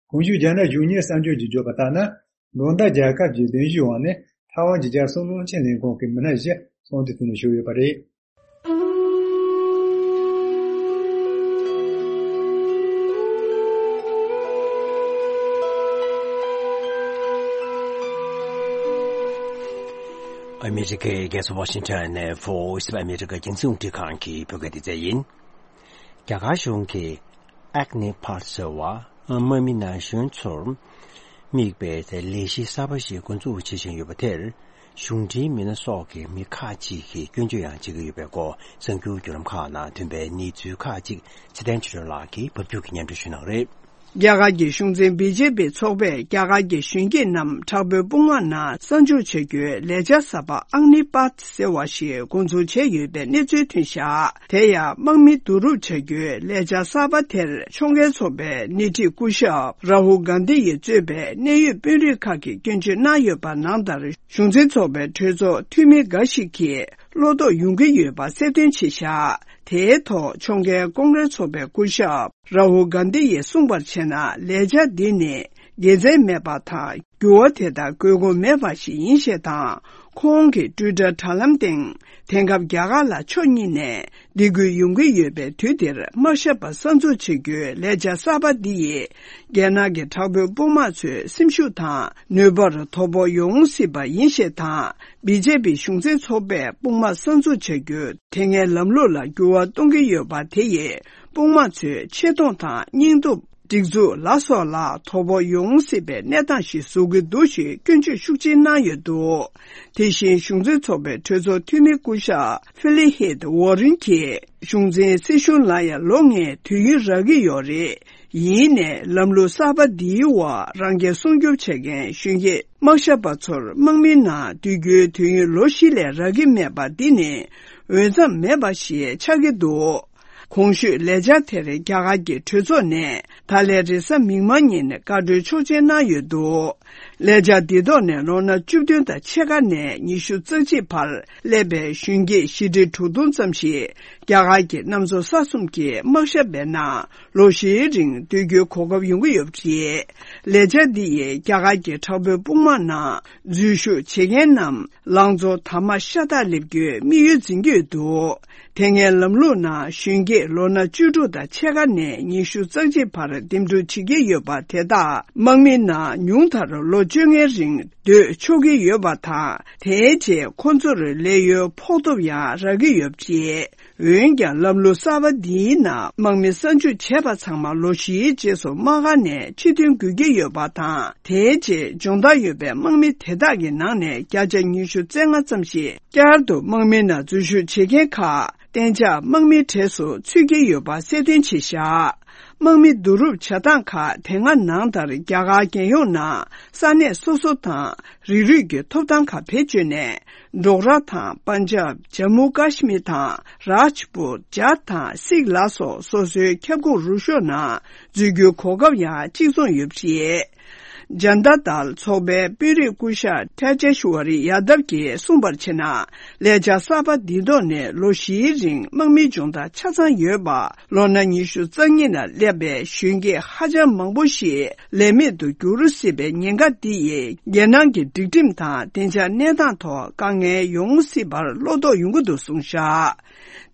གོང་ཞུས་རྒྱ་ནག་གཞུང་གཉེར་གསར་འགྱུར་གྱིས་བརྗོད་པ་ལྟར་ན། མདོག་མདའ་རྒྱལ་ཁབ་ཀྱི་གདན་ཞུའི་འོག་ནས་ཐའེ་ཝན་གྱི་རྒྱལ་སྲུང་བློན་ཆེན་ལྷན་ཁང་གི་མི་སྣ་བཞི་ཚོགས་འདུ་དེ་ནང་ཞུགས་ཡོད་པ་རེད། ཨ་མི་རི་ཀའི་རྒྱལ་ས་ཝ་ཤིང་ཊོན་ནས་Voice of America་རྒྱང་སྲིང་རླུང་འཕྲིན་ཁང་གི་བོད་སྐད་སྡེ་ཚན་ཡིན། རྒྱ་གར་གཞུང་གིས་ཨེག་ནི་པཱཐ་ཟེར་བ་དམག་མི་ན་གཞོན་ཚོར་དམིགས་པའི་ལས་གཞི་གསར་པ་ཞིག་འགོ་འཛུགས་བྱེད་བཞིན་ཡོད་པ་དེར། གཞུང་འབྲེལ་མི་སྣ་སོགས་ཀྱི་མི་ཁག་ཅིག་གིས་སྐྱོན་བརྗོད་ཡང་བྱེད་ཀྱི་ཡོད་པའི་སྐོར་གསར་འགྱུར་བརྒྱུད་ལམ་ཁག་ནང་ཐོན་པའི་གནས་ཚུལ་ཁག་ཅིག་ཚེ་བརྟན་ཆོས་སྒྲོན་ལགས་ཀྱིས་ཕབ་སྒྱུར་གྱིས་སྙན་སྒྲོན་ཞུ་གནང་རེད། རྒྱ་གར་གྱི་གཞུང་འཛིན་བི་ཇེ་པི་ཚོགས་པས་རྒྱ་གར་གྱི་གཞོན་སྐྱེས་རྣམས་དྲག་པོའི་དཔུང་དམག་ནང་གསར་འཇུག་བྱ་རྒྱུའི་ལས་འཆར་གསར་པ་ཨག་ནི་པཱཐ་ཟེར་བ་ཞིག་འགོ་འཛུགས་བྱས་ཡོད་པའི་གནས་ཚུལ་ཐོན་བཞག་དེ་ཡང་དམག་མི་བསྡུ་རུབ་བྱ་རྒྱུའི་ལས་འཆར་གསར་པ་དེར་ཕྱོགས་འགལ་ཚོགས་པའི་སྣེ་ཁྲིད་སྐུ་ཞབས་རཱ་ཧུལ་གྷན་དྷི་ཡིས་གཙོས་པའི་གནད་ཡོད་དཔོན་རིགས་ཁག་གིས་སྐྱོན་བརྗོད་གནང་ཡོད་པ་ནང་ལྟར། གཞུང་འཛིན་ཚོགས་པའི་གྲོས་ཚོགས་འཐུས་མི་འགའ་ཞིག་གིས་བློ་དོགས་ཡོང་གི་ཡོད་པ་གསལ་སྟོན་བྱས་བཞག་དེའི་ཐོག་ཕྱོགས་འགལ་ཀོང་ཀྲེས་ཚོགས་པའི་སྐུ་ཞབས་རཱ་ཧུལ་གྷན་དྷི་ཡིས་གསུངས་པར་བྱས་ན། ལས་འཆར་འདི་ནི་དགེ་མཚན་མེད་པ་དང་། འགྱུར་བ་དེ་དག་དགོས་མཁོ་མེད་པ་ཞིག་ཡིན་ཞེས་དང་། ཁོང་གིས་ཊུའི་ཊར་དྲ་ལམ་སྟེང་། དེང་སྐབས་རྒྱ་གར་ལ་ཕྱོགས་གཉིས་ནས་སྡིགས་སྐུལ་ཡོང་གི་ཡོད་པའི་དུས་འདིར་དམག་ཞབས་པ་གསར་འཛུགས་བྱེད་རྒྱུའི་ལས་འཆར་གསར་པ་འདི་ཡིས། རྒྱལ་ནང་གི་དྲག་པོའི་དཔུང་དམག་ཚོའི་སེམས་ཤུགས་དང་ནུས་པར་དོ་ཕོག་ཡོང་སྲིད་པ་ཡིན་ཞེས་དང་། བི་ཇེ་པི་གཞུང་འཛིན་ཚོགས་པས་དཔུང་དམག་གསར་འཛུགས་བྱ་རྒྱུའི་དེ་སྔའི་ལམ་ལུགས་ལ་འགྱུར་བ་གཏོང་གི་ཡོད་པ་དེ་ཡིས། དཔུང་དམག་ཚོའི་ཆེ་མཐོང་དང་། སྙིང་སྟོབས། སྒྲིག་འཛུགས་ལ་སོགས་ལ་དོ་ཕོག་ཡོང་སྲིད་པའི་གནས་སྟངས་ཤིག་བཟོ་གི་འདུག་ཞེས་སྐྱོན་བརྗོད་ཤུགས་ཆེ་གནང་ཡོད་འདུག་དེ་བཞིན་གཞུང་འཛིན་ཚོགས་པའི་གྲོས་ཚོགས་འཐུས་མི་སྐུ་ཞབས་ཧྥི་ལི་ཧེད་ཝོ་རིན་གྱིས། གཞུང་འཛིན་སྲིད་གཞུང་ལ་ཡང་ལོ་ལྔའི་དུས་ཡུན་རག་གི་ཡོད་རེད། ཡིན་ནའི་ལམ་ལུགས་གསར་པ་འདིའི་འོག་རང་སྐྱོན་སྲུང་སྐྱོབ་བྱེད་མཁན་གཞོན་སྐྱེས་དམག་ཞབས་པ་ཚོར་དམག་མིའི་ནང་སྡོད་རྒྱུའི་དུས་ཡུན་ལོ་བཞི་ལས་རག་གི་མེད་པ་འདི་ནི་འོས་འཚམ་མེད་པ་ཞིག་ཆགས་ཀྱི་འདུག་གོང་ཞུས་ལས་འཆར་དེར་རྒྱ་གར་གྱི་གྲོས་ཚོགས་ནས་ད་ལན་རེས་གཟའ་མིག་དམར་ཉིན་བཀའ་འཁྲོལ་ཆོག་མཆན་གནང་ཡོད་འདུག་ལས་འཆར་འདི་ཐོག་ནས་ལོ་ན་བཅུ་བདུན་དང་ཕྱེད་ཀ་ནས་ཉི་ཤུ་རྩ་གཅིག་བར་སླེབས་པའི་གཞོན་སྐྱེས་བཞི་ཁྲི་དྲུག་སྟོང་ཙམ་ཞིག་རྒྱ་གར་གྱི་གནམ་མཚོ་ས་གསུམ་གྱི་དམག་ཞབས་པའི་ནང་ལོ་བཞིའི་རིང་སྡོད་རྒྱུའི་གོ་སྐབས་ཡོང་གི་ཡོད་པ་རེད། ལས་འཆར་འདི་ཡིས་རྒྱ་གར་གྱི་དྲག་པོའི་དཔུང་དམག་ནང་འཛུལ་ཞུགས་བྱེད་མཁན་རྣམས། ལང་ཚོ་དར་མ་ཤ་སྟག་སླེབས་རྒྱུའི་དམིགས་ཡུལ་འཛིན་གྱི་ཡོད་འདུག་དེ་སྔའི་ལམ་ལུགས་ནང་གཞོན་སྐྱེས་ལོ་ན་བཅུ་དྲུག་དང་ཕྱེད་ཀ་ནས་ཉི་ཤུ་རྩ་གཅིག་བར་འདེམས་སྒྲུག་བྱེད་ཀྱི་ཡོད་པ་དེ་དག་དམག་མི་ནང་ཉུང་མཐར་ལོ་བཅོ་ལྔའི་རིང་སྡོད་ཆོག་གི་ཡོད་པ་དང་། དེའི་རྗེས་ཁོ་ཚོར་ལས་གཡོལ་ཕོག་ཐུབ་ཡང་རག་གི་ཡོད་པ་རེད། འོན་ཀྱང་ལམ་ལུགས་གསར་པ་འདིའི་ནང་དམག་མི་གསར་འཇུག་བྱས་པ་ཚང་མ་ལོ་བཞིའི་རྗེས་སུ་དམག་སྒར་ནས་ཕྱིར་ཐོན་དགོས་ཀྱི་ཡོད་པ་དང་། དེའི་རྗེས་སྦྱོང་བརྡར་ཡོད་པའི་དམག་མི་དེ་དག་གི་ནང་ནས་བརྒྱ་ཆ་ཉི་ཤུ་རྩ་ལྔ་ཙམ་ཞིག་བསྐྱར་དུ་དམག་མི་ནང་འཛུལ་ཞུགས་བྱེད་མཁན་ཁག་ གཏན་འཇགས་དམག་མིའི་གྲས་སུ་ཚུད་ཀྱི་ཡོད་པ་གསལ་སྟོན་བྱས་བཞག་དམག་མི་བསྡུ་རུབ་བྱ་སྟངས་ཁག་དེ་སྔ་ནང་ལྟར་རྒྱ་གར་རྒྱལ་ཡོངས་ནང་ས་གནས་སོ་སོ་དང་རིགས་རུས་ཀྱི་ཐོབ་ཐང་ཁག་བེད་སྤྱོད་ནས། འབྲོག་ར་དང་པན་ཇབ། ཇམ་མུ་ཀ་ཤི་མིར་དང་རཱཇ་པུར། ཇཱཊ་དང་སིག་ལ་སོགས་སོ་སོའི་ཁྱབ་ཁོངས་རུ་ཤོག་ནང་འཛུལ་རྒྱུའི་གོ་སྐབས་ཡང་གཅིག་མཚུངས་ཡོད་པ་རེད། ཇན་ཏ་དལ་ཚོགས་པའི་དཔོན་རིགས་སྐུ་ཞབས་ཐེ་ཇེ་ཤུ་ཝ་རི་ཡ་དབ་ཀྱིས་གསུངས་པར་བྱས་ན། ལས་འཆར་གསར་པ་འདིའི་ཐོག་ནས་ལོ་བཞིའི་རིང་དམག་མིའི་སྦྱོང་བརྡར་ཆ་ཚང་ཡོད་པ། ལོ་ན་ཉི་ཤུ་རྩ་གཉིས་ནང་སླེབས་པའི་གཞོན་སྐྱེས་ཧ་ཅང་མང་པོ་ཞིག་ལས་མེད་དུ་འགྱུར་སྲིད་པའི་ཉེན་ཁ་འདི་ཡིས་རྒྱལ་ནང་གི་སྒྲིག་ཁྲིམས་དང་བདེ་འཇགས་གནས་སྟངས་ཐོག་དཀའ་ངལ་ཡོང་སྲིད་པར་བློ་དོགས་ཡོང་གི་འདུག་གསུངས་བཞག་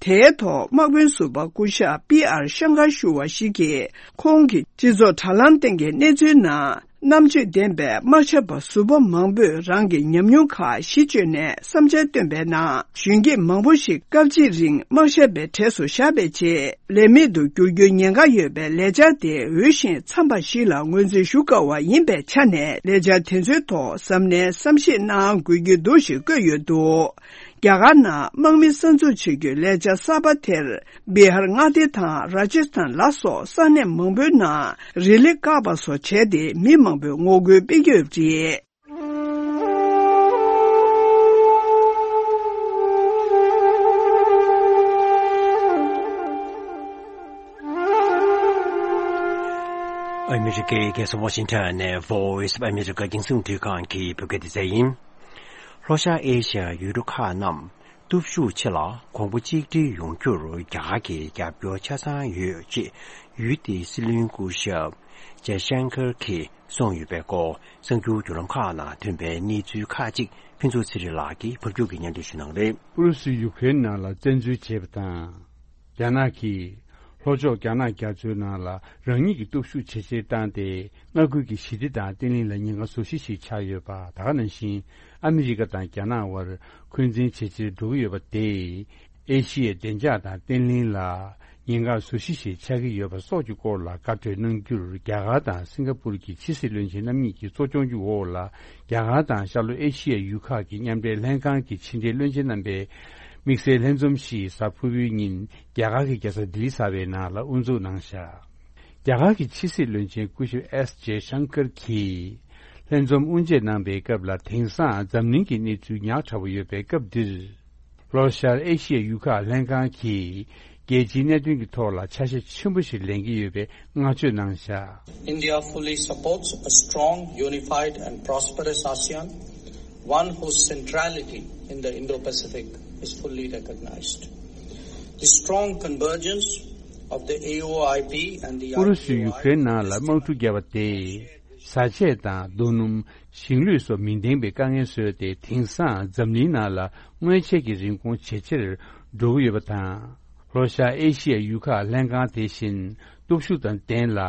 དེའི་ཐོག་དམག་དཔོན་ཟུར་པ་སྐུ་ཞབས་པི་ཨར་ཤང་ཀར་ཞུ་བ་ཞིག་གིས། ཁོང་གིས་སྤྱི་ཚོགས་དྲ་ལམ་སྟེང་གི་གནས་ཚུལ་ནང་རྣམ་དཔྱོད་ལྡན་པའི་དམག་ཞབས་པ་ཟུར་པ་མང་པོས་རང་གི་ཉམས་མྱོང་ཁག་གཞི་བཅོལ་ནས་བསམ་འཆར་བཏོན་པའི་ནང་། གཞོན་སྐྱེས་མང་པོ་ཞིག་སྐབས་གཅིག་རིང་དམག་ཞབས་པའི་གྲས་སུ་བཞག་པའི་རྗེས། ལས་མེད་དུ་འགྱུར་རྒྱུའི་ཉེན་ཁ་ཡོད་པའི་ལས་འཆར་དེ་འོས་ཤིང་འཚམ་པ་ཞིག་ལ་ངོས་འཛིན་ཞུ་དཀའ་བ་ཡིན་པའི་ཆ་ནས། ལས་འཆར་དེ་ཚོའི་ཐོག་གཟབ་ནན་བསམ་ཤེས་གནང་དགོས་ཀྱི་འདུག་ཞེས་བཀོད་ཡོད་འདུག་རྒྱ་གར་ནང་དམག་མི་གསར་འཛུགས་བྱེད་རྒྱུའི་ལས་འཆར་གསར་པ་དེར། བི་ཧར་མངའ་སྡེ་དང་ར་ཇ་སི་ཐན་ལ་སོགས་ས་གནས་མང་པོའི་ནང་རི་ལི་བཀག་པ་སོགས་བྱས་ཏེ། མི་མང་པོས་ངོ་རྒོལ་སྤེལ་གྱི་ཡོད་པ་རེད། ཨ་མི་རི་ཀའི་རྒྱལ་ས་ཝ་ཤིང་ཊོན་ནས་Voice of America རྒྱང་སྲིང་རླུང་འཕྲིན་ཁང་གི་བོད་སྐད་སྡེ་ཚན་ཡིན། ལྷོ་ཤར་ཨེ་ཤི་ཡའི་ཡུལ་གྲུ་ཁག་རྣམས་སྟོབས་ཤུགས་ཆེ་ལ་གོང་བུ་གཅིག་སྒྲིལ་ཡོང་རྒྱུར་རྒྱ་གར་གྱི་རྒྱབ་སྐྱོར་ཆ་ཚང་ཡོད་ཅེས་ཡུལ་དེའི་སྲིད་བློན་སྐུ་ཞབས་ཇའི་ཤང་ཀར་གྱིས་གསུངས་ཡོད་པའི་སྐོར། གསར་འགྱུར་བརྒྱུད་ལམ་ཁག་ནང་ཐོན་པའི་གནས་ཚུལ་ཁག་ཅིག་ཕུན་ཚོགས་ཚེ་རིང་ལགས་ཀྱིས་ཕབ་སྒྱུར་གྱིས་སྙན་སྒྲོན་ཞུ་གནང་རེད། ཨུ་རུ་སུས་ཡུ་ཀེ་རེན་ནང་ལ་བཙན་འཛུལ་བྱས་པ་དང་། རྒྱ་ནག་གིས་ལྷོ་ཕྱོགས་རྒྱ་ནག་རྒྱ་མཚོའི་ནང་ལ་རང་ཉིད་ཀྱི་སྟོབས་ཤུགས་ཇེ་ཆེར་བཏང་སྟེ། མངའ་ཁུལ་གྱི་ཞི་བདེ་དང་བརྟན་ལྷིང་ལ་ཉེན་ཁ་བཟོ་གཞི་ཞིག་ཆགས་ཡོད་པ། ད་ག་ནང་བཞིན་ཨ་མི་རི་ཀ་དང་རྒྱ་ནག་དབར་འཁོན་འཛིན་ཇེ་ཆེར་འགྲོ་གི་ཡོད་པ་དེས། ཨེ་ཤི་ཡའི་བདེ་འཇགས་དང་བརྟན་ལྷིང་ལ་ཉེན་ཁ་བཟོ་གཞི་ཞིག་ཆགས་ཀྱི་ཡོད་པ་སོགས་ཀྱི་སྐོར་ལ་བཀའ་གྲོས་གནང་རྒྱུར། རྒྱ་གར་དང་སིང་ག་པུར་གྱི་ཕྱི་སྲིད་བློན་ཆེན་རྣམ་གཉིས་ཀྱི་གཙོ་སྐྱོང་གི་འོག་ལ། རྒྱ་གར་དང་ཤར་ལྷོ་ཨེ་ཤི་ཡའི་ཡུལ་ཁག་གི་མཉམ་འབྲེལ་ལྷན་ཁང་གི་ཕྱི་འབྲེལ་བློན་ཆེན་རྣམ་པའི་དམིགས་བསལ་ལྷན་འཛོམས་ཤིག་གཟའ་ཕུར་བུའི་ཉིན་རྒྱ་གར་གྱི་རྒྱལ་ས་ལྡི་ལི་གསར་པའི་ནང་ལ་དབུ་འཛུགས་གནང་བཞག་རྒྱ་གར་གྱི་ཕྱི་སྲིད་བློན་ཆེན་སྐུ་ཞབས་ཨེས་ཇེ་ཤང་ཀར་གྱིས་ལྷན་འཛོམས་དབུ་འབྱེད་གནང་པའི་སྐབས་ལ། དེང་སང་འཛམ་གླིང་གི་གནས་ཚུལ་ཉག་ཕྲ་བོ་ཡོད་པའི་སྐབས་འདིར། ལྷོ་ཤར་ཨེ་ཤི་ཡའི་ཡུལ་ཁག་ལྷན་ཁང་གིས་རྒྱལ་སྤྱིའི་གནད་དོན་གྱི་ཐོག་ལ་ཆ་ཤས་ཆེན་པོ་ཞིག་ལེན་གྱི་ཡོད་པའི་བསྔགས་བརྗོད་གནང་བཞག India fully supports a strong, unified and prosperous ASEAN, one whose centrality in the Indo-Pacific is fully recognized. The strong convergence of the A O I P and the ཨུ་རུ་སུས་ཡུ་ཀེ་རེན་ནང་ལ་དམག་འཁྲུག་བརྒྱབ་པ་དེས། བཟའ་ཆས་དང་རྡོ་སྣུམ། ཞིང་ལུད་སོགས་མི་འདང་པའི་དཀའ་ངལ་བཟོས་ཏེ། དེང་སང་འཛམ་གླིང་ནང་ལ་དངོས་ཆས་ཀྱི་རིན་གོང་ཇེ་ཆེར་འགྲོ་གི་ཡོད་པ་དང་། ལྷོ་ཤར་ཨེ་ཤི་ཡའི་ཡུལ་ཁག་ལྷན་ཁང་དེ་བཞིན་སྟོབས་ཤུགས་དང་ལྡན་ལ།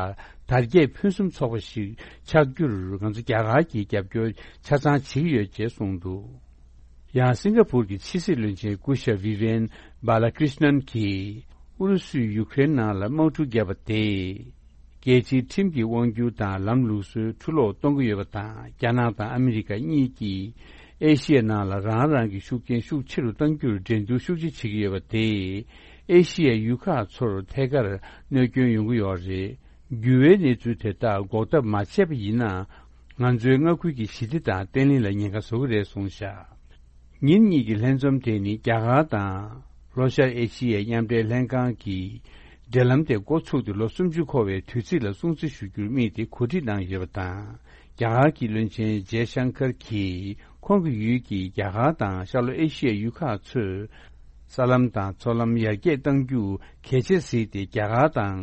དར་རྒྱས་ཕུན་སུམ་ཚོགས་པ་ཞིག་ཆགས་རྒྱུར་ང་ཚོ་རྒྱ་གར་གྱིས་རྒྱབ་སྐྱོར་ཆ་ཚང་བྱེད་ཀྱི་ཡོད་ཅེས་གསུངས་འདུག་ཡང་སིང་ག་པུར་གྱི་ཕྱི་སྲིད་བློན་ཆེན་སྐུ་ཞབས་Vivian Balakrishnan གྱིས། ཨུ་རུ་སུས་ཡུ་ཀེ་རེན་ནང་ལ་དམག་འཁྲུག་བརྒྱབ་པ་དེས། རྒྱལ་སྤྱིའི་ཁྲིམས་ཀྱི་དབང་སྒྱུར་དང་ལམ་ལུགས་སྲོལ་འཁྲུ་སློག་གཏོང་གི་ཡོད་པ་དང་། རྒྱ་ནག་དང་ཨ་མི་རི་ཀ་གཉིས་ཀྱིས་ཨེ་ཤི་ཡའི་ནང་ལ་རང་རང་གི་ཤུགས་རྐྱེན་ཤུགས་ཆེ་རུ་གཏང་རྒྱུར་འགྲན་བསྡུར་ཤུགས་ཆེ་བྱེད་ཀྱི་ཡོད་པ་དེས། ཨེ་ཤི་ཡའི་ཡུལ་ཁག་ཚོར་ཐད་ཀར་གནོད་སྐྱོན་ཡོང་གི་ཡོད་རེད། འགྱུར་བའི་གནས་ཚུལ་དེ་དག་འགོག་ཐབས་མ་བྱས་པ་ཡིན་ན། ང་ཚོའི་མངའ་ཁུལ་གྱི་ཞི་བདེ་དང་བརྟན་ལྷིང་ལ་ཉེན་ཁ་བཟོ་གི་རེད་གསུངས་བཞག་ཉིན་གཉིས་ཀྱི་ལྷན་འཛོམས་དེ་ནི་རྒྱ་གར་དང་ལྷོ་ཤར་ཨེ་ཤི་ཡའི་མཉམ་འབྲེལ་ལྷན་ཁང་གི་འབྲེལ་ལམ་དེ་འགོ་ཚུགས་ཏེ་ལོ་སུམ་ཅུ་འཁོར་བའི་དུས་ཚིགས་ལ་སྲུང་བརྩི་ཞུ་རྒྱུར་དམིགས་ཏེ་གོ་སྒྲིག་གནང་ཡོད་པ་དང་། རྒྱ་གར་གྱི་བློན་ཆེན་ཇེ་ཤང་ཀར་གྱིས་ཁོང་གི་ཡུལ་གྱི་རྒྱ་གར་དང་ཤར་ལྷོ་ཨེ་ཤི་ཡའི་ཡུལ་ཁག་ཚོས་ས་ལམ་དང་མཚོ་ལམ་ཡར་རྒྱས་གཏང་རྒྱུ་གལ་ཆེར་གཟིགས་ཏེ། རྒྱ་གར་དང་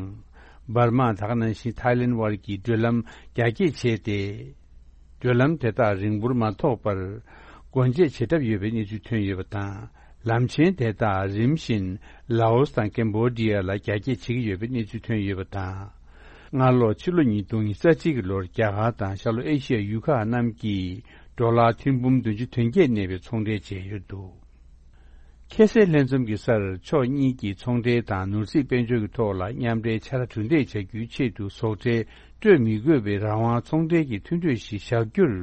འབར་མ། ད་ག་ནང་བཞིན་ཐའི་ལེན་དབར་གྱི་བགྲོད་ལམ་རྒྱ་སྐྱེད་བྱས་ཏེ། བགྲོད་ལམ་དེ་དག་རིང་པོར་མ་ཐོགས་པར་སྒོ་འབྱེད་བྱེད་གྲབས་ཡོད་པའི་གནས་ཚུལ་ཐོན་ཡོད་པ་དང་། ལམ་ཆེན་དེ་དག་རིམ་བཞིན་ལའོ་སི་དང་ཀེམ་བོ་ཌི་ཡ་ལ་རྒྱ་སྐྱེད་བྱེད་ཀྱི་ཡོད་པའི་གནས་ཚུལ་ཐོན་ཡོད་པ་དང་། སྔ་ལོ་ཕྱི་ལོ་ཉིས་སྟོང་ཉི་ཤུ་རྩ་གཅིག་གི་ལོར་རྒྱ་གར་དང་ཤར་ལྷོ་ཨེ་ཤི་ཡའི་ཡུལ་ཁག་རྣམས་ཀྱིས་ཌོ་ལར་ཐེར་འབུམ་བདུན་ཅུ་དོན་བརྒྱད་གནས་པའི་ཚོང་འབྲེལ་བྱས་ཡོད་འདུག་ཁ་སའི་ལྷན་འཛོམས་ཀྱི་སར་ཕྱོགས་གཉིས་ཀྱིས་ཚོང་འབྲེལ་དང་ནོར་སྲིད་དཔལ་འབྱོར་གྱི་ཐོག་ལ་མཉམ་འབྲེལ་ཕྱག་ར་གྲུ་འདེགས་བྱ་རྒྱུའི་ཆེད་དུ་ཟོག་ཁྲལ་སྤྲོད་མི་དགོས་པའི་རང་དབང་ཚོང་འབྲེལ་གྱི་མཐུན་གྲོས་ཤིག་བཞག་རྒྱུར་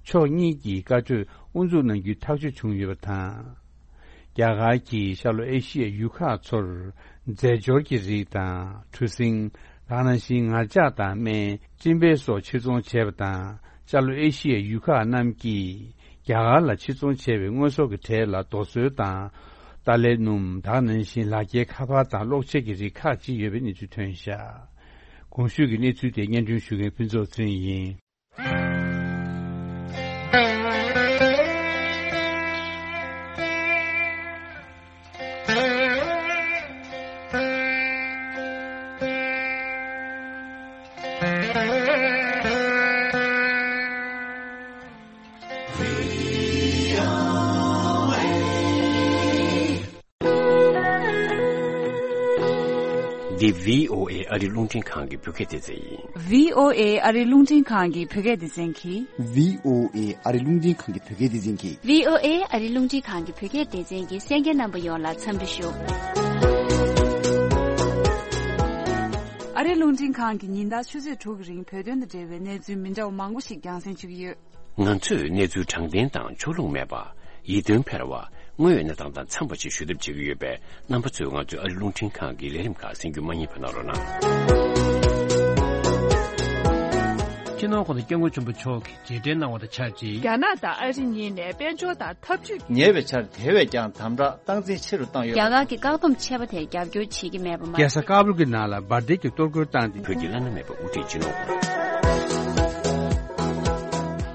ཕྱོགས་གཉིས་ཀྱིས་བཀའ་གྲོས་དབུ་འཛུགས་གནང་རྒྱུའི་ཐག་གཅོད་བྱུང་ཡོད་པ་དང་། རྒྱ་གར་གྱིས་ཤར་ལྷོ་ཨེ་ཤི་ཡའི་ཡུལ་ཁག་ཚོར་རྫས་སྦྱོར་གྱི་རིགས་དང་གྲུ་གཟིངས། དེ་ནང་བཞིན་ངར་ལྕགས་དང་སྨན། སྤྲིན་པའི་སོགས་ཕྱིར་ཚོང་བྱས་པ་དང་། ཤར་ལྷོ་ཨེ་ཤི་ཡའི་ཡུལ་ཁག་རྣམས་ཀྱིས་རྒྱ་གར་ལ་ཕྱིར་ཚོང་བྱས་པའི་དངོས་ཟོག་གི་གྲས་ལ་རྡོ་སོལ་དང་། ཏཱ་ལའི་སྣུམ། དེ་ནང་བཞིན་ལག་འཁྱེར་ཁ་པར་དང་གློག་ཆས་ཀྱི་རིགས་ཁག་ཅིག་ཡོད་པའི་གནས་ཚུལ་ཐོན་བཞག་གོང་ཞུས་ཀྱི་གནས་ཚུལ་དེ་སྙན་སྒྲོན་ཞུ་མཁན་ཕུན་ཚོགས་ཚེ་རིང་ཡིན། འདི་བྷི་ཨོ་ཨེ་ཨ་རི་རླུང་འཕྲིན་ཁང་གི་བོད་སྐད་སྡེ་ཚན་ཡིན། བྷི་ཨོ་ཨེ་ཨ་རི་རླུང་འཕྲིན་ཁང་གི་བོད་སྐད་སྡེ་ཚན་གྱིས། བྷི་ཨོ་ཨེ་ཨ་རི་རླུང་འཕྲིན་ཁང་གི་བོད་སྐད་སྡེ་ཚན་གྱིས། བྷི་ཨོ་ཨེ་ཨ་རི་རླུང་འཕྲིན་ཁང་གི་བོད་སྐད་སྡེ་ཚན་གྱི་གསན་མཁན་རྣམ་པ་ཡོངས་ལ་འཚམས་འདྲི་ཞུ། ཨ་རི་རླུང་འཕྲིན་ཁང་གིས་ཉིན་ལྟར་ཆུ་ཚོད་དྲུག་གི་རིང་བོད་དོན་དང་འབྲེལ་བའི་གནས་ཚུལ་མི་འདྲ་བ་མང་པོ་ཞིག་རྒྱང་སྲིང་ཞུ་གི་ཡོད། ང་ཚོས་གནས་ཚུལ་དྲང་བདེན་དང་ཕྱོགས་ལྷུང་མེད་པ། ཡིད་རྟོན་འཕེར་བ། དངོས་ཡོད་གནས་སྟངས་དང་འཚམས་པ་ཞིག་ཞུ་ཐབས་བྱེད་ཀྱི་ཡོད་པས། རྣམ་པ་ཚོས་ང་ཚོའི་ཨ་རི་རླུང་འཕྲིན་ཁང་གི་ལས་རིམ་ཁག་གསན་རྒྱུ་མ་བསྙེལ་བ་གནང་རོགས་གནང་། སྤྱི་ནོར་༸གོང་ས་༸སྐྱབས་མགོན་ཆེན་པོ་མཆོག་གིས་རྗེས་དྲན་གནང་བ་དང་ཆབས་ཅིག་རྒྱ་ནག་དང་ཨ་རི་གཉིས་ནས་དཔལ་འབྱོར་དང་འཐབ་ཇུས། ཉེ་བའི་ཆར་དེ་བས་ཀྱང་དམ་དྲག་སྟངས་འཛིན་ཆེ་རུ་བཏང་ཡོད། རྒྱ་གར་གྱི་བཀག་སྡོམ་ཆད་པ་དེར་རྒྱབ་སྐྱོར་བྱེད་ཀྱི་མེད་པ་མ་ཟད། རྒྱལ་ས་ཀ་བུལ་གྱི་ནང་ལ་འབར་མདེལ་གྱི་གཏོར་རྒོལ་བཏང་སྟེ། བོད་ཀྱི་བླ་ན་མེད་པ་དབུ་ཁྲིད་སྤྱི་ནོར་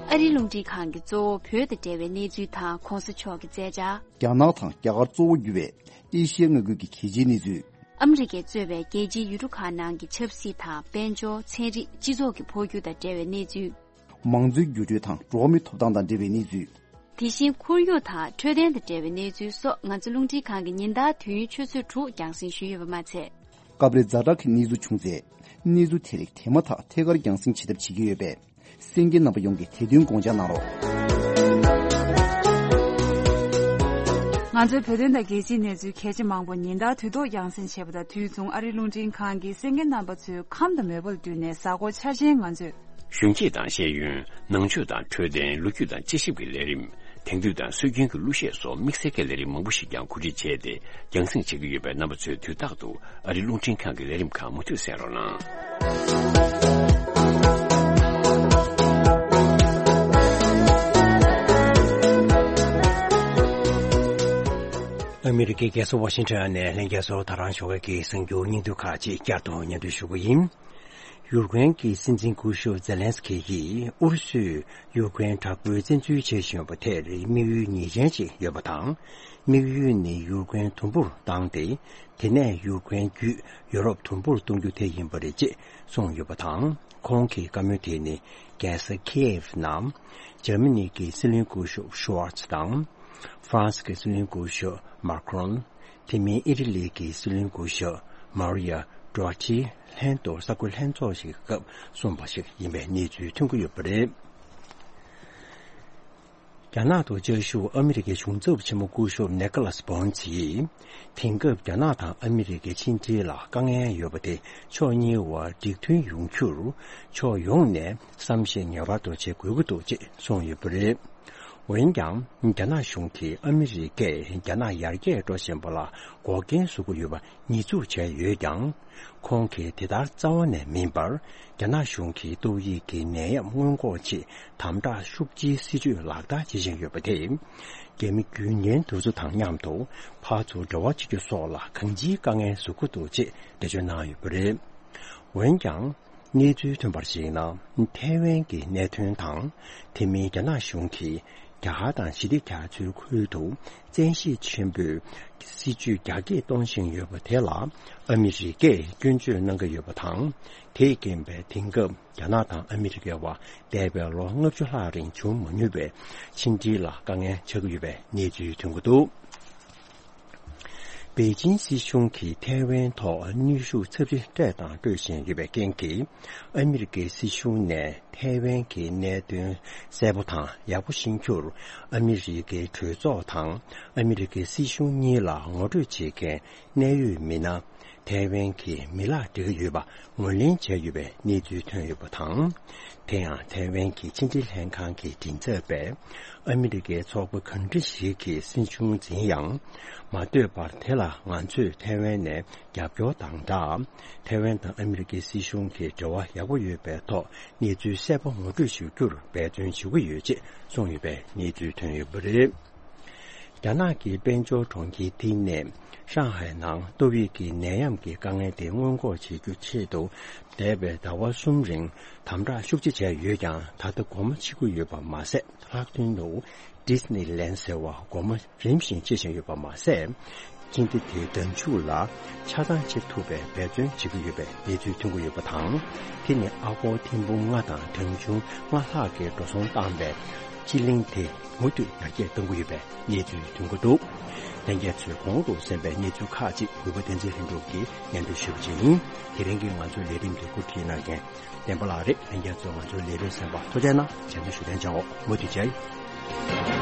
ཨ་རིའི་རླུང་འཕྲིན་ཁང་གིས་གཙོ་བོ་བོད་དང་འབྲེལ་བའི་གནས་ཚུལ་དང་གོང་ས་མཆོག་གི་མཛད་འཆར། རྒྱ་ནག་དང་རྒྱ་གར་གཙོ་བོ་གྱུར་བའི་ཨེ་ཤི་ཡའི་མངའ་ཁུལ་གྱི་གལ་ཆེའི་གནས་ཚུལ། ཨ་མི་རི་ཀས་གཙོས་པའི་རྒྱལ་སྤྱིའི་ཡུལ་གྲུ་ཁག་ནང་གི་ཆབ་སྲིད་དང་དཔལ་འབྱོར། ཚན་རིག་སྤྱི་ཚོགས་ཀྱི་འཕོ་འགྱུར་དང་འབྲེལ་བའི་གནས་ཚུལ། མང་གཙོའི་འགྱུར་འགྲོས་དང་འགྲོ་བ་མིའི་ཐོབ་ཐང་དང་འབྲེལ་བའི་གནས་ཚུལ། དེ་བཞིན་ཁོར་ཡུག་དང་འཕྲོད་བསྟེན་དང་འབྲེལ་བའི་གནས་ཚུལ་སོགས་ང་ཚོ་རླུང་འཕྲིན་ཁང་གིས་ཉིན་ལྟར་དུས་ཡུན་ཆུ་ཚོད་དྲུག་རྒྱང་སྲིང་ཞུས་ཡོད་པ་མ་ཚད། སྐབས་རེ་ཛ་དྲག་གི་གནས་ཚུལ་བྱུང་ཚེ། གནས་ཚུལ་དེ་རིགས་དེ་མ་ཐག་ཐད་ཀར་རྒྱང་སྲིང་བྱེད་ཐབས་བྱེད་ཀྱི་ཡོད་པས། གསན་མཁན་རྣམ་པ་ཡོངས་ཀྱིས་དེ་དོན་དགོངས་འཇགས་གནང་རོགས། ང་ཚོའི་བོད་དོན་དང་རྒྱལ་སྤྱིའི་གནས་ཚུལ་གལ་ཆེ་མང་པོ་ཉིན་ལྟར་དུས་ཐོག་རྒྱང་སྲིང་བྱེད་པ་དང་། དུས་མཚུངས་ཨ་རིའི་རླུང་འཕྲིན་ཁང་གིས་གསན་མཁན་རྣམ་པ་ཚོའི་ཁམས་དང་མོས་པ་ལ་བསྟུན་ནས་གཟའ་འཁོར་འཆར་ཅན་ང་ཚོས། གཞོན་སྐྱེས་དང་ཤེས་ཡོན། ནང་ཆོས་དང་འཕྲོད་བསྟེན། ལོ་རྒྱུས་དང་དཔྱད་ཞིབ་ཀྱི་ལས་རིམ། དེང་དུས་དང་སྲོལ་རྒྱུན་གྱི་གླུ་གཞས་སོགས་དམིགས་བསལ་གྱི་ལས་རིམ་མང་པོ་ཞིག་ཀྱང་གོ་སྒྲིག་བྱས་ཏེ་རྒྱང་སྲིང་བྱེད་ཀྱི་ཡོད་པས། རྣམ་པ་ཚོས་དུས་རྟག་ཏུ་ཨ་རིའི་རླུང་འཕྲིན་ཁང་གི་ལས་རིམ་ཁག་མུ་མཐུད་གསན་རོགས་གནང་། ཨ་མི་རི་ཀའི་རྒྱལ་ས་ཝ་ཤིང་ཊོན་ནས་ལྷན་རྒྱས་ཚོར་ད་རང་ཞོགས་ཀས་ཀྱི་གསར་འགྱུར་སྙིང་བསྡུས་ཁག་ཅིག་བསྐྱར་དུ་སྙན་སྒྲོན་ཞུ་རྒྱུ་ཡིན། ཡུཀ་རེན་གྱི་སྲིད་འཛིན་སྐུ་ཞབས་ཛེ་ལན་སི་ཁི་ཡིས་ཨུ་རུ་སུས་ཡུཀ་རེན་དྲག་པོའི་བཙན་འཛུལ་བྱེད་བཞིན་ཡོད་པ་དེར་དམིགས་ཡུལ་ངེས་ཅན་ཅིག་ཡོད་པ་དང་། དམིགས་ཡུལ་ནི་ཡུཀ་རེན་དུམ་བུར་བཏང་སྟེ། དེ་ནས་ཡུཀ་རེན་བརྒྱུད་ཡོ་རོབ་དུམ་བུར་གཏོང་རྒྱུ་དེ་ཡིན་པ་རེད་ཅེས་གསུངས་ཡོད་པ་དང་། ཁོང་གི་བཀའ་མོལ་དེ་ནི་རྒྱལ་ས་ཁི་ཡེབ་ནང་འཇར་མ་ནི་གི་སྲིད་བློན་སྐུ་ཞབས་ཤུ་ཝར་ཚ་དང་། ཧྥ་རན་སི་གི་སྲིད་བློན་སྐུ་ཞབས་མཱ་ཁི་རོན། དེ་མིན་ཨི་ཊ་ལི་གི་སྲིད་བློན་སྐུ་ཞབས་མཱ་རི་ཡ་ཌོ་ཊི་ལྷན་དུ་གསར་འགོད་ལྷན་ཚོགས་ཤིག་གི་སྐབས་གསུངས་པ་ཞིག་ཡིན་པའི་གནས་ཚུལ་ཐོན་གྱི་ཡོད་པ་རེད། རྒྱ་ནག་ཏུ་བཅའ་བཞུགས་ཨ་མི་རི་ཀའི་གཞུང་ཚབ་ཆེན་མོ་སྐུ་ཞབས་ནེ་ཀ་ལཱས་བོན་ཚི་ཡིས། དེང་སྐབས་རྒྱ་ནག་དང་ཨ་མི་རི་ཀའི་ཕྱི་འབྲེལ་ལ་དཀའ་ངལ་ཡོད་པ་དེ་ཕྱོགས་གཉིས་བར་འགྲིག་མཐུན་ཡོང་རྒྱུར་ཕྱོགས་ཡོངས་ནས་བསམ་ཤེས་ངེས་པར་དུ་བྱེད་དགོས་ཀྱི་འདུག་ཅེས་གསུངས་ཡོད་པ་རེད། འོན་ཀྱང་། རྒྱ་ནག་གཞུང་གིས་ཨ་མི་རི་ཀས་རྒྱ་ནག་ཡར་རྒྱས་འགྲོ་བཞིན་པ་ལ་འགོག་རྐྱེན་བཟོ་གི་ཡོད་པ་ཉེས་འཛུགས་བྱས་ཡོད་ཀྱང་། ཁོང་གིས་དེ་ལྟར་རྩ་བ་ནས་མིན་པར། རྒྱ་ནག་གཞུང་གིས་ཏོག་དབྱིབས་ཀྱི་ནད་ཡམས་སྔོན་འགོག་ཆེད་དམ་དྲག་ཤུགས་ཆེའི་སྲིད་ཇུས་ལག་བསྟར་བྱེད་བཞིན་ཡོད་པ་དེས། རྒྱ་མི་རྒྱུན་ལྡན་དེ་ཚོ་དང་མཉམ་དུ་ཕར་ཚུར་འབྲེལ་བ་བྱེད་རྒྱུ་སོགས་ལ་གང་ཅིའི་དཀའ་ངལ་བཟོ་གི་འདུག་ཅེས་འགྲེལ་བརྗོད་གནང་ཡོད་པ་རེད། འོན་ཀྱང་། གནས་ཚུལ་ཐོན་པར་གཞིགས་ན། ཐའེ་ཝན་གྱི་གནད་དོན་དང་། དེ་མིན་རྒྱ་ནག་གཞུང་གིས་རྒྱ་གར་དང་ཞི་བདེ་རྒྱ་མཚོའི་ཁུལ་དུ་བཙན་ཤེད་ཆེན་པོས་སྲིད་ཇུས་རྒྱ་སྐྱེད་གཏོང་བཞིན་ཡོད་པ་དེ་ལ་ཨ་མི་རི་ཀས་སྐྱོན་བརྗོད་གནང་གི་ཡོད་པ་དང་། དེས་རྐྱེན་པས་དེང་སྐབས་རྒྱ་ནག་དང་ཨ་མི་རི་ཀའི་བར་འདས་པའི་ལོ་ལྔ་བཅུ་ལྷག་རིང་བྱུང་མ་མྱོང་བའི་ཕྱི་འབྲེལ་ལ་དཀའ་ངལ་ཆགས་ཀྱི་ཡོད་པའི་གནས་ཚུལ་ཐོན་གྱི་འདུག་པེ་ཅིན་སྲིད་གཞུང་གིས་ཐའེ་ཝན་ཐོག་གནོན་ཤུགས་ཚབས་ཆེ་སྤྲད་དང་སྤྲོད་བཞིན་ཡོད་པའི་རྐྱེན་གྱིས། ཨ་མི་རི་ཀའི་སྲིད་གཞུང་ནས་ཐའེ་ཝན་གྱི་གནད་དོན་གསལ་པོ་དང་ཡག་པོ་ཤེས་རྒྱུར། ཨ་མི་རི་ཀའི་གྲོས་ཚོགས་དང་ཨ་མི་རི་ཀའི་སྲིད་གཞུང་གཉིས་ལ་ངོ་སྤྲོད་བྱེད་མཁན་གནད་ཡོད་མི་སྣ། ཐའེ་ཝན་གྱི་མི་ལག་སྤྲད་ཀྱི་ཡོད་པ་ངོས་ལེན་བྱས་ཡོད་པའི་གནས་ཚུལ་ཐོན་ཡོད་པ་དང་། དེ་ཡང་ཐའེ་ཝན་གྱི་ཕྱི་འབྲེལ་ལྷན་ཁང་གི་མགྲིན་ཚབ་པས། ཨ་མི་རི་ཀའི་ཚོགས་པ་གང་འདྲ་ཞིག་གི་སྲིད་གཞུང་འཛིན་ཡང་། མ་ལྟོས་པར་དེ་ལ་ང་ཚོས་ཐའེ་ཝན་ནས་རྒྱབ་སྐྱོར་དང་སྦྲགས། ཐའེ་ཝན་དང་ཨ་མི་རི་ཀའི་སྲིད་གཞུང་གི་འབྲེལ་བ་ཡག་པོ་ཡོད་པའི་ཐོག་གནས་ཚུལ་གསལ་པོ་ངོ་སྤྲོད་ཞུ་རྒྱུར་འབད་བརྩོན་ཞུ་གི་ཡོད་ཅེས་གསུངས་ཡོད་པའི་གནས་ཚུལ་ཐོན་ཡོད་པ་རེད། རྒྱ་ནག་གི་དཔལ་འབྱོར་གྲོང་ཁྱེར་ཏི་ནས་ཧྲང་ཧའེ་ནང་ཏོག་དབྱིབས་ཀྱི་ནད་ཡམས་ཀྱི་དཀའ་ངལ་དེ་སྔོན་འགོག་བྱེད་རྒྱུ་ཆེད་དུ། འདས་པའི་ཟླ་བ་གསུམ་རིང་དམ་དྲག་ཤུགས་ཆེ་བྱས་ཡོད་ཀྱང་། ད་ལྟ་སྒོ་མོ་ཕྱེ་གི་ཡོད་པ་མ་ཟད། ལྷག་དོན་དུ་ཌི་སི་ནི་ལན་ཟེར་བ་སྒོ་མོ་རིམ་བཞིན་ཕྱེ་བཞིན་ཡོད་པ་མ་ཟད། ཅིང་ཏི་དེའི་འདབ་ཆུ་ལ་ཆ་ཚང་ཕྱེ་ཐུབ་པའི་འབད་བརྩོན་བྱེད་ཀྱི་ཡོད་པའི་གནས་ཚུལ་ཐོན་གྱི་ཡོད་པ་དང་། དེ་ནི་ཨ་སྒོར་ཐེར་འབུམ་ལྔ་དང་གྲངས་ཆུང་ལྔ་ལྷག་གི་འགྲོ་སོང་བཏང་བའི་སྤྱི་གླིང་དེ་མུ་མཐུད་ཡར་རྒྱས་གཏོང་གི་ཡོད་པའི་གནས་ཚུལ་ཐོན་གྱི་འདུག། ལྷན་རྒྱས་ཚོས་གོང་དུ་གསན་པའི་གནས་ཚུལ་ཁག་ཅིག་གུས་པ་བསྟན་འཛིན་ལྷུན་གྲུབ་ཀྱིས་སྙན་སྒྲོན་ཞུས་པ་ཅིག་ཡིན། དེ་རིང་གི་ང་ཚོའི་ལས་རིམ་དེ་གོ་སྒྲིག་གནང་མཁན་བསྟན་པ་ལགས་རེད། ལྷན་རྒྱས་ཚོས་ང་ཚོའི་ལས་རིམ་གསན་པར་ཐུགས་རྗེ་གནང་། རྗེས་མའི་ཞུ་ཐེངས་མཇལ་འོ། མུ་མཐུད་མཇལ་ཡོང་།